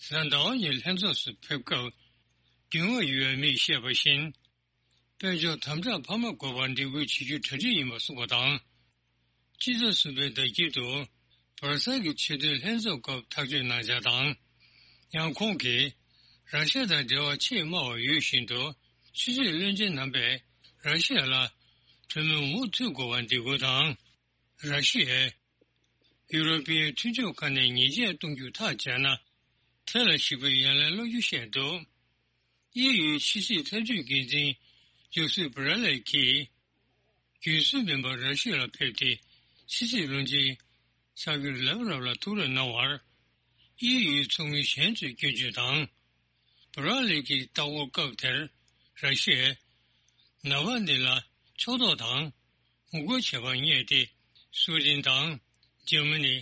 གཟའ་ཟླ་བ་ཉིན་ལྷན་ཚོགས་སུ་ཕེབས་སྐབས་རྒྱུས་མངའ་ཡོད་པའི་མིས་བཤད་པ་བཞིན། དཔལ་འབྱོར་དམ་དྲག་འཕར་མ་དགོས་པར་འབྲེལ་མོལ་བྱེད་རྒྱུའི་གྲ་སྒྲིག་ཡིན་པ་གསུངས་པ་དང་། སྤྱི་ཚེས་གསུམ་པའི་ཟླ་དཀྱིལ་དུ་བར་སལ་གྱི་ཆེས་མཐོའི་ལྷན་ཚོགས་སྐབས་ཐག་གཅོད་གནང་འཆར་དང་། ཡང་ཁོང་གིས་ར་ཤ་ཡ་དང་འབྲེལ་བ་ཆེས་དམའ་བ་ཡོད་བཞིན་དུ་ཕྱི་སྲིད་བློན་ཆེན་རྣམ་པས་ར་ཤ་ཡ་ལ་ གྲོས་མོལ་མུ་མཐུད་དགོས་པར་འདེད་སྐུལ་དང་། ར་ཤི་ཡས་ཡུ་རོ་པི་ཡའི་མཐུན་ཕྱོགས་ཁག་ནས་ཉེས་ཆད་གཏོང་རྒྱུ་ཐག་བཅད་ན། དེ་ལ་ཞིག་པའི་ཡ་ལན་སློག་རྒྱུ་བཤད་འདུག། དབྱིན་ཡུལ་ཕྱི་སྲིད་ཐབས་ཇུས་འགན་འཛིན་ཇོ་སེབ་བྷ་ར་ལེ་གྱིས། རྒྱུན་སྲོལ་མིན་པར་ར་ཤི་ཡ་ལ་ཕེབས་ཏེ། ཕྱི་སྲིད་བློན་ཆེན་སར་གྷེ་ལབ་རོབ་ལ་ཐུགས་རེ་གནང་བར། དབྱིན་ཡུལ་ཚོགས་མི་གཞན་ཚོས་སྐྱོན་བརྗོད་དང་། བྷ་ར་ལེ་གྱི་ལྟ་སྐོར་སྐབས་དེར། ར་ཤི་ཡས་ནཱ་ཝལ་ནི་ལ་ཕྱོགས་གཏོགས་དང་ངོ་རྒོལ་བྱས་པར་བསྙད་དེ། སུའེ་ཏེན་དང་འཇར་མ་ནི།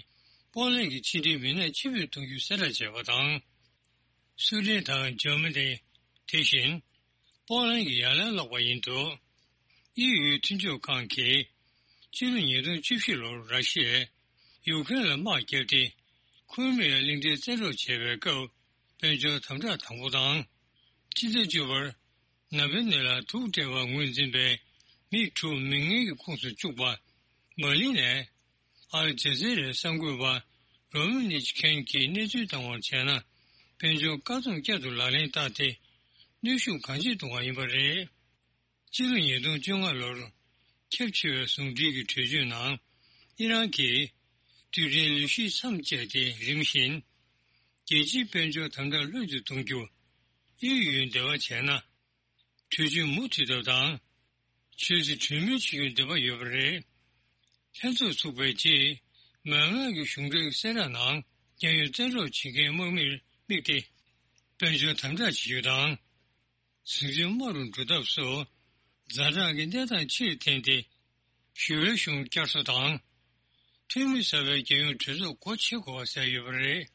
པོ་ལན་གྱི་ཕྱི་འབྲེལ་མི་སྣ་ཕྱིར་འབུད་གཏོང་རྒྱུའི་གསལ་བསྒྲགས་བྱས་པ་དང་། སུའེ་ཏེན་དང་འཇར་མ་ནི། དེ་བཞིན་པོ་ལན་གྱི་ཡ་ལན་བསློགས་པ་ཡིན་འདུག། དབྱིན་ཡུལ་མཐུན་ཕྱོགས་ཁང་གིས། ཕྱི་ལོ་ཉིས་སྟོང་བཅུ་བཞི་ལོར་ར་ཤི་ཡས་ཡུ་ཁེ་རེན་ལ་དམག་བརྒྱབ་སྟེ། ཁུ་རི་མི་ཡ་གླིང་ཕྲན་བཙན་འཕྲོག་བྱས་པའི་སྐབས། དཔལ་འབྱོར་དམ་དྲག་དང་པོ་དང་། ཕྱི་ཟླ་བཅུ་པར་ནཱ་ཝལ་ནི་ལ་དུག་སྤྲད་པར་ངོས་འཛིན་པའི་མི་དྲུག་མི་ངན་གྱི་ཁོངས་སུ་བཅུག་པ། མ་ལི་ནས་ཨལ་ཇ་ཛི་རའི་གསར་འགོད་པ་རོ་མི་ནིཆ་ཁེན་གྱིས་གནས་ཚུལ་བཏང་བར་བྱས་ན། དཔལ་འབྱོར་བཀག་སྡོམ་བསྐྱར་དུ་ལག་ལེན་བསྟར་ཏེ། གནོན་ཤུགས་གང་ཆེ་གཏོང་བ་ཡིན་པ་རེད། སྤྱི་ལོ་ཉིས་སྟོང་བཅོ་ལྔ་ལོར་ཁྱབ་ཆེ་བའི་ཟུང་འབྲེལ་གྱི་གྲོས་ཆོད་ནང་། ཨི་རན་གྱིས་རྡུལ་ཕྲན་ལུས་ཤིག་མཚམས་བཅད་དེ་རིམ་བཞིན་རྒྱལ་སྤྱིའི་དཔལ་འབྱོར་དམ་དྲག་ལྷོད་དུ་གཏོང་རྒྱུ་དབྱིན་ཡུལ་འབྲེལ་བ་བྱས་ན། གྲོས་ཆོད་མུ་མཐུད་ཐབས་དང་། ཆོས་སྲིད་གྲོས་མོལ་བྱེད་རྒྱུའི་འདོད་པ་ཡོད་པ་རེད། ལྷན་ཚོགས་ཚུགས་པའི་རྗེས། མཱ་ནམ་གྱི་གཞུང་འབྲེལ་གསལ་བསྒྲགས་ནང་། རྒྱལ་ཡོངས་བཙན་འཕྲོག་བྱེད་མཁན་དམག་མིར་དམིགས་ཏེ། དཔལ་འབྱོར་དམ་དྲག་བྱེད་རྒྱུ་དང་། ཟིང་ཆ་དམའ་རུ་འགྲོ་ཐབས་སུ། ཛ་དྲག་གི་གནས་སྟངས་ཕྱིར་འཐེན་ཏེ། ཞི་བའི་གཞུང་བསྐྱར་གསོ་དང་། འཐུས་མི་གསར་པའི་རྒྱལ་ཡོངས་གྲོས་ཚོགས་སྒོ་ཕྱེ་དགོས་པ་ཟེར་ཡོད་པ་རེད།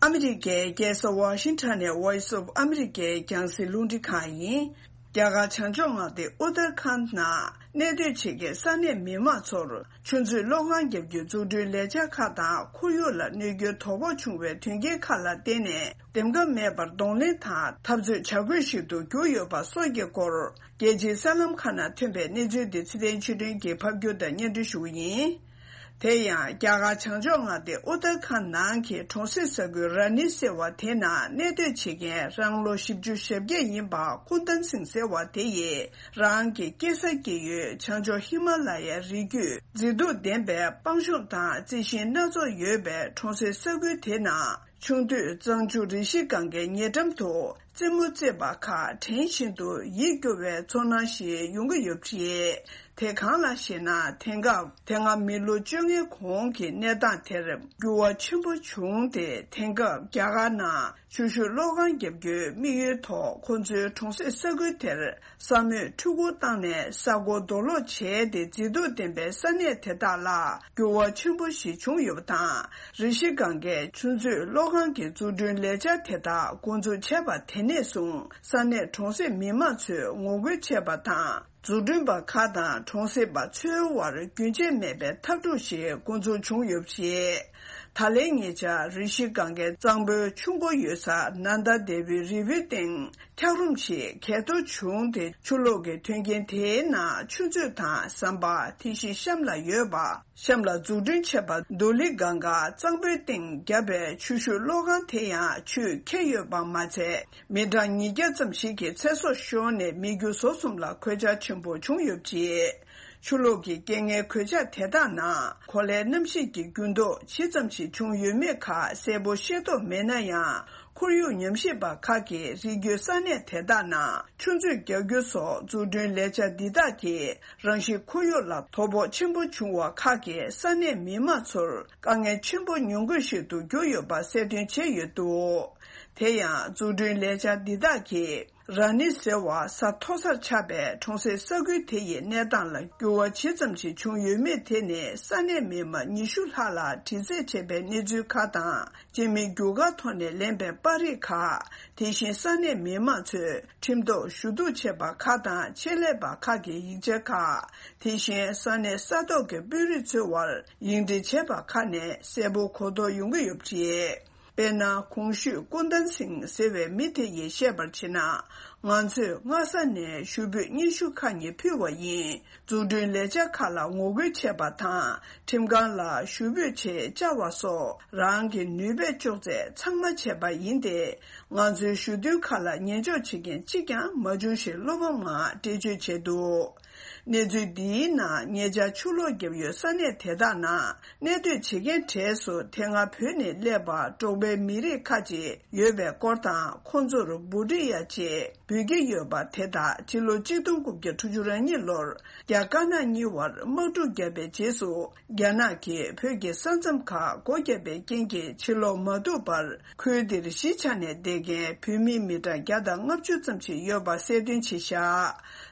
ཨ་མི་རི་ཀའི་རྒྱལ་ས་ཝ་ཤིང་ཊོན་ནས་Voice of America རྒྱང་སྲིང་རླུང་འཕྲིན་ཁང་ཡིན། རྒྱ་གར་བྱང་ཕྱོགས་མངའ་སྡེ་ཨུ་ཏར་ཁཱན་ནང་གནས་སྡོད་བྱེད་མཁན་ས་གནས་མི་མང་ཚོར་ཆུ་མཛོད་གློག་ཁང་བརྒྱབ་རྒྱུའི་འཛུགས་སྐྲུན་ལས་འཆར་ཁག་དང་ཁོར་ཡུག་ལ་གནོད་སྐྱོན་དོ་ཕོག་བྱུང་བའི་དོན་རྐྱེན་ཁག་ལ་བརྟེན་ནས། འདེམས་ཀ་མེད་པར་གདོང་ལེན་དང་འཐབ་རྩོད་བྱ་དགོས་ཤིག་ཏུ་གྱུར་ཡོད་པ་སོགས་ཀྱི་སྐོར། རྒྱལ་སྤྱིའི་གསར་ལམ་ཁག་ནང་ཐོན་པའི་གནས་ཚུལ་དེ་ཚེ་བརྟན་ཆོས་སྒྲོན་གྱིས་ཕབ་སྒྱུར་དང་སྙན་སྒྲོན་ཞུ་བ་ཡིན། དེ་ཡང་རྒྱ་གར་བྱང་ཕྱོགས་མངའ་སྡེ་ཨུ་ཏར་ཁཱན་ནང་གི་གྲོང་གསེབ་ས་ཁུལ་ར་ནི་ཟེར་བ་དེ་ནང་གནས་སྡོད་བྱེད་མཁན་རང་ལོ་བཞི་བཅུ་ཞེ་བརྒྱད་ཡིན་པ་ཁུན་ཏན་སིང་ཟེར་བ་དེ་ཡིས། རང་གི་སྐྱེས་ས་སྐྱེས་ཡུལ་བྱང་ཕྱོགས་ཧི་མ་ལ་ཡའི་རི་རྒྱུད་མཛེས་སྡུག་ལྡན་པའི་སྤང་གཤོངས་དང་རྩི་ཤིང་སྣ་ཚོགས་ཡོད་པའི་གྲོང་གསེབ་ས་ཁུལ་དེ་ནང་། ཆུང་དུས་གཙང་ཆུ་རི་ཤི་གངྒཱའི་ཉེ་འགྲམ་དུ་རྩེད་མོ་རྩེད་པ་ཁག་དྲན་བཞིན་དུ་ཡིད་སྐྱོ་བའི་ཚོར་སྣང་ཞིག་ཡོང་གི་ཡོད་པ་རེད། དེ་གང་ལགས་ཤེ་ན། དེང་སྐབས་དེ་སྔ་མི་ལོ་བཅོ་ལྔའི་གོང་གི་གནས་སྟངས་དེར་འགྱུར་བ་ཆེན་པོ་བྱུང་སྟེ། དེང་སྐབས་རྒྱ་གར་ནང་ཆུ་ཤུགས་གློག་ཁང་བརྒྱབ་རྒྱུའི་དམིགས་ཡུལ་ཐོག་ཁོ་ཚོའི་གྲོང་གསེབ་ས་ཁུལ་དེར། ས་མོས་འཕྲུལ་འཁོར་བཏང་ནས་ས་སྒོ་རྡོ་སློག་བྱས་ཏེ། མཛེས་སྡུག་ལྡན་པའི་ས་གནས་དེ་དག་ལ་འགྱུར་བ་ཆེན་པོ་ཞིག་བྱུང་ཡོད་པ་དང་། རི་ཤི་གངྒཱའི་ཆུ་མཛོད་གློག་ཁང་གི་འཛུགས་སྐྲུན་ལས་འཆར་དེ་དག་འགོ་འཛུགས་བྱས་པ་དེ་ནས་བཟུང་། ས་གནས་གྲོང་གསེབ་མི་མང་ཚོས་ངོ་རྒོལ་བྱས་པ་དང་། འཛུགས་སྐྲུན་པ་ཁག་དང་གྲོང་གསེབ་པ་ཚོའི་དབར་རྒྱུན་ཆད་མེད་པའི་འཐབ་འཁྲུག་ཞིག་འགོ་འཛུགས་བྱུང་ཡོད་པ་རེད། ད་ལན་ཉེ་ཆར་རི་ཤི་གངྒཱའི་གཙང་པོའི་ཆུ་མགོ་ཡོད་ས་ནན་ད་དེ་བིའི་རི་བོའི་སྟེང་འཁྱགས་རོམ་ཞིག་གས་གཏོར་བྱུང་སྟེ། ཆུ་ལོག་གི་མཐུན་རྐྱེན་དེའི་ནང་ཆུ་མཛོད་དང་ཟམ་པ། དེ་བཞིན་གཤམ་ལ་ཡོད་པ། གཤམ་ལ་འཛུགས་སྐྲུན་བྱས་པ་དུ་ལི་གངྒཱ་གཙང་པོའི་སྟེང་བརྒྱབ་པའི་ཆུ་ཤུགས་གློག་ཁང་དེ་ཡང་ཆུས་ཁྱེར་ཡོད་པ་མ་ཚད། མི་གྲངས་ཉིས་བརྒྱ་ཙམ་ཞིག་གི་ཚེ་སྲོག་ཤོར་ནས། མི་རྒྱུ་ཟོག་གསུམ་ལ་གོད་ཆག་ཆེན་པོ་བྱུང་ཡོད་པ་རེད། ཆུ་ལོག་གི་རྐྱེན་ངན་གོད་ཆག་དེ་དག་ནང་གོ་ལའི་གནམ་གཤིས་ཀྱི་འགྱུར་ལྡོག་ཇི་ཙམ་ཞིག་བྱུང་ཡོད་མེད་ཁག་གསལ་པོ་ཤེས་རྟོགས་མེད་ན་ཡང་། ཁོར་ཡུག་ཉམས་ཞིབ་པ་ཁག་གིས་རི་རྒྱུད་ས་གནས་དེ་དག་ནང་ཆུ་མཛོད་རྒྱག་རྒྱུ་སོགས་འཛུགས་སྐྲུན་ལས་འཆར་འདི་དག་གིས་རང་བཞིན་ཁོར་ཡུག་ལ་དོ་ཕོག་ཆེན་པོ་བྱུང་བ་ཁག་གིས་ས་གནས་མི་མང་ཚོར་དཀའ་ངལ་ཆེན་པོ་མྱོང་དགོས་ཤིག་ཏུ་གྱུར་ཡོད་པ་གསལ་སྟོན་བྱས་ཡོད་འདུག། དེ་ཡང་འཛུགས་སྐྲུན་ལས་འཆར་འདི་དག་གིས། ར་ནི་ཟེར་བ་ས་མཐོ་སར་ཆགས་པའི་གྲོང་གསེབ་ས་ཁུལ་དེ་ཡི་གནས་སྟངས་ལ་འགྱུར་བ་ཇི་ཙམ་ཞིག་བྱུང་ཡོད་མེད་དེ་ནི་ས་གནས་མི་མང་ཉི་ཤུ་ལྷག་ལ་དྲི་རྩད་བྱས་པའི་གནས་ཚུལ་ཁག་དང་། སྤྱི་མིའི་རྒྱུ་སྐར་ཐོག་ནས་ལེན་པའི་པར་རིས་ཁག། དེ་བཞིན་ས་གནས་མི་མང་ཚོས་ཁྲིམས་ཐོག་ཞུ་གཏུག་བྱས་པ་ཁག་དང་ཆེད་ལས་པ་ཁག་གི་ཡིག་ཆ་ཁག། དེ་བཞིན་ས་གནས་ས་ཐོག་གི་དཔོན་རིགས་ཚོའི་དབར་ཡིག་འབྲེལ་བྱས་པ་ཁག་ནས་གསལ་པོ་གོ་རྟོགས་ཡོང་གི་ཡོད་པ་རེད། དཔེར་ན། གོང་ཞུས་ཀུན་ལྡན་སིང་ཟེར་བའི་མི་དེ་ཡིས་བཤད་པར་བྱས་ན། ང་ཚོས་སྔ་ས་ནས་ཞུ་འབོད་སྙན་ཞུ་ཁག་གཉིས་ཕུལ་བ་ཡིན། འཛུགས་སྐྲུན་ལས་འཆར་ཁག་ལ་ངོ་རྒོལ་བྱས་པ་དང་། ཁྲིམས་ཁང་ལ་ཞུ་འབོད་ཆེད་བཅར་བ་སོགས་རང་གི་ནུས་པས་ལྕོགས་ཚད་ཚང་མ་བྱས་པ་ཡིན་ཏེ། ང་ཚོའི་ཞུ་འདུན་ཁག་ལ་ཉན་འཇོག་བྱེད་མཁན་གཅིག་ཀྱང་མ་བྱུང་ཞེས་བློ་ཕམ་ངང་འགྲེལ་བརྗོད་བྱས་འདུག་གནས་ཚུལ་འདིའི་ནང་ཉེ་ཆར་ཆུ་ལོག་བརྒྱབ་ཡུལ་ས་གནས་དེ་དག་ནང་གནས་སྡོད་བྱེད་མཁན་གྲས་སུ་དེ་སྔ་བོད་ནས་སླེབས་པ་འབྲོག་པའི་མི་རིགས་ཁག་ཅིག་ཡོད་པའི་སྐོར་དང་། ཁོང་ཚོར་བྷུ་ཏི་ཡ་ཅེས་འབོད་ཀྱི་ཡོད་པ་དེ་དག་སྤྱི་ལོ་གཅིག་སྟོང་དགུ་བརྒྱ་དྲུག་ཅུ་རེ་གཉིས་ལོར་རྒྱ་དཀར་ནག་གཉིས་བར་དམག་འཁྲུག་བརྒྱབ་པའི་རྗེས་སུ། རྒྱ་ནག་གིས་བོད་ཀྱི་ས་མཚམས་ཁག་སྒོ་བརྒྱབ་པའི་རྐྱེན་གྱིས་ཕྱིར་ལོག་མ་ཐུབ་པར། ཁུལ་འདིར་གཞིས་ཆགས་ནས་བསྡད་མཁན་བོད་མི་མི་གྲངས་བརྒྱ་དང་ལྔ་བཅུ་ཙམ་ཞིག་ཡོད་པ་གསལ་སྟོན་བྱས་བཞག་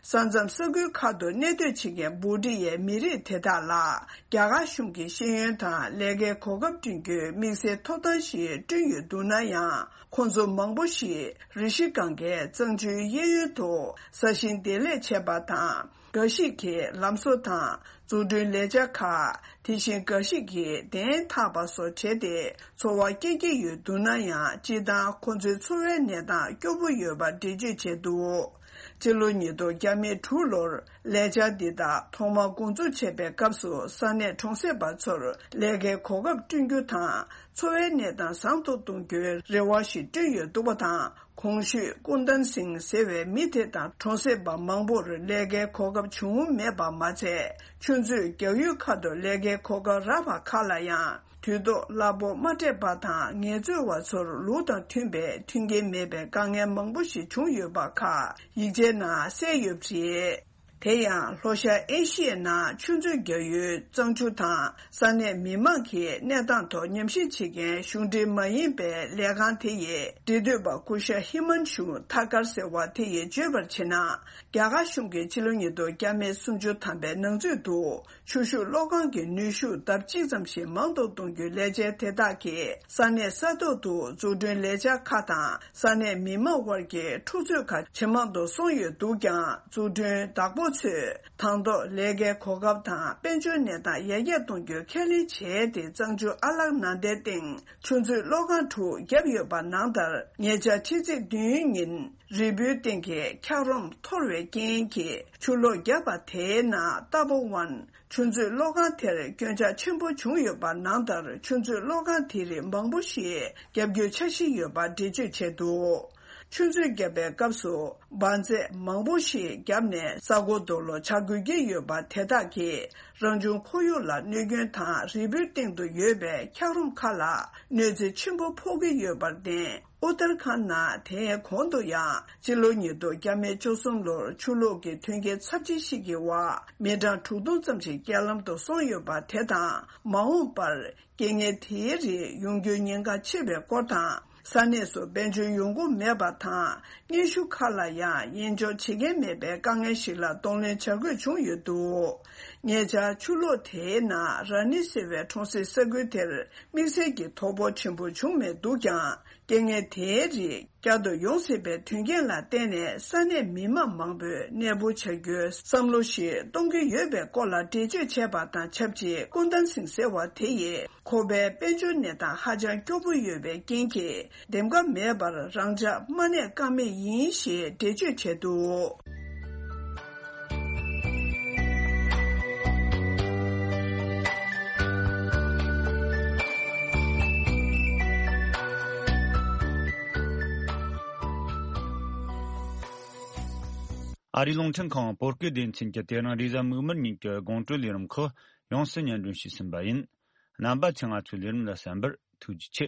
ས་མཚམས་ས་ཁུལ་ཁག་ཏུ་གནས་སྡོད་བྱེད་མཁན་བྷུ་ཏི་ཡའི་མི་རིགས་དེ་དག་ལ། རྒྱ་གར་གཞུང་གིས་ཤེས་ཡོན་དང་ལས་ཀའི་གོ་སྐབས་བསྐྲུན་རྒྱུའི་དམིགས་བསལ་ཐོབ་ཐང་ཞིག་བསྐྲུན་ཡོད་འདུག་ན་ཡང་། ཁོང་ཚོ་མང་པོ་ཞིག་རི་ཤི་གངྒཱའི་གཙང་ཆུའི་གཡས་གཡོན་དུ་ས་ཞིང་འདེབས་ལས་བྱས་པ་དང་། འགའ་ཞིག་གིས་ལམ་བཟོ་དང་འཛུགས་སྐྲུན་ལས་འཆར་ཁག་དེ་བཞིན་འགའ་ཞིག་གིས་གདན་འཐག་པ་སོགས་བྱས་ཏེ་འཚོ་བ་སྐྱེལ་གྱི་ཡོད་འདུག་ན་ཡང་། སྤྱིར་བཏང་ཁོ་ཚོའི་འཚོ་བའི་གནས་སྟངས་སྐྱོ་པོ་ཡོད་པ་འགྲེལ་བརྗོད་བྱས་འདུག་སྤྱི་ལོ་ཉིས་སྟོང་བརྒྱ་མེད་དྲུག་ལོར་ལས་འཆར་འདི་དག་ཐོག་མར་འགོ་འཛུགས་བྱས་པའི་སྐབས་སུ། ས་གནས་གྲོང་གསེབ་པ་ཚོར་ལས་ཀའི་གོ་སྐབས་བསྐྲུན་རྒྱུ་དང་། འཚོ་བའི་གནས་སྟངས་བཟང་དུ་གཏོང་རྒྱུའི་རེ་བ་ཞིག་བསྐྲུན་ཡོད་འདུག་པ་དང་། གོང་ཞུས་ཀུན་ལྡན་སིང་ཟེར་བའི་མི་དེ་དང་གྲོང་གསེབ་པ་མང་པོར་ལས་ཀའི་གོ་སྐབས་བྱུང་མེད་པ་མ་ཚད། ཆུ་མཛོད་རྒྱག་ཡུལ་ཁག་ཏུ་ལས་ཀའི་གོ་སྐབས་རག་པ་ཁག་ལ་ཡང་དུས་ཐོག་གླ་ཕོགས་མ་སྤྲད་པ་དང་། ངལ་རྩོལ་བ་ཚོར་ལུགས་དང་མཐུན་པའི་མཐུན་རྐྱེན་མེད་པའི་དཀའ་ངལ་མང་པོ་ཞིག་བྱུང་ཡོད་པ་ཁག་ཡིག་ཆའི་ནང་གསལ་ཡོད་པ་རེད། དེ་ཡང་ལྷོ་ཤར་ཨེ་ཤི་ཡའི་ནང་ཆུ་མཛོད་རྒྱག་ཡུལ་གཙང་ཆུ་དང་ས་གནས་མི་མང་གི་གནས་སྟངས་ཐོག་ཉམས་ཞིབ་བྱེད་མཁན་གཞུང་འབྲེལ་མ་ཡིན་པའི་ལས་ཁང་དེ་ཡི་འབྲེལ་མཐུད་པ་སྐུ་ཞབས་ཧི་མན་ཤུ་ཐ་ཀར་ཟེར་བ་དེ་ཡིས་བརྗོད་པར་བྱས་ན། རྒྱ་གར་གཞུང་གིས་ཕྱི་ལོ་ཉིས་སྟོང་བརྒྱ་མེད་སུམ་ཅུ་ཐམ་པའི་ནང་ཚུད་དུ་ཆུ་ཤུགས་གློག་ཁང་གི་ནུས་ཤུགས་ལྡབ་གཅིག་ཙམ་ཞིག་མང་དུ་གཏོང་རྒྱུའི་ལས་འཆར་དེ་དག་གིས་ས་གནས་ས་ཐོག་ཏུ་འཛུགས་སྐྲུན་ལས་འཆར་ཁག་དང་ས་གནས་མི་མང་དབར་གྱི་འཁྲུག་རྩོད་ཁག་ཇེ་མང་དུ་སོང་ཡོད་འདུག་ཀྱང་། འཛུགས་སྐྲུན་བདག་པོ་ཚོས་དང་ཐོག་ལས་ཀའི་གོ་སྐབས་དང་དཔལ་འབྱོར་གནས་སྟངས་ཡར་རྒྱས་གཏོང་རྒྱུའི་ཁས་ལེན་བྱས་ཏེ། གཙང་ཆུ་ཨ་ལག་ན་དའི་སྟེང་ཆུ་མཛོད་གློག་ཁང་དྲུག་བརྒྱབ་ཡོད་པ་ནང་ལྟར། ཉེ་ཆར་ཕྱི་ཚེས་བདུན་ཉིན་རི་བོའི་སྟེང་གི་འཁྱགས་རོམ་འཐོར་བའི་རྐྱེན་གྱིས་ཆུ་ལོག་བརྒྱབ་པ་དེའི་ནང་ཏཱ་པོ་ཝན་ཆུ་མཛོད་གློག་ཁང་དེར་སྐྱོན་ཆག་ཆེན་པོ་བྱུང་ཡོད་པ་ནང་ལྟར། ཆུ་མཛོད་གློག་ཁང་དེ་རིགས་མང་པོ་ཞིག་བརྒྱབ་རྒྱུའི་འཆར་གཞི་ཡོད་པ་འགྲེལ་བརྗོད་བྱས་འདུག་ཆུ་མཛོད་བརྒྱབ་པའི་སྐབས་སུ་འབར་རྫས་མང་པོ་ཞིག་བརྒྱབ་ནས་ས་རྒོད་རྡོ་སློག་བྱ་དགོས་ཀྱི་ཡོད་པ་དེ་དག་གིས་རང་བྱུང་ཁོར་ཡུག་ལ་གནོད་སྐྱོན་དང་། རི་བོའི་སྟེང་དུ་ཡོད་པའི་འཁྱགས་རོམ་ཁག་ལ་གནོད་འཚེ་ཆེན་པོ་ཕོག་གི་ཡོད་པར་བརྟེན། ཨུ་ཏར་ཁཱན་ནང་དེའི་གོང་དུ་ཡང་སྤྱི་ལོ་ཉིས་སྟོང་བརྒྱ་མེད་བཅུ་གསུམ་ལོར་ཆུ་ལོག་གི་མཐུན་རྐྱེན་ཚབས་ཆེ་ཞིག་གི་འོག་མི་གྲངས་དྲུག་སྟོང་ཙམ་ཞིག་རྐྱེན་ལམ་དུ་སོང་ཡོད་པ་དེ་དང་། མ་འོངས་པར་རྐྱེན་ངན་དེའི་རིགས་ཡོང་རྒྱུའི་ཉེན་ཁ་ཆེ་བའི་སྐོར་དང་། ས་གནས་སུ་དཔལ་འབྱོར་ཡོང་སྒོ་མེད་པ་དང་། སྙན་ཞུ་ཁག་ལ་ཡང་དབྱེ་འབྱེད་བྱེད་མཁན་མེད་པའི་དཀའ་ངལ་ཞིག་ལ་གདོང་ལེན་བྱ་དགོས་བྱུང་ཡོད་འདུག་ཉེ་ཆར་ཆུ་ལོག་དེའི་ནང་ར་ནི་ཟེར་བའི་གྲོང་གསེབ་ས་ཁུལ་དེར་དམིགས་བསལ་གྱི་དོ་ཕོག་ཆེན་པོ་བྱུང་མེད་འདུག་ཀྱང་། རྐྱེན་ངན་དེའི་རིགས་བསྐྱར་དུ་ཡོང་སྲིད་པའི་དོན་རྐྱེན་ལ་བརྟེན་ནས། ས་གནས་མི་མང་མང་པོས་གནས་སྤོ་བྱ་རྒྱུའི་བསམ་བློ་ཞིག་གཏོང་གི་ཡོད་པའི་སྐོར་ལ་འགྲེལ་བརྗོད་བྱས་པ་དང་ཆབས་ཅིག་ཀུན་ལྡན་སིང་ཟེར་བ་དེ་ཡིས། ཁོ་པའི་དཔལ་འབྱོར་གནས་སྟངས་ཧ་ཅང་སྐྱོ་པོ་ཡོད་པའི་རྐྱེན་གྱིས། འདེམས་ཀ་མེད་པར་རང་འཇགས་མ་གནས་ཀ་མེད་ཡིན་ཞེས་འགྲེལ་བརྗོད་བྱས་འདུག་ཨ་རིའི་རླུང་འཕྲིན་ཁང་བོད་སྐད་སྡེ་ཚན་གྱི་དེ་རིང་རེས་གཟའ་མིག་དམར་ཉིན་གྱི་དགོང་དྲོའི་ལས་རིམ་ཁག་ཡོངས་སུ་སྙན་སྒྲོན་ཞུས་ཟིན་པ་ཡིན། རྣམ་པ་ཚོས་ང་ཚོའི་ལས་རིམ་ལ་གསན་པར་ཐུགས་རྗེ་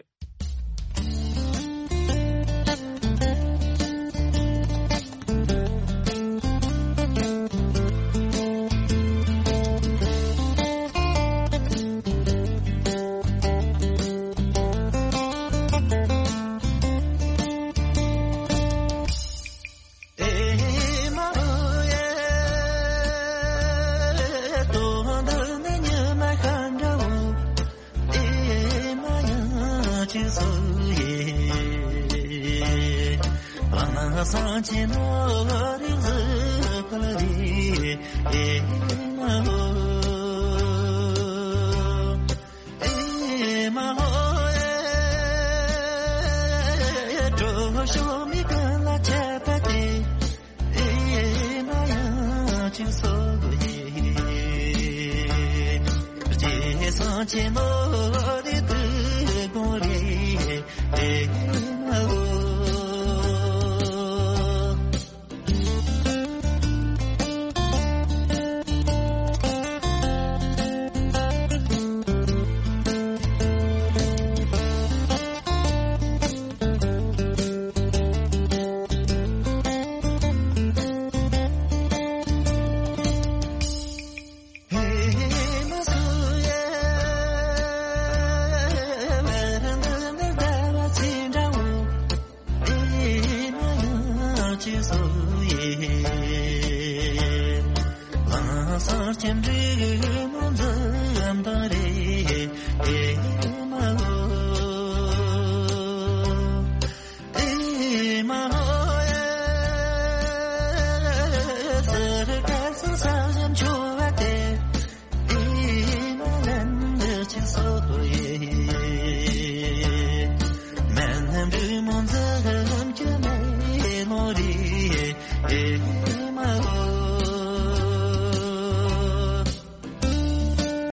ཆེ། ཤོ་མི་ག་ལ་ཆ་པ་ཏེ། ཨེ་མ་ཡང་ཅི་སོ་ཡེ། རྗེས་སང་་ཆེན་མོ་རེ་དུ་དགོངས་རེ་ཨེ་མ་ལོ།